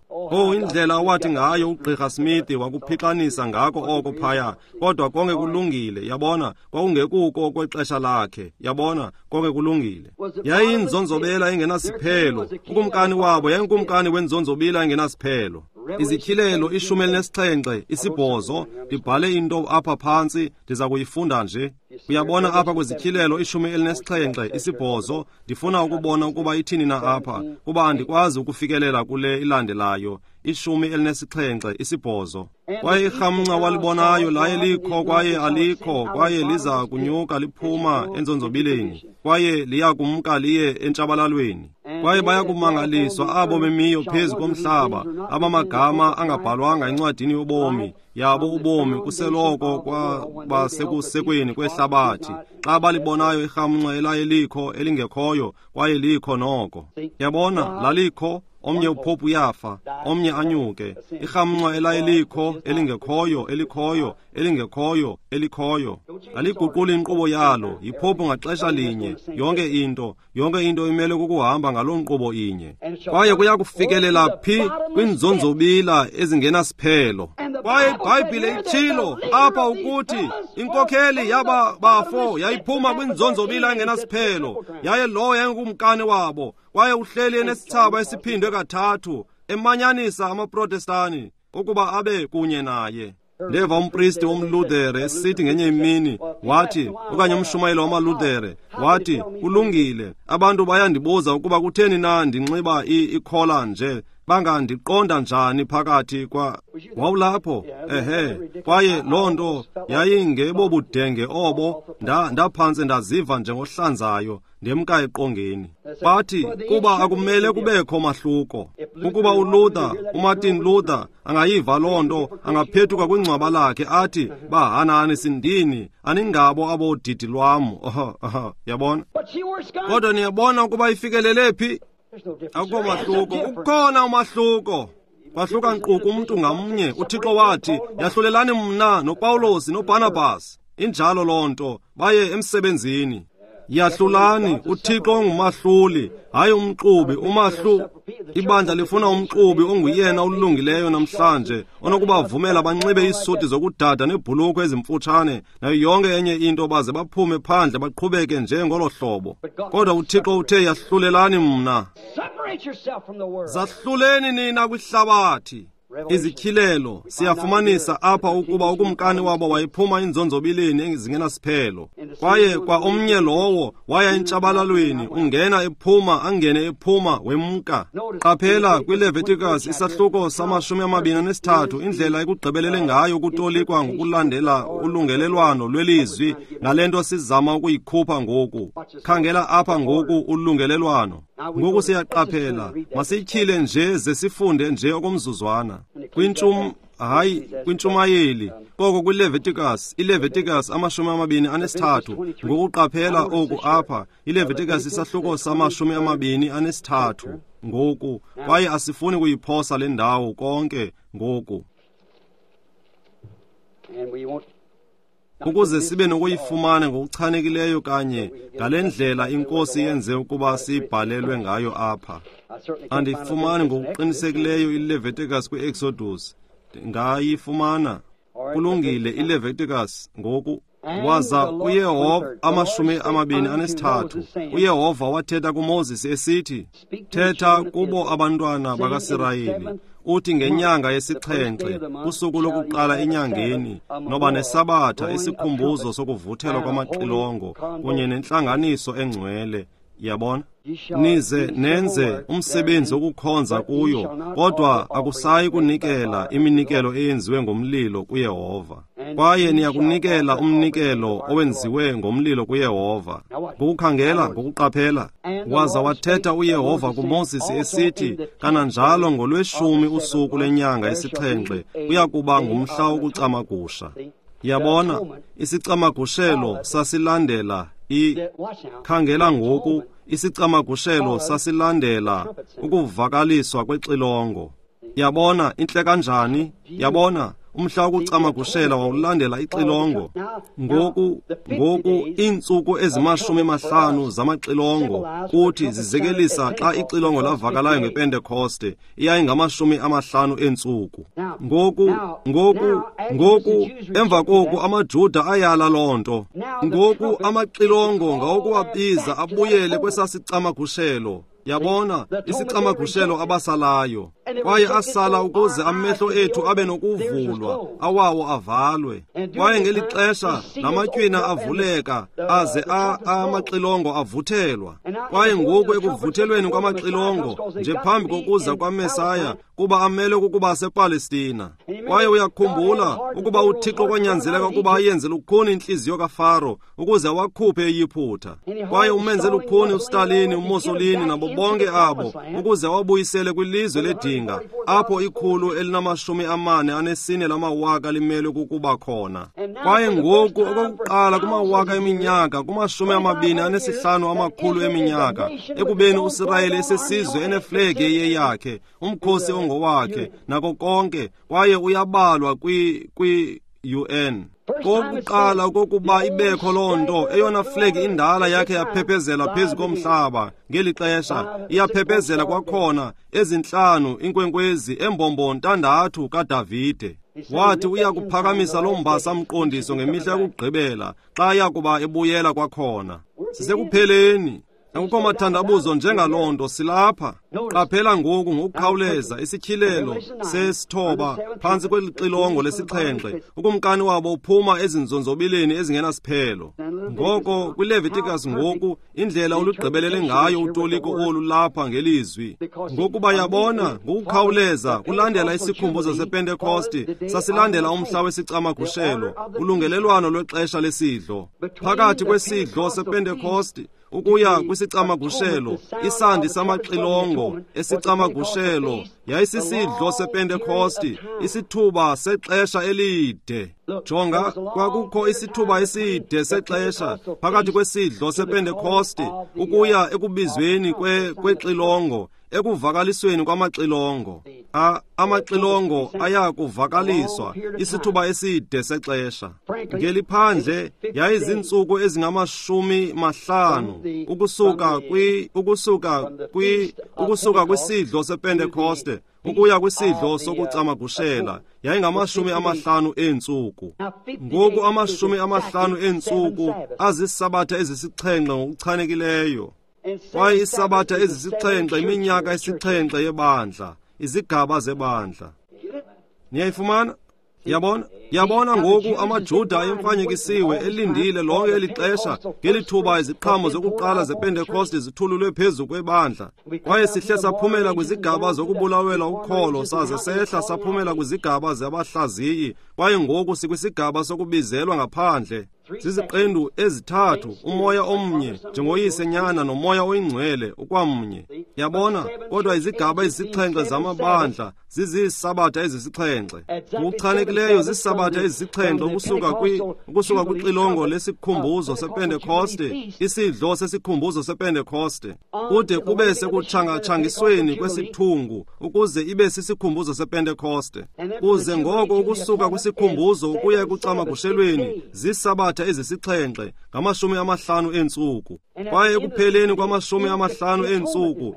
C: Indlela awathi ngayo uGqirha Smith wakuphixanisa ngako oko phaya, kodwa konke kulungile, yabona, kwakungekuko okwexesha lakhe, yabona, konke kulungile. Yayiyinzonzobela engenasiphelo, ukumkani wabo yayinkumkani wenzonzobila engenasiphelo. Izityhilelo 17, 8, ndibhale into apha phantsi, ndiza kuyifunda nje. Uyabona apha kwizityhilelo 17, 8, ndifuna ukubona ukuba ithini na apha, kuba andikwazi ukufikelela kule ilandelayo. 17, 8. Kwaye irhamncwa walibonayo laye likho kwaye alikho, kwaye liza kunyuka liphuma enzonzobileni, kwaye liya kumka liye entshabalalweni. Kwaye bayakumangaliswa abo bemiyo phezu komhlaba, abamagama angabhalwanga encwadini yobomi yabo ubomi kuseloko kwabasekusekweni kwehlabathi, xa balibonayo irhamncwa elaye likho elingekhoyo, kwaye likho noko. Yabona, lalikho, omnye upopu uyafa, omnye anyuke. Irhamncwa elaye likho elingekhoyo, elikhoyo, elingekhoyo, elikhoyo. Aliguquli inkqubo yalo, yipopu ngaxesha linye. Yonke into, yonke into imele kukuhamba ngaloo nkqubo inye. Kwaye kuya kufikelela phi kwinzonzobila ezingenasiphelo. Kwaye iBhayibhile itshilo apha ukuthi inkokheli yaba bafo yayiphuma kwinzonzobila engenasiphelo, yaye lowo yayingukumkani wabo, kwaye uhleli enesithsaba esiphindwe 3, emanyanisa amaProtestani ukuba abe kunye naye. Ndeva umpristi womLuthere esithi ngenye imini, wathi, okanye umshumayeli wamaLuthere, wathi, kulungile, abantu bayandibuza ukuba kutheni na ndinxiba ikhola nje, bangandiqonda njani phakathi kwa... Wawulapho, ehe, kwaye loo nto yayingebobudenge obo, ndaphantse ndaziva njengohlanzayo, ndemka eqongeni. Bathi, kuba akumele kubekho mahluko. Ukuba uLuther, uMartin Luther, angayiva loo nto, angaphethuka kwingcwaba lakhe athi, bahanani sindini, aningabo abodidi lwam. Yabona? Kodwa niyabona ukuba ifikelele phi? Akukho mahluko. Ukhona umahluko. Kwahluka nkqu kumntu ngamnye. UThixo wathi, yahlulelani mna noPawulos noBarnabas. Injalo loo nto, baye emsebenzini. Yahlulani, uThixo ongumahluli, hayi umxubi, umahlu. Ibandla lifuna umxubi onguyena olungileyo namhlanje, onokubavumela banxibe iisuti zokudada neebhulukhwe ezimfutshane nayo yonke enye into, baze baphume phandle baqhubeke nje ngolo hlobo. Kodwa uThixo uthe, yahlulelani mna. Zahluleni nina kwihlabathi. Izityhilelo siyafumanisa apha ukuba ukumkani wabo wayephuma inzonzobileni ezingenasiphelo, kwaye kwa omnye lowo waya entshabalalweni, ungena ephuma, angene ephuma, wemka. Qaphela kwiLeviticus isahluko 23, indlela ekugqibelele ngayo ukutolikwa ngokulandela ulungelelwano lwelizwi ngale nto sizama ukuyikhupha ngoku. Khangela apha ngoku ulungelelwano. Ngoku siyaqaphela, masityhile nje ze sifunde nje okomzuzwana. Kwintshumayeli, koko kwiLeviticus, iLeviticus 23, ngokuqaphela oku apha, iLeviticus isahluko 23 ngoku, kwaye asifuni kuyiphosa le ndawo konke ngoku, ukuze sibe nokuyifumana ngokuchanekileyo kanye ngale ndlela iNkosi yenze ukuba sibhalelwe ngayo apha. Andiyifumani ngokuqinisekileyo iLeviticus kwi-Exodus, ngayifumana. Kulungile, iLeviticus ngoku. Waza uYehova 23, uYehova wathetha kuMoses esithi, thetha kubo abantwana bakaSirayeli, uthi ngenyanga yesixhenxe, usuku lokuqala enyangeni, noba nesabatha, isikhumbuzo sokuvuthelwa kwamaxilongo kunye nentlanganiso engcwele. Yabona? Nize nenze umsebenzi wokukhonza kuyo, kodwa akusayi kunikela iminikelo eyenziwe ngomlilo kuYehova. Kwaye niyakunikela umnikelo owenziwe ngomlilo kuYehova. Ngokukhangela, ngokuqaphela. Waza wathetha uYehova kuMoses esithi, kananjalo ngolweshumi usuku lenyanga yesixhenxe kuya kuba ngumhla wokucamagusha. Yabona, isicamagushelo sasilandela khangela ngoku, isicamagushelo sasilandela ukuvakaliswa kwexilongo. Yabona, intle kanjani? Yabona, umhla wokucamagushela wawulandela ixilongo. Ngoku iintsuku ezi-50 zamaxilongo kuthi zizekelisa xa ixilongo lavakalayo ngePentekoste, iyayingama-50 eentsuku. Ngoku emva koku amaJuda ayala loo nto. Ngoku amaxilongo ngawokuwabiza abuyele kwesasicamagushelo. Yabona, isicamagushelo abasalayo. Kwaye asala ukuze amehlo ethu abe nokuvulwa, awawo avalwe. Kwaye ngeli xesha lamatywina avuleka, aze amaxilongo avuthelwa. Kwaye ngoku ekuvuthelweni kwamaxilongo, nje phambi kokuza kwaMesaya, kuba amele ukuba sePalestina. Kwaye uyakhumbula ukuba uThixo kwanyanzeleka ukuba ayenze lukhuni intliziyo kaFaro ukuze awakhuphe eYiphutha. Kwaye umenze lukhuni uStalin, uMussolini nabo bonke abo ukuze awabuyisele kwilizwe ledinga, apho 444 lamawaka limelwe kukuba khona. Kwaye ngoku okokuqala kumawaka eminyaka, kuma-25 amakhulu eminyaka, ekubeni uSirayeli esesizwe eneflegi eyeyakhe, umkhosi ongowakhe, nako konke, kwaye uyabalwa kwi-UN. Kokuqala kokuba ibekho loo nto, eyona flegi indala yakhe yaphephezela phezu komhlaba ngeli xesha, iyaphephezela kwakhona ezintlanu inkwenkwezi embombo 6 kaDavide. Wathi uya kuphakamisa loo mbasa mqondiso ngemihla yokugqibela xa yakuba ebuyela kwakhona. Sisekupheleni. Akukho mathandabuzo njengaloo nto, silapha. Qaphela ngoku ngokukhawuleza isityhilelo sesithoba phantsi kwelixilongo lesixhenxe, ukumkani wabo uphuma ezinzonzobileni ezingenasiphelo. Ngoko kwiLeviticus ngoku, indlela olugqibelele ngayo utoliko olu lapha ngelizwi. Ngokuba yabona, ngokukhawuleza kulandela isikhumbuzo sePentekoste, sasilandela umhla wesicamagushelo, ulungelelwano lwexesha lesidlo. Phakathi kwesidlo sePentekoste ukuya kwisicamagushelo, isandi samaxilongo esicamagushelo yayisisidlo sePentekoste, isithuba sexesha elide. Jonga, kwakukho isithuba eside sexesha phakathi kwesidlo sePentekoste ukuya ekubizweni kwexilongo, ekuvakalisweni kwamaxilongo. Amaxilongo aya kuvakaliswa isithuba eside sexesha. Ngeliphandle yayizintsuku ezingama-50 ukusuka kwisidlo sePentekoste ukuya kwisidlo sokucamagushela, yayingama-50 eentsuku. Ngoku 50 eentsuku azisabatha ezisixhenxe ngokuchanekileyo. Kwaye isabatha ezisixhenxe iminyaka esixhenxe yebandla, izigaba zebandla. Niyayifumana? Yabona? Yabona ngoku amaJuda ayemfanyekisiwe elindile lonke eli xesha ngelithuba iziqhamo zokuqala zePentekoste zithululwe phezu kwebandla. Kwaye sihle saphumela kwizigaba zokubulawelwa ukholo, saze sehla saphumela kwizigaba zabahlaziyi, kwaye ngoku sikwisigaba sokubizelwa ngaphandle. Ziziqendu ezithathu, umoya omnye, njengoyise, nyana nomoya oyingcwele ukwamnye. Yabona, kodwa izigaba ezisixhenxe zamabandla zizisabatha ezisixhenxe. Ngokuchanekileyo zisabatha ezisixhenxe ukusuka kwixilongo lesikhumbuzo sePentekoste, isidlo sesikhumbuzo sePentekoste, kude kube sekutshangatshangisweni kwesithungu ukuze ibe sisikhumbuzo sePentekoste. Kuze ngoko ukusuka kwisikhumbuzo ukuya ekucamagushelweni zisabatha ezisixhenxe ngama-50 eentsuku. Kwaye ekupheleni kwama-50 eentsuku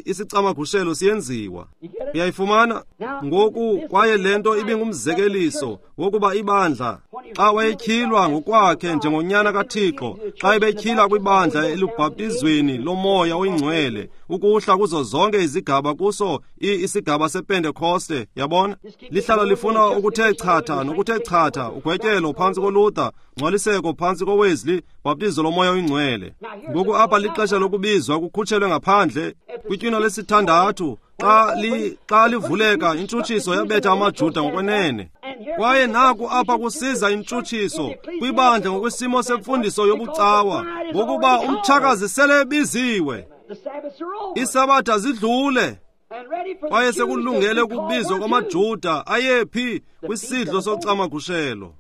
C: isicamagushelo siyenziwa. Uyayifumana? Ngoku kwaye le nto ibingumzekeliso wokuba ibandla xa wayetyhilwa ngokwakhe njengonyana kaThixo, xa ebetyhila kwibandla elubhaptizweni lomoya oyingcwele, ukuhla kuzo zonke izigaba kuso isigaba sePentekoste. Yabona, lihlala lifuna ukuthe chatha nokuthe chatha, ugwetyelo phantsi koLuther, ngcwaliseko phantsi koWesley, bhaptizo lomoya oyingcwele. Ngoku apha lixesha lokubizwa kukhutshelwe ngaphandle kwitywina lesithandathu. Xa livuleka intshutshiso yabetha amaJuda ngokwenene. Kwaye naku apha kusiza intshutshiso kwibandla ngokwesimo semfundiso yobucawa, ngokuba umtshakazi sele ebiziwe, isabatha zidlule, kwaye sekulungele ukubizwa kwamaJuda ayephi kwisidlo socamagushelo.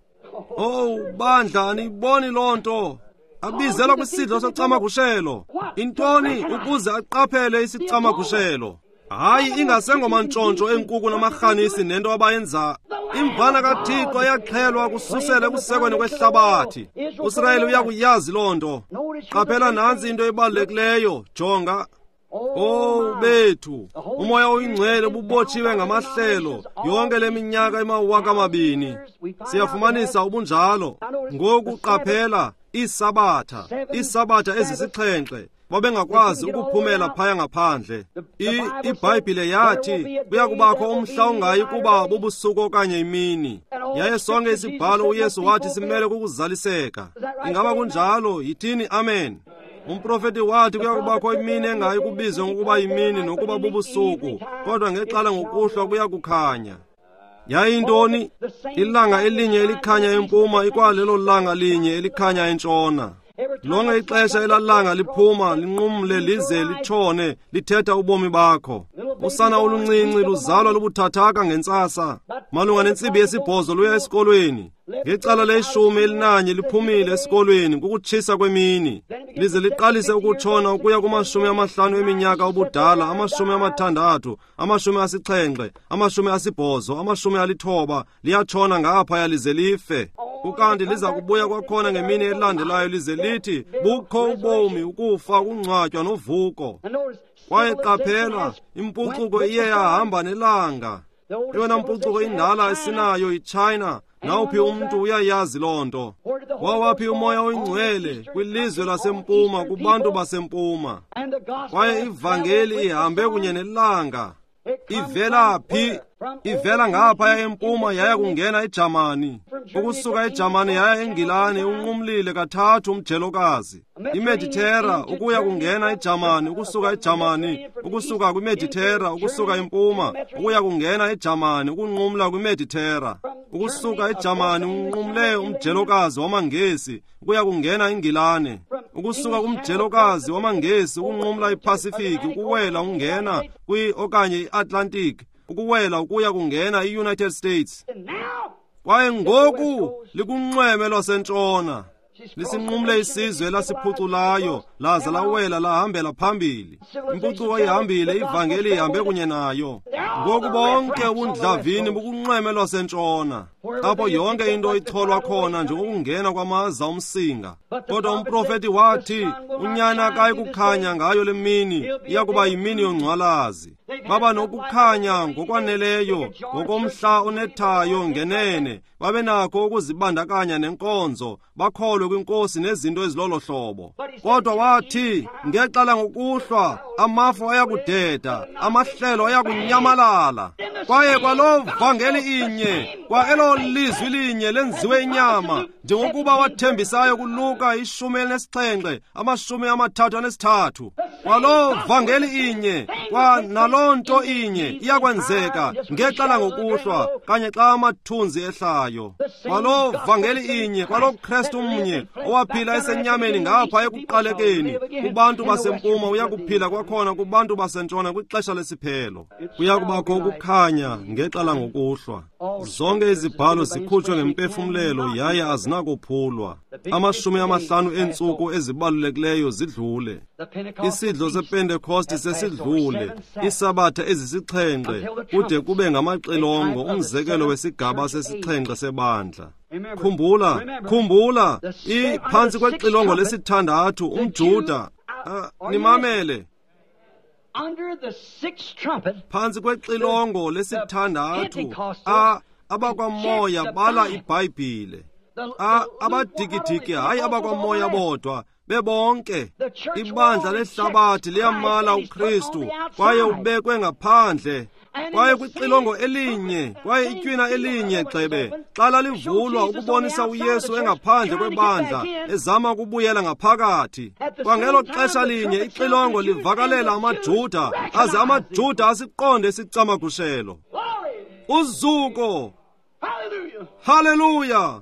C: Oh bandla, aniyiboni loo nto? Abizelwa kwisidlo socamagushelo. Intoni? Ukuze aqaphele isicamagushelo. Hayi, ingasengomantshontsho enkuku namarhanisi nento abayenza. Imvana kaThixo yaxhelwa kususela ekusekweni kwehlabathi. USirayeli uyakuyazi loo nto. Qaphela nantsi into ebalulekileyo, jonga. Oh bethu, umoya oyingcwele ububotshiwe ngamahlelo yonke le minyaka 2000. Siyafumanisa ubunjalo. Ngoku qaphela iisabatha, iisabatha ezisixhenxe. Babengakwazi ukuphumela phaya ngaphandle. IBhayibhile yathi kuya kubakho umhla ongayi kuba bubusuku okanye imini. Yaye sonke isibhalo uYesu wathi simele kukuzaliseka. Ingaba kunjalo? Yithini amen. Umprofeti wathi kuya kubakho imini engayi kubizwa ngokuba yimini nokuba bubusuku, kodwa ngexala ngokuhlwa kuya kukhanya. Yayintoni? Ilanga elinye elikhanya empuma ikwalelo langa linye elikhanya entshona. Lonke ixesha elalanga liphuma linqumle lize litshone lithetha ubomi bakho. Usana oluncinci luzalwa lubuthathaka ngentsasa. Malunga nentsimbi yesibhozo luya esikolweni. Ngecala le-11 liphumile esikolweni kukutshisa kwemini. Lize liqalise ukutshona ukuya kuma-50 eminyaka ubudala, 60, 70, 80, 90, liyatshona ngaphaya lize life. Ukanti liza kubuya kwakhona ngemini elandelayo lize lithi bukho ubomi, ukufa, ukungcwatywa novuko. Kwaye qaphela, impucuko iye yahamba nelanga. Eyona mpucuko indala esinayo yiChina. Nawuphi umntu uyayazi loo nto. Wawaphi umoya oyingcwele kwilizwe lasempuma kubantu basempuma. Kwaye ivangeli ihambe kunye nelanga. Ivela phi? Ivela ngaphaya empuma yaya kungena eJamani. Ukusuka eJamani yaya eNgilani, unqumlile kathathu umjelokazi. IMeditera ukuya kungena eJamani, ukusuka eJamani, ukusuka kwiMeditera, ukusuka empuma, ukuya kungena eJamani, ukunqumla kwiMeditera. Ukusuka eJamani unqumle umjelokazi wamaNgesi, ukuya kungena eNgilane. Ukusuka kumjelokazi wamaNgesi ukunqumla iPacific, ukuwela ungena kwi okanye iAtlantic, ukuwela ukuya kungena i-United States. Kwaye ngoku likunxweme lwasentshona. Lisinqumle isizwe elasiphuculayo, laza lawela lahambela phambili. Impucuko ihambile, ivangeli ihambe kunye nayo. Ngoku bonke ubundlavini bukunxweme lwasentshona, apho yonke into icholwa khona njengokungena kwamaza omsinga. Kodwa umprofeti wathi unyana akayi kukhanya ngayo le mini, iya kuba yimini yongcwalazi. Baba nokukhanya ngokwaneleyo ngokomhla onethayo ngenene, babe nakho ukuzibandakanya nenkonzo, bakholwe kwinkosi nezinto ezilolo hlobo. Kodwa wathi ngexala ngokuhlwa amafu ayakudeda, amahlelo ayakunyamalala. Kwaye kwaloo vangeli inye, kwa elo lizwi linye lenziwe inyama, njengokuba wathembisayo kuLuka 17 33. Kwaloo vangeli inye, kwa naloo nto inye iyakwenzeka ngexala ngokuhlwa, kanye xa amathunzi ehlayo. Kwaloo vangeli inye, kwaloo Kristu mnye owaphila esenyameni ngapha ekuqalekeni kubantu basempuma, uyakuphila kwakhona kubantu basentshona kwixesha lesiphelo. Kuya kubakho ukukhanya ngexala ngokuhlwa. Zonke izibhalo zikhutshwe ngempefumlelo yaye azinakophulwa. 50 eentsuku ezibalulekileyo zidlule. Isidlo sePentekoste sesidlule. Isabatha ezisixhenxe kude kube ngamaxilongo, umzekelo wesigaba sesixhenxe sebandla. Khumbula, khumbula, iphantsi kwexilongo lesithandathu umJuda. Nimamele. Phantsi kwexilongo lesithandathu abakwamoya bala iBhayibhile. Abadikidiki, hayi abakwamoya bodwa, bebonke. Ibandla lehlabathi liyamala uKristu, kwaye ubekwe ngaphandle. Kwaye kwixilongo elinye, kwaye itywina elinye gxebe, xa lalivulwa ukubonisa uYesu engaphandle kwebandla, ezama ukubuyela ngaphakathi. Kwangelo xesha linye ixilongo livakalela amaJuda, aze amaJuda asiqonde isicamagushelo. Uzuko! Haleluya!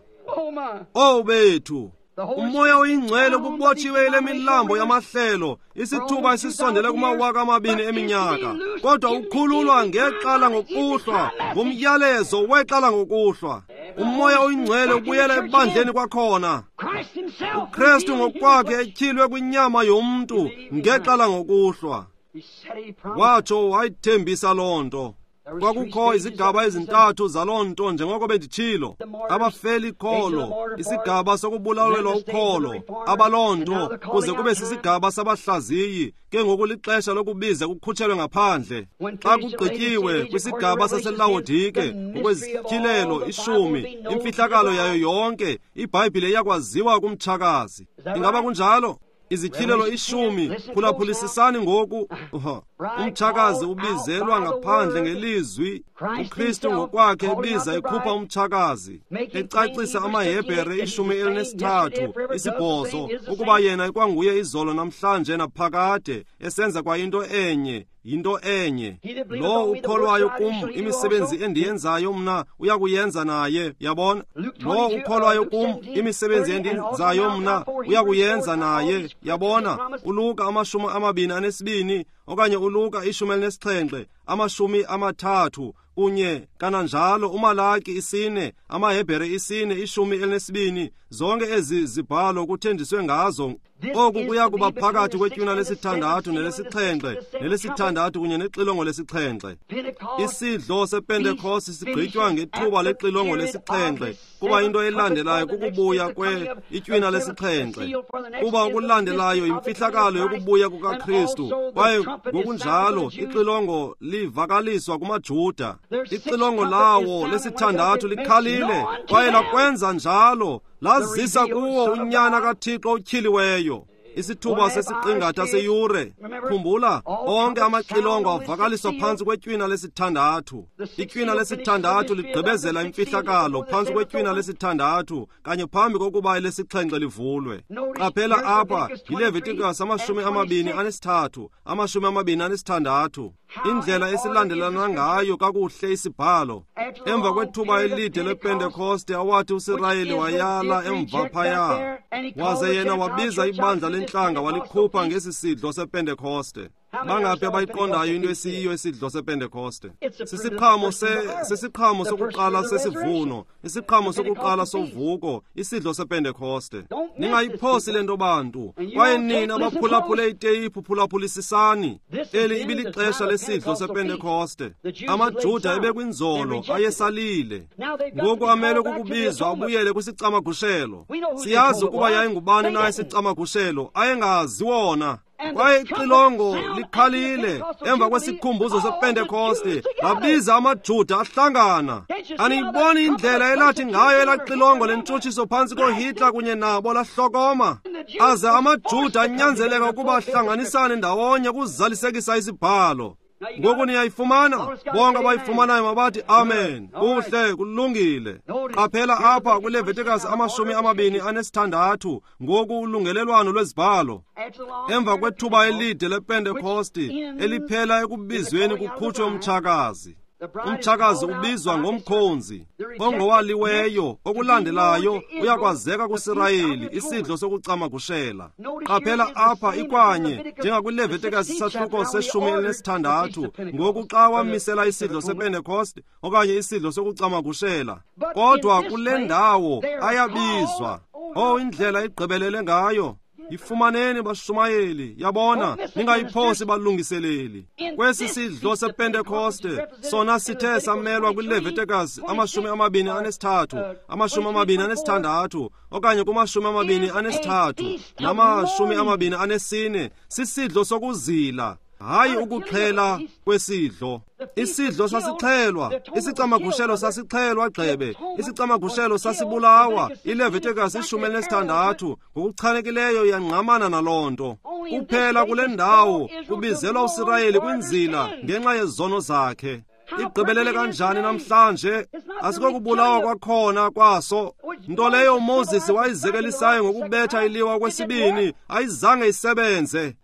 C: Oh bethu! Umoya oyingcwele ububotshiwe ile milambo yamahlelo isithuba esisondele kuma-2000 eminyaka, kodwa ukhululwa ngexala ngokuhlwa, ngumyalezo wexala ngokuhlwa. Umoya oyingcwele ubuyela ebandleni kwakhona. uKristu ngokwakhe etyhilwe kwinyama yomntu ngexala ngokuhlwa. Watsho wayithembisa loo nto. Kwakukho izigaba ezintathu zaloo nto, njengoko benditshilo. Abafeli kholo, isigaba sokubulawelwa ukholo, abaloo nto kuze kube sisigaba sabahlaziyi. Ke ngoku lixesha lokubiza kukhutshelwe ngaphandle. Xa kugqityiwe kwisigaba saseLawodike ngokwezityhilelo 10, imfihlakalo yayo yonke iBhayibhile iyakwaziwa kumtshakazi. Ingaba kunjalo? Izityhilelo 10, phulaphulisisani ngoku. Umtshakazi ubizelwa ngaphandle ngelizwi. uKristu ngokwakhe ebiza ekhupha umtshakazi, ecacisa amaHebhere 13 8 ukuba yena ikwanguye izolo namhlanje naphakade, esenza kwa into enye, yinto enye. Lo ukholwayo kum, imisebenzi endiyenzayo mna uyakuyenza naye. Yabona? Lo ukholwayo kum, imisebenzi endiyenzayo mna uyakuyenza naye. Yabona? uLuka 22 okanye uLuka 17 30 kunye kananjalo uMalaki 4, amaHebhere 4, 12, zonke ezi zibhalo kuthenjiswe ngazo. Oku kuya kuba phakathi kwetywina lesithandathu nelesixhenxe, nelesithandathu kunye nexilongo lesixhenxe. Isidlo sePentekoste sigqitywa ngethuba lexilongo lesixhenxe, kuba into elandelayo kukubuya itywina lesixhenxe, kuba okulandelayo yimfihlakalo yokubuya kukaKristu, kwaye ngokunjalo ixilongo livakaliswa kumaJuda. Ixilongo lawo lesithandathu likhalile, kwaye lakwenza njalo lazisa kuwo uNyana kaThixo otyhiliweyo. Isithuba sesiqingatha seyure. Khumbula, onke amaxilongo avakaliswa phantsi kwetywina lesithandathu. Itywina lesithandathu ligqibezela imfihlakalo phantsi kwetywina lesithandathu kanye phambi kokuba elesixhenxe livulwe. Qaphela apha yiLevitikus 23, 26. Indlela esilandelana ngayo kakuhle isibhalo. Emva kwethuba elide lePentekoste awathi uSirayeli wayala emva phaya, waze yena wabiza ibandla lentlanga walikhupha ngesi sidlo sePentekoste. Bangaphi abayiqondayo into esiyiyo isidlo sePentekoste? Sisiqhamo sesiqhamo sokuqala sesivuno, isiqhamo sokuqala sovuko, isidlo sePentekoste. Ningayiphosi le nto bantu, kwaye nina abaphulaphule iteyiphu phulaphulisisani. Eli ibilixesha lesidlo sePentekoste. AmaJuda ebekwinzolo ayesalile, ngoku amele kukubizwa abuyele kwisicamagushelo. Siyazi ukuba yayingubani na isicamagushelo, ayengazi wona. Kwaye ixilongo likhalile emva kwesikhumbuzo sePentekoste, labiza amaJuda ahlangana. Aniyiboni indlela elathi ngayo elaxilongo lentshutshiso phantsi koHitler kunye nabo lahlokoma, aze amaJuda anyanzeleka ukuba ahlanganisane ndawonye ukuzalisekisa isibhalo. Ngoku niyayifumana? Bonke abayifumanayo mabathi amen. Kuhle, kulungile. Qaphela apha kwiLevitikus 26, ngoku ulungelelwano lwezibhalo. Emva kwethuba elide lePentekoste eliphela ekubizweni kukhutshwe umtshakazi. Umtshakazi ubizwa ngomkhonzi ongowaliweyo. Okulandelayo uyakwazeka kuSirayeli, isidlo sokucamagushela. Qaphela apha ikwanye njengakwiLevitikus isahluko se-16, ngoku xa wamisela isidlo sePentekoste okanye isidlo sokucamagushela. Kodwa kule ndawo ayabizwa. Oh, indlela igqibelele ngayo. Yifumaneni bashumayeli, yabona, ningayiphosi balungiseleli. Kwesi sidlo sePentekoste sona sithe samelwa kwiLevitikus 23, 26 okanye kuma-23 nama-24, sisidlo sokuzila, hayi ukuxhela kwesidlo. Isidlo sasixhelwa, isicamagushelo sasixhelwa gxebe, isicamagushelo sasibulawa. ILevitikus 16 ngokuchanekileyo yangqamana naloo nto. Kuphela kule ndawo kubizelwa uSirayeli kwinzila ngenxa yezono zakhe. Igqibelele kanjani namhlanje? Asikokubulawa kwakhona kwaso, nto leyo uMoses wayizekelisayo ngokubetha iliwa kwesibini, ayizange isebenze.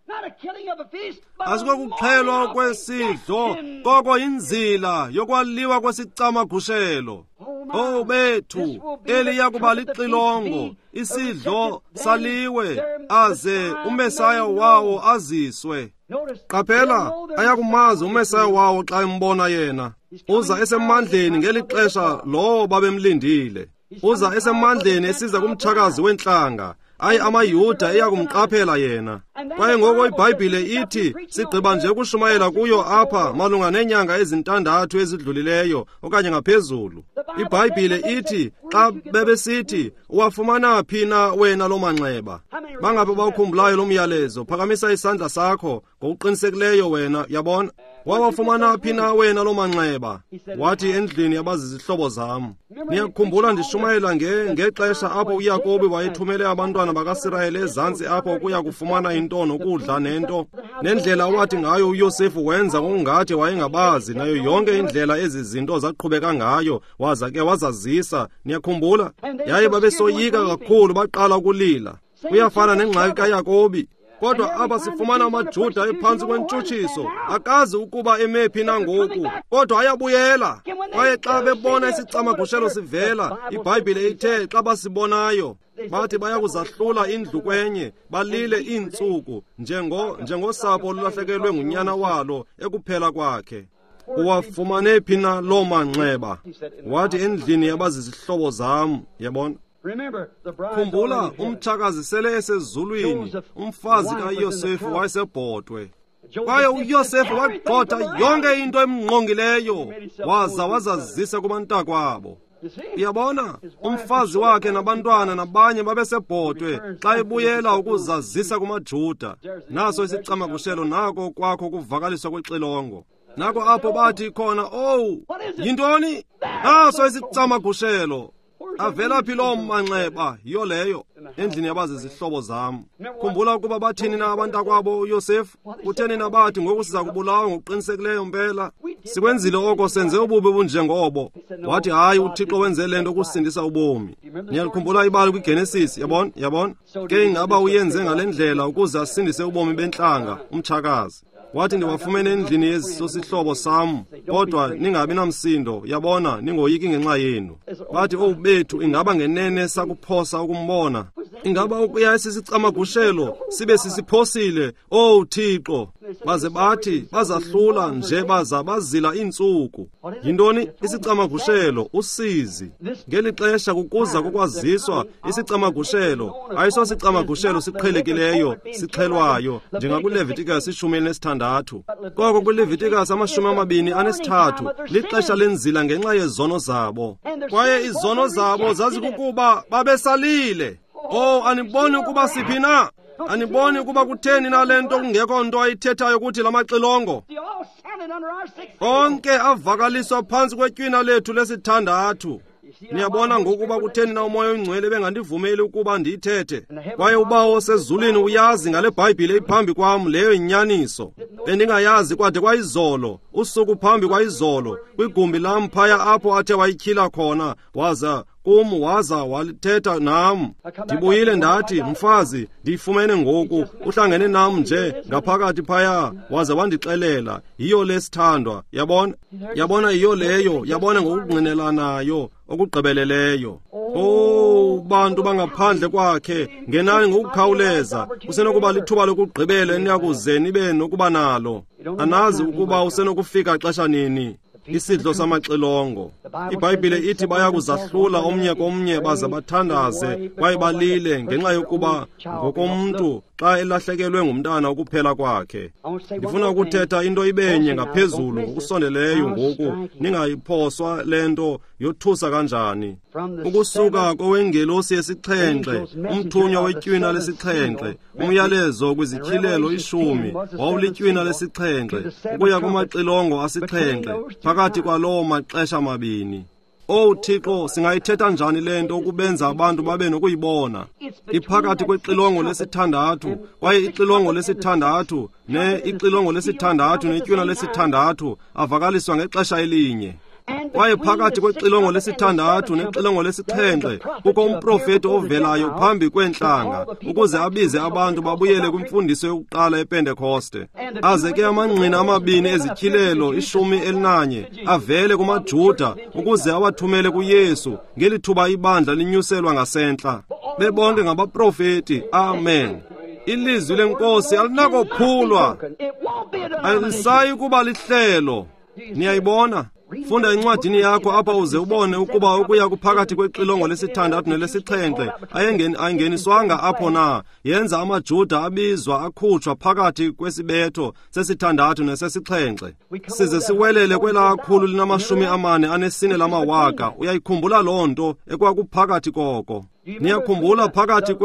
C: Asikokuxhelwa kwesidlo, koko inzila yokwaliwa kwesicamagushelo. Oh bethu, eli yakuba lixilongo, isidlo saliwe, aze uMesaya wawo aziswe. Qaphela, ayakumazi uMesaya wawo xa embona yena. Uza esemandleni ngeli xesha lowo babemlindile. Uza esemandleni esiza kumtshakazi wentlanga. Ayi, amaYuda eyakumqaphela yena. Kwaye ngoko iBhayibhile ithi sigqiba nje ukushumayela kuyo apha malunga neenyanga ezintandathu ezidlulileyo okanye ngaphezulu. IBhayibhile ithi xa bebesithi uwafumana phi na wena loo manxeba? Bangaphi bawukhumbulayo lo myalezo? Phakamisa isandla sakho ngokuqinisekileyo wena, yabona. Wawafumana phi na wena loo manxeba? Wathi, endlini yabazizihlobo zam. Niyakhumbula ndishumayela ngexesha apho uYakobi wayethumele abantwana bakaSirayeli ezantsi apho ukuya kufumana into nokudla nento, nendlela owathi ngayo uYosefu wenza ngokungathi wayengabazi, nayo yonke indlela ezi zinto zaqhubeka ngayo, waza ke wazazisa. Niyakhumbula? Yaye babesoyika kakhulu, baqala ukulila. Kuyafana nengxaki kaYakobi. Kodwa apha sifumana amaJuda ephantsi kwentshutshiso, akazi ukuba emephi na ngoku, kodwa ayabuyela. Kwaye xa bebona isicamagushelo sivela, iBhayibhile ithe xa basibonayo, bathi bayakuzahlula indlu kwenye, balile iintsuku, njengosapho olulahlekelwe ngunyana walo ekuphela kwakhe. Uwafumane phi na loo manxeba? Wathi, endlini yabazizihlobo zam. Yabona? Khumbula, umtshakazi sele esezulwini, umfazi kaYosefu wayesebhotwe. Kwaye uYosefu wagxotha yonke into emngqongileyo, waza wazazisa kubantakwabo. Uyabona, umfazi wakhe nabantwana nabanye babesebhotwe xa ebuyela ukuzazisa kumaJuda. Naso isicamagushelo, nako kwakho kuvakaliswa kwexilongo. Nako apho bathi khona, owu, yintoni? Naso isicamagushelo. Avela phi loo manxeba? Yiyo leyo, endlini yabazizihlobo zam. Khumbula ukuba bathini na abantakwabo uYosefu? Kutheni na bathi ngoku siza kubulawa ngokuqinisekileyo mpela? Sikwenzile oko, senze ububi obunjengobo. Wathi, hayi, uThixo wenze le nto ukusindisa ubomi. Niyalikhumbula ibali kwiGenesis, yabona? Yabona? Ke ingaba uyenze ngale ndlela ukuze asindise ubomi bentlanga, umtshakazi. Wathi, ndiwafumene endlini yesosihlobo sam, kodwa ningabi namsindo, yabona, ningoyiki ngenxa yenu. Bathi, owu bethu, ingaba ngenene sakuphosa ukumbona? Ingaba ukuya esisicamagushelo sibe sisiphosile? Owu Thixo! Baze bathi bazahlula nje baza bazila iintsuku. Yintoni isicamagushelo? Usizi. Ngeli xesha kukuza kokwaziswa isicamagushelo, ayisosicamagushelo siqhelekileyo sixhelwayo njengakuLevitikus 16. Koko kwiLevitikus 23 lixesha lenzila ngenxa yezono zabo. Kwaye izono zabo zazikukuba babesalile. Oh, aniboni ukuba siphi na? Aniboni ukuba kutheni na le nto kungekho nto ayithethayo kuthi lamaxilongo? Onke avakaliswa phantsi kwetywina lethu lesithandathu. Niyabona ngokuba kutheni na uMoya oyiNgcwele bengandivumeli ukuba ndiyithethe? Kwaye uBawo osezulwini uyazi ngale Bhayibhile iphambi kwam, leyo yinyaniso. Bendingayazi kwade kwayizolo, usuku phambi kwayizolo, kwigumbi lam phaya apho athe wayityhila khona, waza kum waza walithetha nam. Ndibuyile ndathi, mfazi, ndiyifumene ngoku, uhlangene nam nje ngaphakathi phaya, waza wandixelela, yiyo lesithandwa. Yabona? Yabona, yiyo leyo, yabona ngokungqinelanayo okugqibeleleyo. Oh, bantu bangaphandle kwakhe, ngenani ngokukhawuleza. Kusenokuba lithuba lokugqibela eniyakuze nibe nokuba nalo. Anazi ukuba usenokufika xesha nini. Isidlo samaxilongo. IBhayibhile ithi bayakuzahlula omnye komnye baze bathandaze kwaye balile ngenxa yokuba ngokomntu xa elahlekelwe ngumntana ukuphela kwakhe. Ndifuna ukuthetha into ibenye ngaphezulu ngokusondeleyo ngoku, ningayiphoswa le nto yothusa kanjani. Ukusuka kowengelosi yesixhenxe, umthunywa wetywina lesixhenxe, umyalezo kwizityhilelo 10 wawulitywina lesixhenxe, ukuya kumaxilongo asixhenxe, phakathi kwaloo maxesha mabini. Owu Thixo, singayithetha njani le nto ukubenza abantu babe nokuyibona? Iphakathi kwexilongo lesithandathu, kwaye ixilongo lesithandathu ixilongo lesithandathu netywina lesithandathu avakaliswa ngexesha elinye. Kwaye phakathi kwexilongo lesithandathu nexilongo lesixhenxe kukho umprofeti ovelayo phambi kweentlanga ukuze abize abantu babuyele kwimfundiso yokuqala ePentekoste. Aze ke amangqina amabini ezityhilelo 11 avele kumaJuda ukuze awathumele kuYesu ngeli thuba ibandla linyuselwa ngasentla. Bebonke ngabaprofeti. Amen. Ilizwi leNkosi alinakophulwa, alisayi kuba lihlelo. Niyayibona? Funda encwadini yakho apha uze ubone ukuba ukuya kuphakathi kwexilongo lesithandathu nelesixhenxe ayingeniswanga apho na. Yenza amaJuda abizwa akhutshwa phakathi kwesibetho sesithandathu nesesixhenxe, size siwelele kwelaa 444 lamawaka. Uyayikhumbula loo nto ekwakuphakathi koko? Niyakhumbula phakathi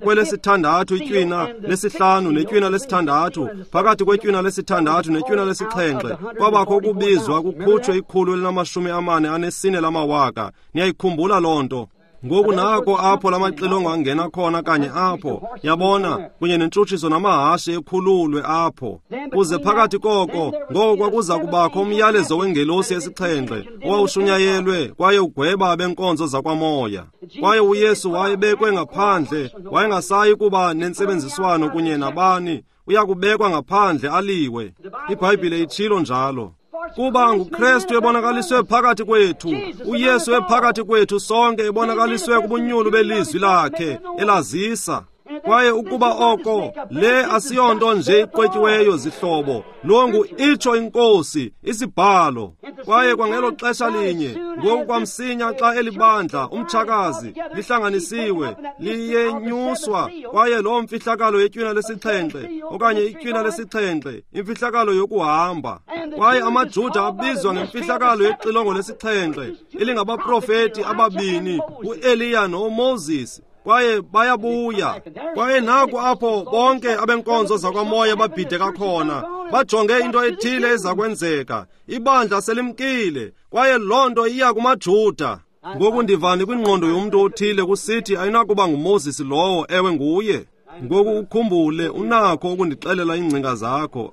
C: kwelesithandathu itywina lesihlanu netywina lesithandathu, phakathi kwetywina lesithandathu netywina lesixhenxe, kwabakho ukubizwa kukhutshwe 144 lamawaka. Niyayikhumbula loo nto? Ngoku nako apho lamaxilongo angena khona kanye apho, yabona, kunye nentshutshiso namahashe ekhululwe apho. Kuze phakathi koko, ngoko kwakuza kubakho umyalezo wengelosi yesixhenxe owawushunyayelwe kwaye ugweba abenkonzo zakwamoya. Kwaye uYesu wayebekwe ngaphandle, wayengasayi kuba nentsebenziswano kunye nabani, uya kubekwa ngaphandle aliwe. IBhayibhile itshilo njalo. Kuba nguKristu ebonakaliswe phakathi kwethu, uYesu ephakathi kwethu sonke ebonakaliswe kubunyulu belizwi lakhe elazisa. Kwaye ukuba oko, le asiyonto nje iqwetyiweyo zihlobo, lo ngu itsho iNkosi, isibhalo. Kwaye kwangelo xesha linye, ngoku kwamsinya xa elibandla, umtshakazi, lihlanganisiwe, liyenyuswa, kwaye loo mfihlakalo yetywina lesixhenxe, okanye itywina lesixhenxe, imfihlakalo yokuhamba. Kwaye amaJuda abizwa ngemfihlakalo yexilongo lesixhenxe, elingabaprofeti ababini, uEliya noMoses. Kwaye bayabuya. Kwaye naku apho bonke abenkonzo zakwamoya babhideka khona, bajonge into ethile eza kwenzeka. Ibandla selimkile, kwaye loo nto iya kumaJuda. Ngoku ndivani kwingqondo yomntu othile kusithi ayinakuba nguMoses lowo, ewe nguye. Ngoku ukhumbule, unakho ukundixelela iingcinga zakho.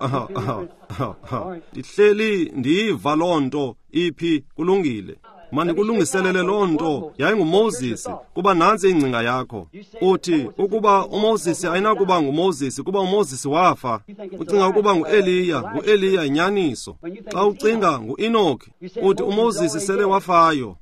C: Ndihleli ndiyiva loo nto iphi, kulungile. Mandikulungiselele loo nto, yayinguMoses, kuba nantsi ingcinga yakho. Uthi ukuba uMoses ayinakuba nguMoses kuba uMoses wafa. Ucinga ukuba nguEliya, nguEliya yinyaniso. Xa ucinga nguEnoki, uthi uMoses sele wafayo.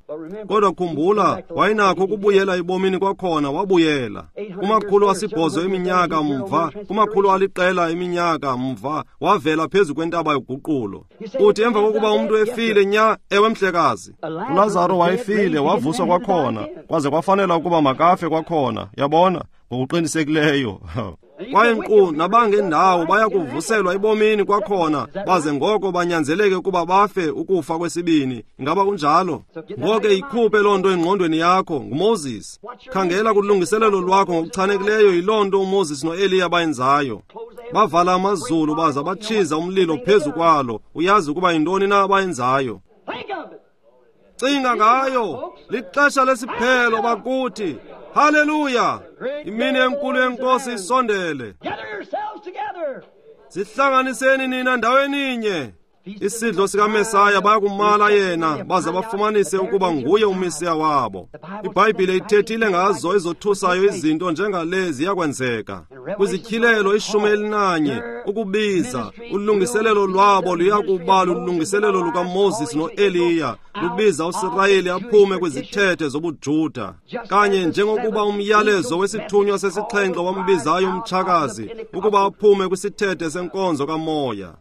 C: Kodwa khumbula, wayenakho ukubuyela ebomini kwakhona, wabuyela. 800 eminyaka mva, 900 eminyaka mva, wavela phezu kwentaba yoguqulo. Uthi emva kokuba umntu efile nya, ewe mhlekazi. uLazaro wayefile, wavuswa kwakhona, kwaze kwafanela ukuba makafe kwakhona, yabona, ngokuqinisekileyo. Kwaye nkqu nabangendawo baya kuvuselwa ebomini kwakhona, baze ngoko banyanzeleke ukuba bafe ukufa kwesibini. Ingaba kunjalo? Ngoko ikhuphe loo nto engqondweni yakho, nguMoses. Khangela kulungiselelo lwakho ngokuchanekileyo, yiloo nto uMoses noEliya bayenzayo. Bavala amazulu baza batshiza umlilo phezu kwalo. Uyazi ukuba yintoni na abayenzayo. Cinga ngayo, lixesha lesiphelo bakuthi. Haleluya! Imini enkulu yenkosi isondele. Zihlanganiseni nina ndaweninye. Isidlo sikaMesaya bayakumala yena, baze bafumanise ukuba nguye uMesiya wabo. IBhayibhile ithethile ngazo ezothusayo izinto njengale ziyakwenzeka. Kwizityhilelo 11, ukubiza, ulungiselelo lwabo luyakuba lulungiselelo lukaMoses noEliya, lubiza uSirayeli aphume kwizithethe zobuJuda. Kanye njengokuba umyalezo wesithunywa sesixhenxe wambizayo umtshakazi ukuba aphume kwisithethe senkonzo kamoya.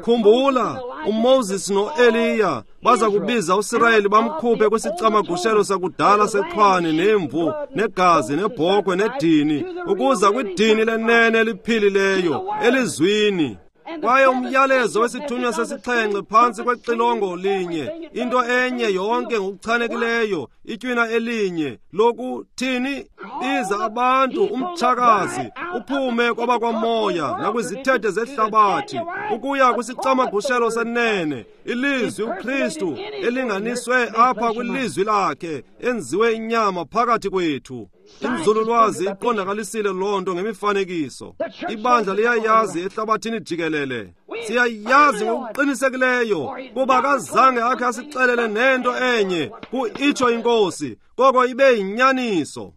C: Khumbula, uMoses noEliya baza kubiza uSirayeli bamkhuphe kwisicamagushelo sakudala sexhwane nemvu negazi nebhokhwe nedini, ukuza kwidini lenene eliphilileyo elizwini. Kwaye umyalezo wesithunywa sesixhenxe phantsi kwexilongo linye, into enye yonke ngokuchanekileyo, itywina elinye lokuthini? Biza abantu, umtshakazi, uphume kwabakwamoya nakwizithethe zehlabathi, ukuya kwisicamagushelo senene, ilizwi uKristu elinganiswe apha kwilizwi lakhe, enziwe inyama phakathi kwethu. Inzululwazi iqondakalisile loo nto ngemifanekiso. Ibandla liyayazi ehlabathini jikelele. Siyayazi ngokuqinisekileyo, kuba akazange akhe asixelele nento enye, ku-itsho iNkosi, koko ibe yinyaniso.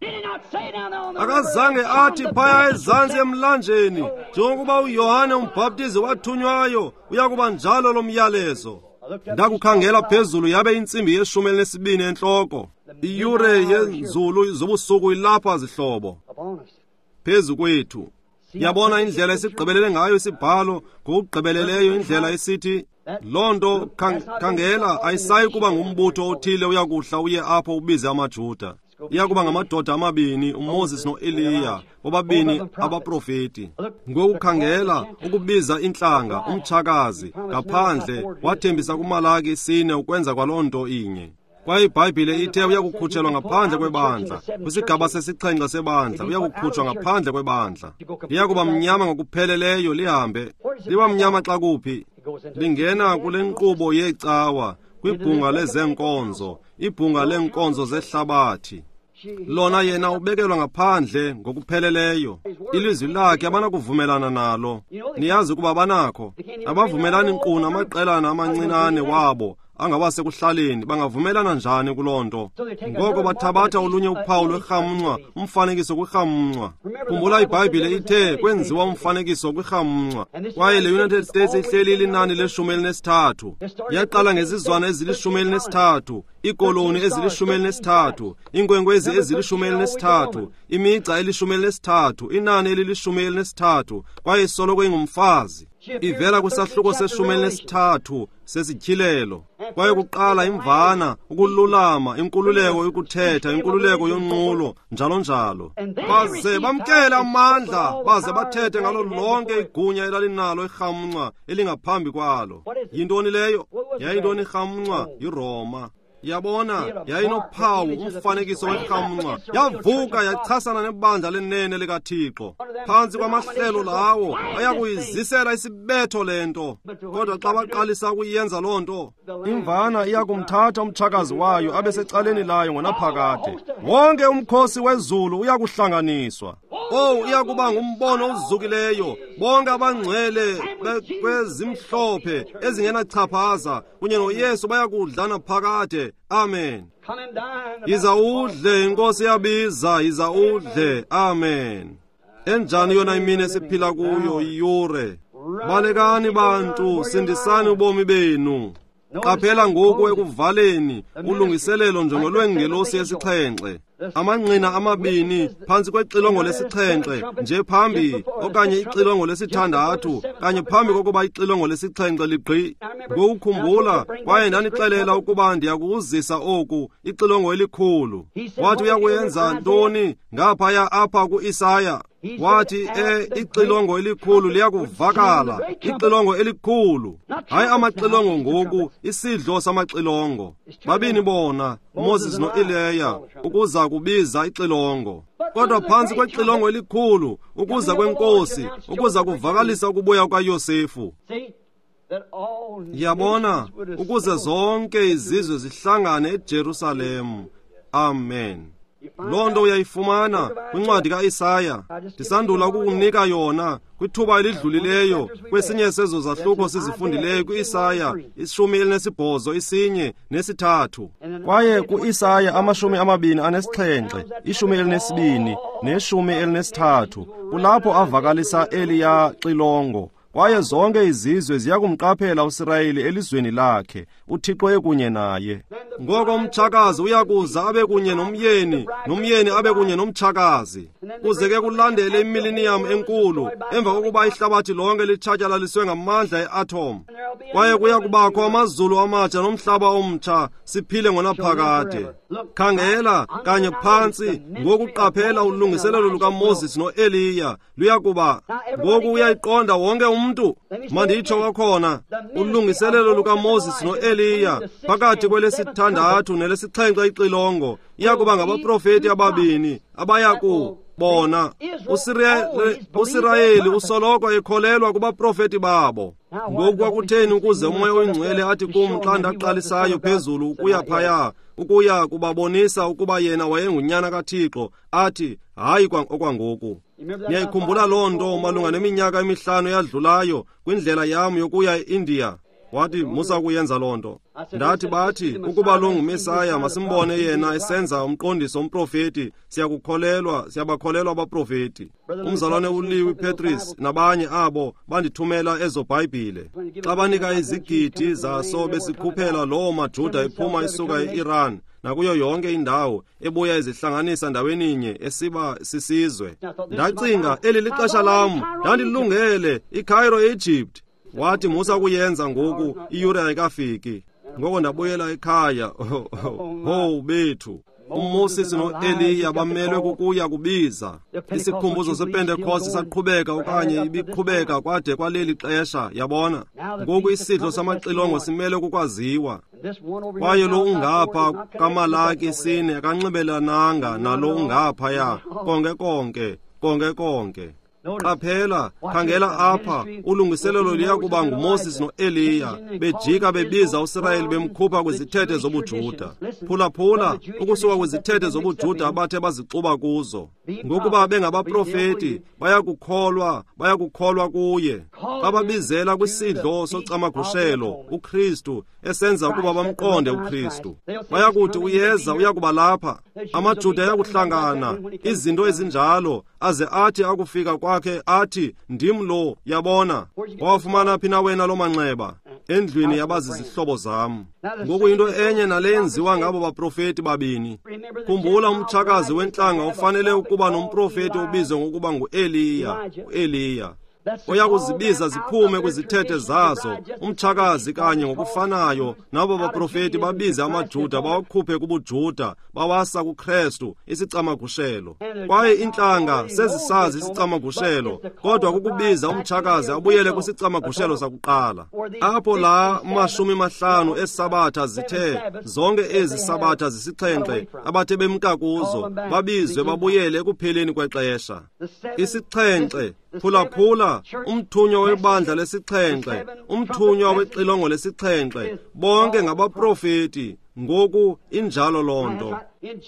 C: Akazange athi phaya ezantsi emlanjeni, njengokuba uYohane umbhaptizi wathunywayo, uyakuba njalo lo myalezo. Ndakukhangela phezulu yabe intsimbi ye-12 entloko. Iyure yenzulu zobusuku ilapha zihlobo, phezu kwethu. Yabona indlela esigqibelele ngayo isibhalo, ngokugqibeleleyo indlela esithi loo nto. Khangela, ayisayi kuba ngumbutho othile uyakuhla uye apho ubize amaJuda. Iya kuba ngamadoda amabini, uMoses noEliya, bobabini abaprofeti. Ngoku khangela, ukubiza intlanga, umtshakazi, ngaphandle, wathembisa kuMalaki 4 ukwenza kwaloo nto inye. Kwaye iBhayibhile ithe uyakukhutshelwa ngaphandle kwebandla, kwisigaba sesixhenxe sebandla, uyakukhutshwa ngaphandle kwebandla. Liyakuba mnyama ngokupheleleyo lihambe. Liba mnyama xa kuphi? Lingena kule nkqubo yeecawa, kwibhunga lezeenkonzo, ibhunga leenkonzo zehlabathi. Lona yena ubekelwa ngaphandle ngokupheleleyo. Ilizwi lakhe abanakuvumelana nalo. Niyazi ukuba banakho. Abavumelani nkqu namaqelana amancinane wabo angabasekuhlaleni, bangavumelana njani kuloo nto? Ngoko bathabatha olunye uphawu lwerhamncwa, umfanekiso kwirhamncwa. Khumbula iBhayibhile ithe kwenziwa umfanekiso kwirhamncwa. Kwaye le United States ihleli ilinani le-13. Yaqala ngezizwana ezili-13, iikoloni ezili-13, iinkwenkwezi ezili-13, imigca eli-13, inani elili-13, kwaye isoloko ingumfazi. Ivela kwisahluko se-13 sesityhilelo. Kwaye kuqala imvana, ukululama, inkululeko yokuthetha, inkululeko yonqulo, njalo njalo. Baze bamkele amandla, baze bathethe ngalo lonke igunya elalinalo irhamncwa elingaphambi kwalo. Yintoni leyo? Yayintoni irhamncwa? YiRoma. Yabona, yayinophawu, umfanekiso werhamncwa. Yavuka yachasana nebandla lenene likaThixo. Phantsi kwamahlelo lawo ayakuyizisela isibetho le nto. Kodwa xa baqalisa ukuyenza loo nto, imvana iyakumthatha umtshakazi wayo abe secaleni layo ngonaphakade. Wonke umkhosi wezulu uyakuhlanganiswa. Owu, iyakuba ngumbono ozukileyo. Bonke abangcwele kwezimhlophe ezingenachaphaza kunye noYesu bayakudlana phakade. Amen. Yiza udle, iNkosi yabiza, yiza udle. Amen. Enjani yona imini esiphila kuyo, iyure. Balekani bantu, sindisani ubomi benu. Qaphela ngoku ekuvaleni ulungiselelo njengolwengelosi yesixhenxe. Amangqina amabini phantsi kwexilongo lesixhenxe nje phambi, okanye ixilongo lesithandathu kanye phambi kokuba ixilongo lesixhenxe ligqi. Ngokukhumbula, kwaye ndanixelela ukuba ndiyakuzisa oku, ixilongo elikhulu. Wathi uyakuyenza ntoni ngaphaya apha ku-Isaya? Wathi ixilongo elikhulu liyakuvakala, ixilongo elikhulu. Hayi amaxilongo ngoku, isidlo samaxilongo. Babini bona, uMoses noEliya, ukuza kubiza ixilongo. Kodwa phantsi kwexilongo elikhulu, ukuza kwenkosi, ukuza kuvakalisa ukubuya kukaYosefu. Yabona, ukuze zonke izizwe zihlangane eJerusalem. Amen. Loo nto uyayifumana kwincwadi ka-Isaya. Ndisandula ukukunika yona kwithuba elidlulileyo kwesinye sezo zahluko sizifundileyo ku-Isaya 18, 1 ne-3. Kwaye ku-Isaya 27, 12 ne-13, kulapho avakalisa eliya xilongo. Kwaye zonke izizwe ziyakumqaphela uSirayeli elizweni lakhe, uThixo ekunye naye. Ngoko umtshakazi uyakuza abe kunye nomyeni, nomyeni abe kunye nomtshakazi. Kuze ke kulandele imiliniyam enkulu, emva kokuba ihlabathi lonke litshatyalaliswe ngamandla e-atom. Kwaye kuya kubakho amazulu amatsha nomhlaba omtsha, siphile ngonaphakade. Khangela kanye phantsi ngokuqaphela ulungiselelo lukaMoses noEliya luyakuba. Ngoku uyayiqonda wonke umntu. Manditsho kwakhona, ulungiselelo lukaMoses noEliya phakathi kwelesithandathu nelesixhenxe ixilongo iyakuba ngabaprofeti ababini abaya kubona. USirayeli usoloko ekholelwa kubaprofeti babo. Ngoku kwakutheni ukuze uMoya oyiNgcwele athi kum xa ndaqalisayo phezulu ukuya phaya, ukuya kubabonisa ukuba yena wayengunyana kaThixo, athi hayi okwangoku. Niyayikhumbula loo nto malunga neminyaka emihlanu eyadlulayo kwindlela yam yokuya e-India? Wathi, musa ukuyenza loo nto. Ndathi, bathi ukuba lo nguMesaya, masimbone yena esenza umqondiso umprofeti. Siyakukholelwa, siyabakholelwa abaprofeti. Umzalwane uLewi Petris nabanye abo bandithumela ezo Bhayibhile. Xa banika izigidi zaso besikhuphela loo maJuda ephuma esuka e-Iran nakuyo yonke indawo, ebuya ezihlanganisa ndaweninye esiba sisizwe. Ndacinga, eli lixesha lam, ndandilungele iCairo eEgypt. Wathi, musa ukuyenza ngoku, iyure ayikafiki. Ngoko ndabuyela ekhaya. Ho bethu, uMoses noEliya bamelwe kukuya kubiza. Isikhumbuzo sePentekoste saqhubeka okanye ibiqhubeka kwade kwaleli xesha, yabona. Ngoku isidlo samaxilongo simele kukwaziwa. Kwaye lo ungapha kaMalaki 4 akanxibelananga nalo ungaphaya, konke konke, konke konke. Qaphela, khangela apha, ulungiselelo liya kuba nguMoses noEliya, bejika bebiza uSirayeli bemkhupha kwizithethe zobuJuda. Phulaphula, ukusuka kwizithethe zobuJuda abathe bazixuba kuzo. Ngokuba bengabaprofeti, bayakukholwa, bayakukholwa kuye. Bababizela kwisidlo socamagushelo, uKristu, esenza ukuba bamqonde uKristu. Bayakuthi uyeza, uyakuba lapha. AmaJuda ayakuhlangana, izinto ezinjalo, aze athi akufika kwakhe athi, ndim lo, yabona. Wawafumana phi na wena lo manxeba? Endlwini yabazizihlobo zam. Ngoku into enye nale yenziwa ngabo baprofeti babini. Khumbula, umtshakazi wentlanga ufanele ukuba nomprofeti obizwe ngokuba nguEliya, uEliya oya kuzibiza ziphume kwizithethe zazo, umtshakazi kanye ngokufanayo nabo baprofeti babize amaJuda bawakhuphe kubuJuda bawasa kuKristu, isicamagushelo. Kwaye intlanga sezisazi isicamagushelo, kodwa kukubiza umtshakazi abuyele kwisicamagushelo sakuqala. Apho la 50 esabatha zithe, zonke ezi sabatha zisixhenxe abathe bemka kuzo, babizwe babuyele ekupheleni kwexesha. Isixhenxe, phulaphula, umthunywa webandla lesixhenxe, umthunywa wexilongo lesixhenxe, bonke ngabaprofeti. Ngoku injalo loo nto.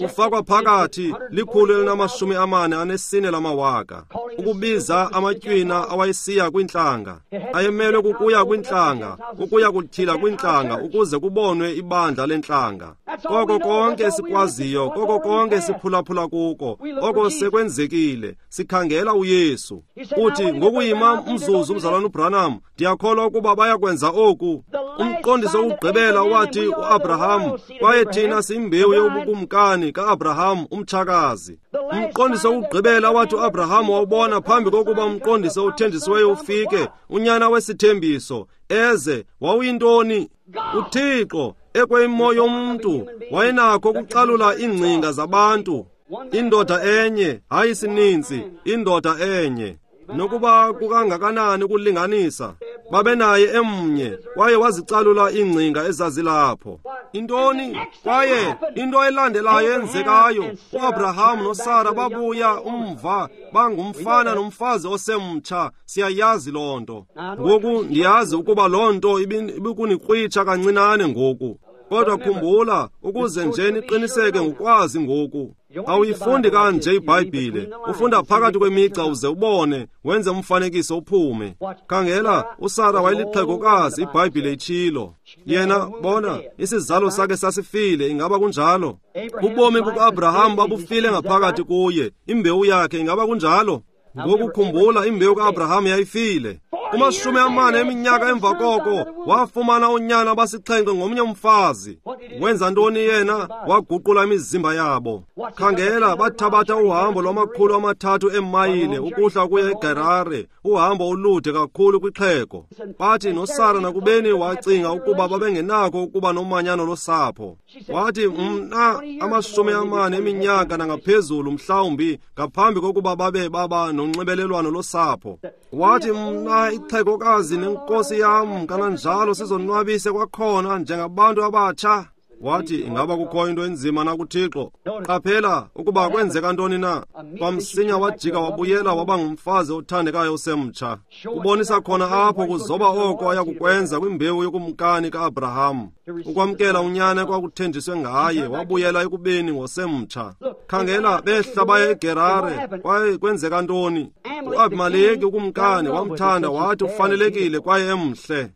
C: Ufakwa phakathi 144 lamawaka, ukubiza amatywina awayesiya kwintlanga. Ayemelwe kukuya kwintlanga, ukuya kutyhila kwintlanga, ukuze kubonwe ibandla lentlanga. Koko konke esikwaziyo, koko konke esiphulaphula kuko, oko sekwenzekile. Sikhangela uYesu. Uthi, ngokuyima umzuzu, umzalwana uBranham, ndiyakholwa ukuba bayakwenza oku. Umqondiso wokugqibela wathi uAbraham, kwaye thina siyimbewu yobukumkani kaAbraham, umtshakazi. Umqondiso wokugqibela wathi uAbraham wawubona phambi kokuba umqondiso othenjisiweyo ufike, unyana wesithembiso eze, wawuyintoni? UThixo ekweyimo yomntu wayenakho ukucalula iingcinga zabantu. Indoda enye, hayi sininzi, indoda enye. Nokuba kukangakanani ukulinganisa, babenaye emnye, kwaye wazicalula iingcinga ezazilapho. Intoni? Kwaye into elandelayo enzekayo, uAbraham noSara babuya umva, bangumfana nomfazi osemtsha. Siyayazi loo nto. Ngoku ndiyazi ukuba loo nto ibikunikrwitsha kancinane ngoku. Kodwa khumbula, ukuze nje niqiniseke ngokwazi ngoku. Awuyifundi kanje iBhayibhile, ufunda phakathi kwemigca uze ubone, wenze umfanekiso uphume. Khangela, uSara wayelixhegokazi, iBhayibhile itshilo. Yena, bona, isizalo sakhe sasifile, ingaba kunjalo? Ubomi bukaAbraham babufile ngaphakathi kuye, imbewu yakhe, ingaba kunjalo? Ngokukhumbula, imbewu kaAbraham yayifile. Kuma-40 eminyaka emva koko, wafumana unyana abasixhenxe ngomnye umfazi. Wenza ntoni yena? Waguqula imizimba yabo. Khangela, bathabatha uhambo lwama-300 eemayile ukuhla ukuya eGerare, uhambo olude kakhulu kwixhego. Bathi noSara nakubeni wacinga ukuba babengenakho ukuba nomanyano losapho. Wathi, mna 40 eminyaka nangaphezulu mhlawumbi ngaphambi kokuba babe baba nonxibelelwano losapho. Wathi, mna ixhegokazi nenkosi yam kananjalo sizonwabise kwakhona njengabantu abatsha. Wathi, ingaba kukho into enzima na kuThixo? Qaphela ukuba kwenzeka ntoni na. Kwamsinya wajika wabuyela waba ngumfazi othandekayo osemtsha. Kubonisa khona apho kuzoba oko ayakukwenza kwimbewu yokumkani kaAbraham. Ukwamkela unyana kwakuthenjiswe ngaye, wabuyela ekubeni ngosemtsha. Khangela, behla baya eGerare, kwaye kwenzeka ntoni? UAbimeleki ukumkani wamthanda, wathi ufanelekile kwaye emhle,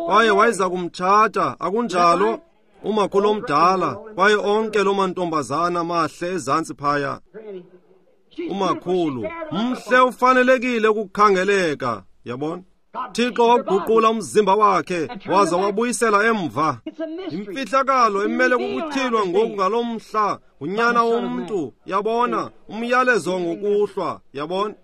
C: kwaye wayeza kumtshata, akunjalo? Umakhulu omdala, kwaye onke loo mantombazana mahle ezantsi phaya. Umakhulu mhle, ufanelekile ukukhangeleka, yabona? Thixo waguqula umzimba wakhe waza wabuyisela emva. Imfihlakalo emele kukutyhilwa ngoku ngalo mhla ngunyana womntu, yabona? Umyalezo ngokuhlwa, yabona?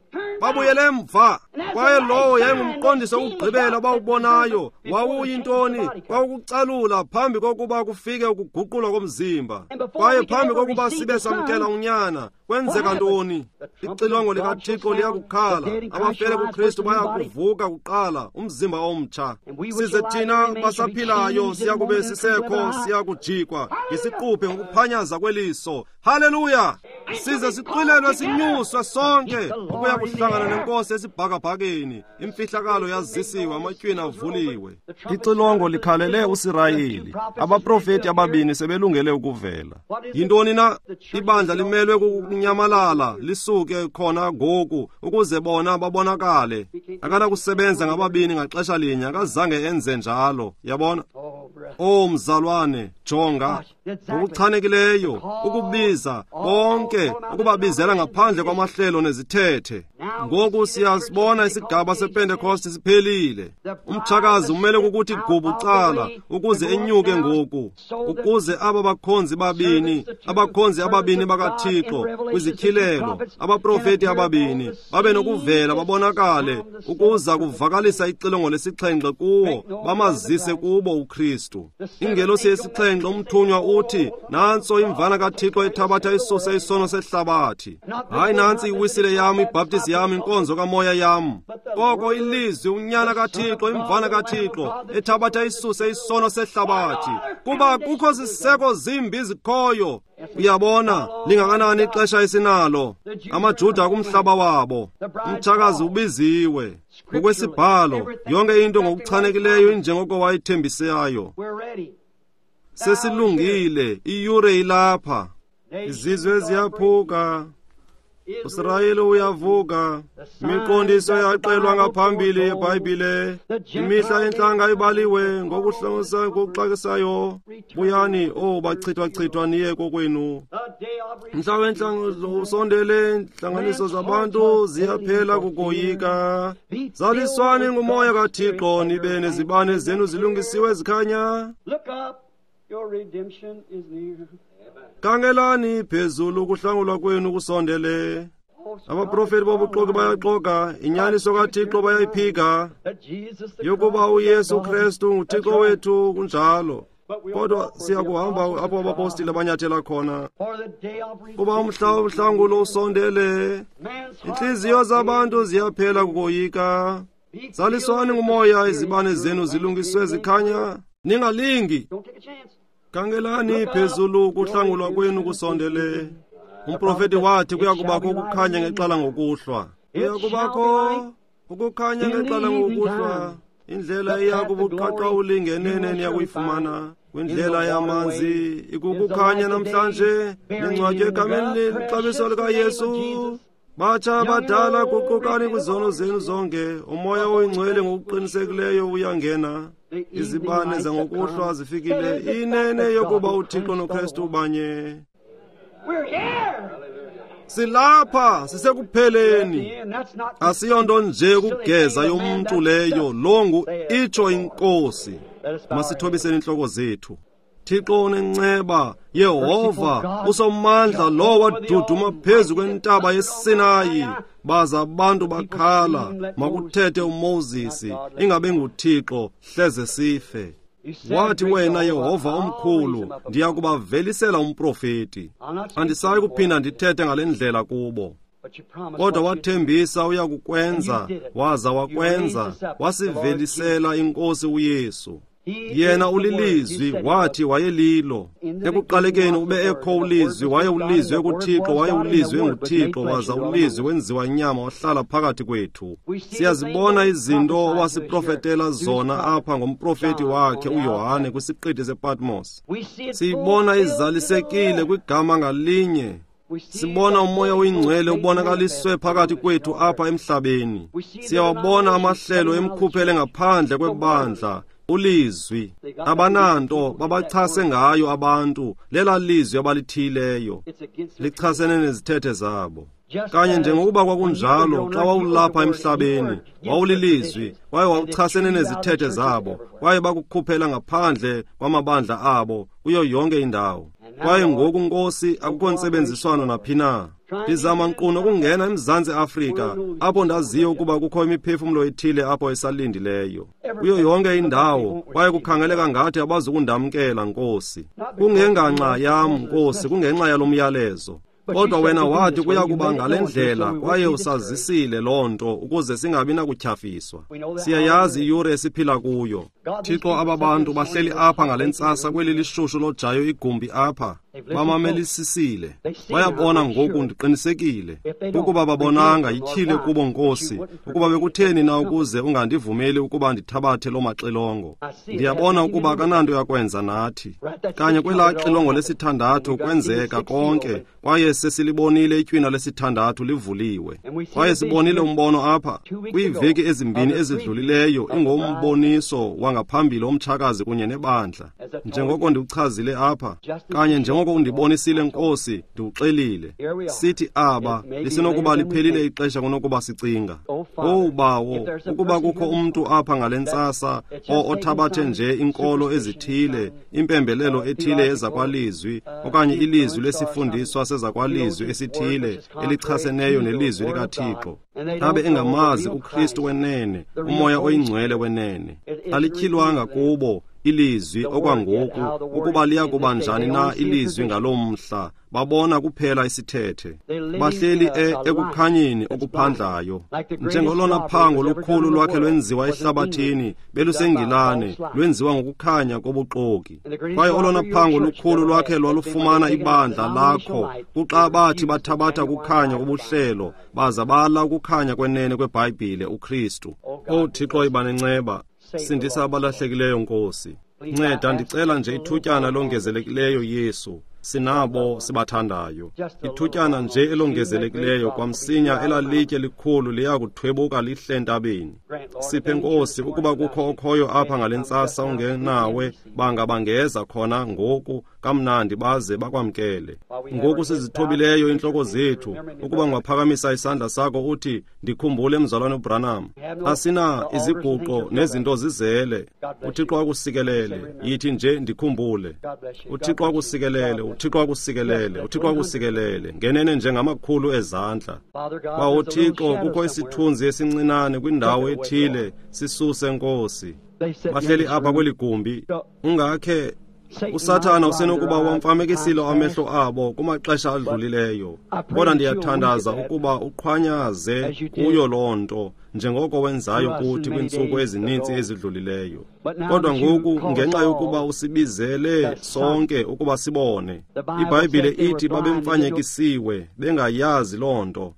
C: Babuyele emva. Kwaye lowo yayingumqondiso wokugqibela abawubonayo. Wawuyintoni? Kwawukucalula phambi kokuba kufike ukuguqulwa komzimba. Kwaye phambi kokuba sibe samkela unyana, kwenzeka ntoni? Ixilongo likaThixo liyakukhala. Abafele kuKristu bayakuvuka kuqala, umzimba omtsha. Size thina basaphilayo siyakube sisekho, siyakujikwa ngesiquphe ngokuphanyaza kweliso. Haleluya! Size sixwilelwe sinyuswe sonke ukuya kuhlangana nenkosi esibhakabhakeni. Imfihlakalo yazisiwe, amatywina avuliwe. Ixilongo likhalele uSirayeli. Abaprofeti ababini sebelungele ukuvela. Yintoni na? Ibandla limelwe kukunyamalala lisuke khona ngoku ukuze bona babonakale. Akanakusebenza ngababini ngaxesha linye, akazange enze njalo. Yabona? O mzalwane, jonga ngokuchanekileyo ukubiza bonke, ukubabizela ngaphandle kwamahlelo nezithethe. Ngoku siyasibona isigaba sePentecost siphelile. Umtshakazi umele kukuthi gubucala ukuze enyuke ngoku, ukuze aba bakhonzi babini, abakhonzi ababini bakaThixo kwizityhilelo, abaprofeti ababini babe nokuvela babonakale ukuza kuvakalisa ixilongo lesixhenxe kuwo, bamazise kubo uKristu. Ingelosi yesixhenxe, umthunywa, uthi, nantso imvana kaThixo ethabatha isuse isono sehlabathi. Hayi, nantsi iwisile yam, ibhaptizi yam, inkonzo kamoya yam. Koko ilizwi, unyana kaThixo, imvana kaThixo ethabatha isuse isono sehlabathi. Kuba kukho ziseko zimbi zikhoyo. Uyabona lingakanani ixesha esinalo? AmaJuda kumhlaba wabo, umtshakazi ubiziwe ngokwesibhalo, yonke into ngokuchanekileyo injengoko wayithembisayo. Sesilungile, iyure ilapha. Izizwe ziyaphuka, uSirayeli uyavuka. Imiqondiso yaxelwa ngaphambili yeBhayibhile. Imihla yentlanga ibaliwe ngokuhlosa ngokuxakisayo. Buyani, o bachithwachithwa, niye kokwenu. Mhla wentlanga usondele, intlanganiso zabantu ziyaphela kukoyika. Zaliswani ngumoya kaThixo, nibe nezibane zenu zilungisiwe zikhanya. Khangelani phezulu, ukuhlangulwa kwenu kusondele. Abaprofeti bobuxoki bayaxoka, inyaniso kaThixo bayayiphika, yokuba uYesu Kristu nguThixo wethu. Kunjalo, kodwa siyakuhamba apho abapostile abanyathela khona, kuba umhla wohlangulo usondele. Intliziyo zabantu ziyaphela kukoyika. Zaliswani ngumoya, izibane zenu zilungiswe zikhanya. Ningalingi. Khangelani phezulu, ukuhlangulwa kwenu kusondele. Umprofeti wathi kuyakubakho ukukhanya ngexhala ngokuhlwa. Kuyakubakho ukukhanya ngexhala ngokuhlwa. Indlela iya kubuqaqawuli ngenene niyakuyifumana. Kwindlela yamanzi ikukukhanya namhlanje, ningcwatywe egameni lexabiso likaYesu. Batsha badala, guqukani kwizono zenu zonke. Umoya oyingcwele ngokuqinisekileyo uyangena. Izibane zangokuhlwa zifikile. Inene yokuba uThixo noKristu banye. Silapha, sisekupheleni. Asiyonto nje ukugeza yomntu leyo, longu itsho inkosi. Masithobiseni intloko zethu. Thixo onenceba, Yehova usomandla, lo waduduma phezu kwentaba yeSinayi, baza abantu bakhala, makuthethe uMoses, ingabe nguThixo, hleze sife. Wathi wena Yehova omkhulu, ndiya kubavelisela umprofeti. Andisayi kuphinda ndithethe ngale ndlela kubo. Kodwa wathembisa uya kukwenza, waza wakwenza, wasivelisela inkosi uYesu. Yena ulilizwi, wathi wayelilo. Ekuqalekeni ube ekho ulizwi, waye ulizwi ekuThixo, waye ulizwi enguThixo, waza ulizwi wenziwa inyama wahlala phakathi kwethu. Siyazibona izinto owasiprofetela zona apha ngomprofeti wakhe uYohane kwisiqithi sePatmos. Siyibona izalisekile kwigama ngalinye. Sibona umoya oyingcwele ubonakaliswe phakathi kwethu apha emhlabeni. Siyawabona amahlelo emkhuphele ngaphandle kwebandla. Ulizwi abananto babachase ngayo abantu, lela lizwi abalithileyo lichasene nezithethe zabo. Kanye njengokuba kwakunjalo xa wawulapha emhlabeni, wawulilizwi kwaye wawuchasene nezithethe zabo, kwaye bakukhuphela ngaphandle kwamabandla abo kuyo yonke indawo. Kwaye ngoku, Nkosi, akukho ntsebenziswano naphi na. Ndizama nkqu nokungena eMzantsi Afrika, apho ndaziyo ukuba kukho imiphefumlo ethile apho esalindileyo. Kuyo yonke indawo, kwaye kukhangeleka ngathi abazukundamkela, Nkosi. Kungenganxa yam, Nkosi, kungenxa yalo myalezo. Kodwa wena wathi kuya kuba ngale ndlela, kwaye usazisile loo nto ukuze singabi nakutyhafiswa. Siyayazi iyure esiphila kuyo. Thixo, aba bantu bahleli apha ngale ntsasa kweli lishushu lojayo igumbi apha, bamamelisisile. Bayabona ngoku, ndiqinisekile. Ukuba babonanga, yityhile kubo, Nkosi, ukuba bekutheni na ukuze ungandivumeli ukuba ndithabathe loo maxilongo. Ndiyabona ukuba akananto yakwenza nathi. Kanye kwelaa xilongo lesithandathu kwenzeka konke, kwaye sesilibonile itywina lesithandathu livuliwe. Kwaye sibonile umbono apha kwiiveki ezimbini ezidlulileyo, ingomboniso wangaphambili omtshakazi kunye nebandla. Njengoko ndiwuchazile apha, kanye njengoko undibonisile, Nkosi, ndiwuxelile. Sithi aba lisenokuba liphelile ixesha kunokuba sicinga. Owu Bawo, ukuba kukho umntu apha ngale ntsasa othabathe nje inkolo ezithile, impembelelo ethile ezakwalizwi, okanye ilizwi lesifundiswa sezakwalizwi esithile elichaseneyo nelizwi likaThixo, abe engamazi uKristu wenene, uMoya oyiNgcwele wenene, alityhilwanga kubo ilizwi okwangoku ukuba liya kuba njani na ilizwi ngaloo mhla. Babona kuphela isithethe. Bahleli ekukhanyeni okuphandlayo, njengolona phango lukhulu lwakhe lwenziwa ehlabathini beluseNgilane, lwenziwa ngokukhanya kobuxoki. Kwaye olona phango lukhulu lwakhe lwalufumana ibandla lakho kuxa bathi bathabatha ukukhanya kobuhlelo baza bala ukukhanya kwenene kweBhayibhile, uKristu. Owu Thixo, iba nenceba, sindisa abalahlekileyo, Nkosi. Nceda, ndicela nje ithutyana elongezelekileyo, Yesu. Sinabo sibathandayo. Ithutyana nje elongezelekileyo, kwamsinya elalitye likhulu liya kuthwebuka lihle entabeni. Siphe, Nkosi, ukuba kukho okhoyo apha ngale ntsasa ungenawe, banga bangeza khona ngoku kamnandi baze bakwamkele. Ngoku sizithobileyo intloko zethu, ukuba ungaphakamisa isandla sakho uthi, ndikhumbule mzalwane uBranham. Asina iziguqo nezinto zizele. uThixo akusikelele. Yithi nje, ndikhumbule. uThixo akusikelele, uThixo akusikelele, uThixo akusikelele. Ngenene njengamakhulu ezandla. Bawo Thixo, kukho isithunzi esincinane kwindawo ethile, sisuse, Nkosi. Bahleli apha kweli gumbi. Ungakhe uSathana usenokuba wamfamekisile amehlo abo kumaxesha adlulileyo, kodwa ndiyathandaza ukuba uqhwanyaze kuyo loo nto, njengoko wenzayo kuthi kwiintsuku ezininzi ezidlulileyo. Kodwa ngoku, ngenxa yokuba usibizele sonke ukuba sibone, iBhayibhile ithi babemfanyekisiwe bengayazi loo nto.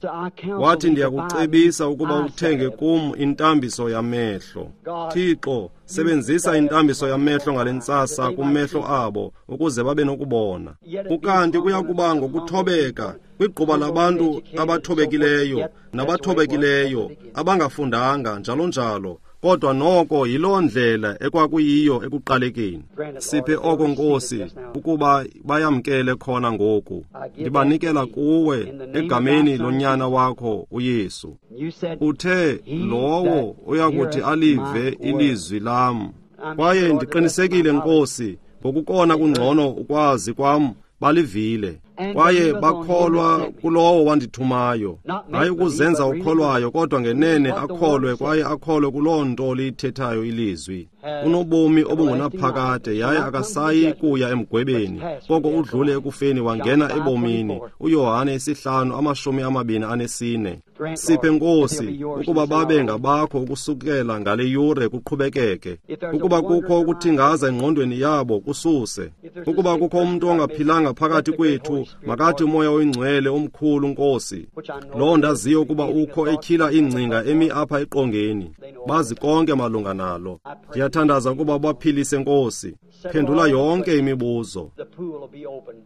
C: Wathi, ndiyakucebisa ukuba uthenge kum intambiso yamehlo. Thixo, sebenzisa intambiso yamehlo ngale ntsasa kumehlo abo ukuze babe nokubona. Ukanti kuya kuba ngokuthobeka kwigquba labantu abathobekileyo nabathobekileyo abangafundanga njalo njalo, kodwa noko yiloo ndlela ekwakuyiyo ekuqalekeni. Siphe oko, Nkosi, ukuba bayamkele khona ngoku. Ndibanikela kuwe egameni lonyana wakho uYesu. Uthe lowo uyakuthi alive ilizwi lam. Kwaye ndiqinisekile, Nkosi, ngokukona kungcono ukwazi kwam, balivile kwaye bakholwa kulowo wandithumayo. Hayi ukuzenza ukholwayo, kodwa ngenene akholwe, kwaye akholwe kuloo nto liyithethayo ilizwi. Unobomi obungunaphakade, yaye akasayi kuya emgwebeni, koko udlule ekufeni wangena ebomini. UYohane 5:24. Siphe, Nkosi, ukuba babe ngabakho ukusukela ngale yure kuqhubekeke. Ukuba kukho ukuthingaza engqondweni yabo, kususe. Ukuba kukho umntu ongaphilanga phakathi kwethu, makathi uMoya oyiNgcwele omkhulu, Nkosi, loo ndaziyo ukuba ukho etyhila iingcinga emi apha eqongeni, bazi konke malunga nalo. Ndiyathandaza ukuba ubaphilise, Nkosi. Phendula yonke imibuzo.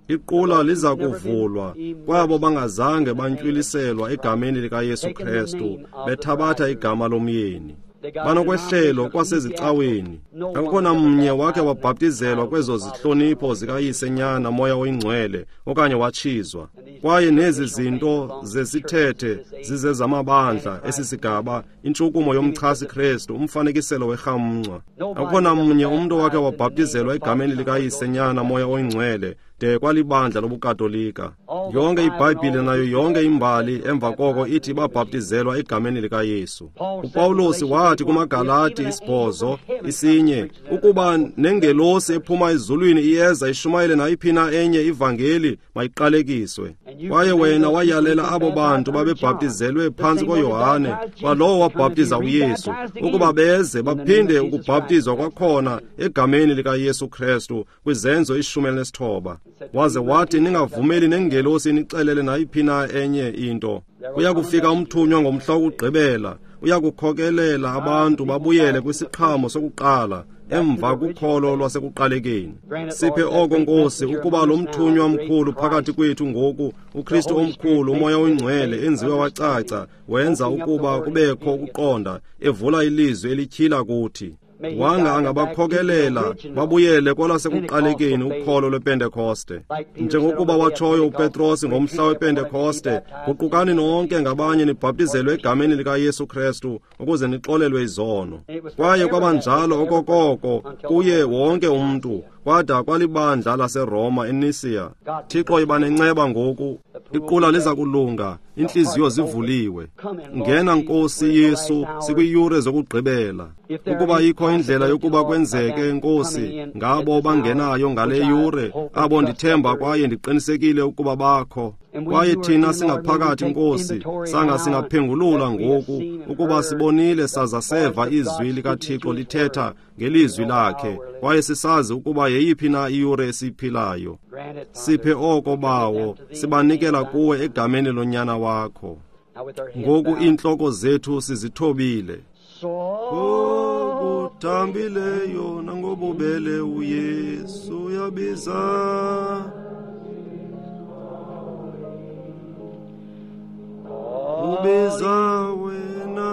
C: Iqula liza kuvulwa kwabo bangazange bantywiliselwa egameni likaYesu Kristu, bethabatha igama lomyeni. Banokwehlelo kwasezicaweni. Akukho namnye wakhe wabhaptizelwa kwezo zihlonipho zikaYise, Nyana, Moya oyiNgcwele okanye watshizwa. Kwaye nezi zinto zesithethe zizezamabandla esisigaba, intshukumo yomchasi Kristu, umfanekiselo werhamncwa. Akukho namnye umntu wakhe wabhaptizelwa egameni likaYise, Nyana, Moya oyiNgcwele de kwalibandla lobuKatolika. Yonke iBhayibhile nayo yonke imbali emva koko ithi babhaptizelwa egameni likaYesu. UPawulos wathi kumaGalati 8:1, ukuba nengelosi ephuma ezulwini iyeza ishumayele nayiphi na enye ivangeli, mayiqalekiswe. Kwaye wena wayalela abo bantu babebhaptizelwe phantsi koYohane, kwalowo wabhaptiza uYesu, ukuba beze baphinde ukubhaptizwa kwakhona egameni likaYesu Kristu kwiZenzo 19. Waze wathi ningavumeli nengelosi inixelele nayiphi na enye into. Kuya kufika umthunywa ngomhla wokugqibela, uya kukhokelela abantu babuyele kwisiqhamo sokuqala, emva kukholo lwasekuqalekeni. Siphe oko, Nkosi, ukuba lo mthunywa mkhulu phakathi kwethu ngoku, uKristu omkhulu, uMoya oyiNgcwele, enziwe wacaca, wenza ukuba kubekho ukuqonda, evula ilizwi elityhila kuthi. Wanga angabakhokelela babuyele kwelwasekuqalekeni ukholo lwePentekoste. Njengokuba watshoyo uPetros ngomhla wePentekoste, guqukani nonke ngabanye nibhaptizelwe egameni likaYesu Kristu ukuze nixolelwe izono. Kwaye kwabanjalo okokoko kuye wonke umntu, kwada kwalibandla laseRoma eNisia. Thixo, iba nenceba ngoku. Iqula liza kulunga, intliziyo zivuliwe. Ngena, Nkosi Yesu, sikwiyure zokugqibela. Ukuba ikho indlela yokuba kwenzeke, Nkosi, ngabo bangenayo ngale yure, abo ndithemba kwaye ndiqinisekile ukuba bakho. Kwaye thina singaphakathi, Nkosi, sanga singaphengulula ngoku ukuba sibonile saza seva izwi likaThixo lithetha ngelizwi lakhe, kwaye sisazi ukuba yeyiphi na iyure esiyiphilayo. Siphe oko, Bawo, sibanikela kuwe egameni lonyana wakho. Ngoku iintloko zethu sizithobile. Ngokuthambileyo nangobubele uYesu uyabiza. Ubiza wena.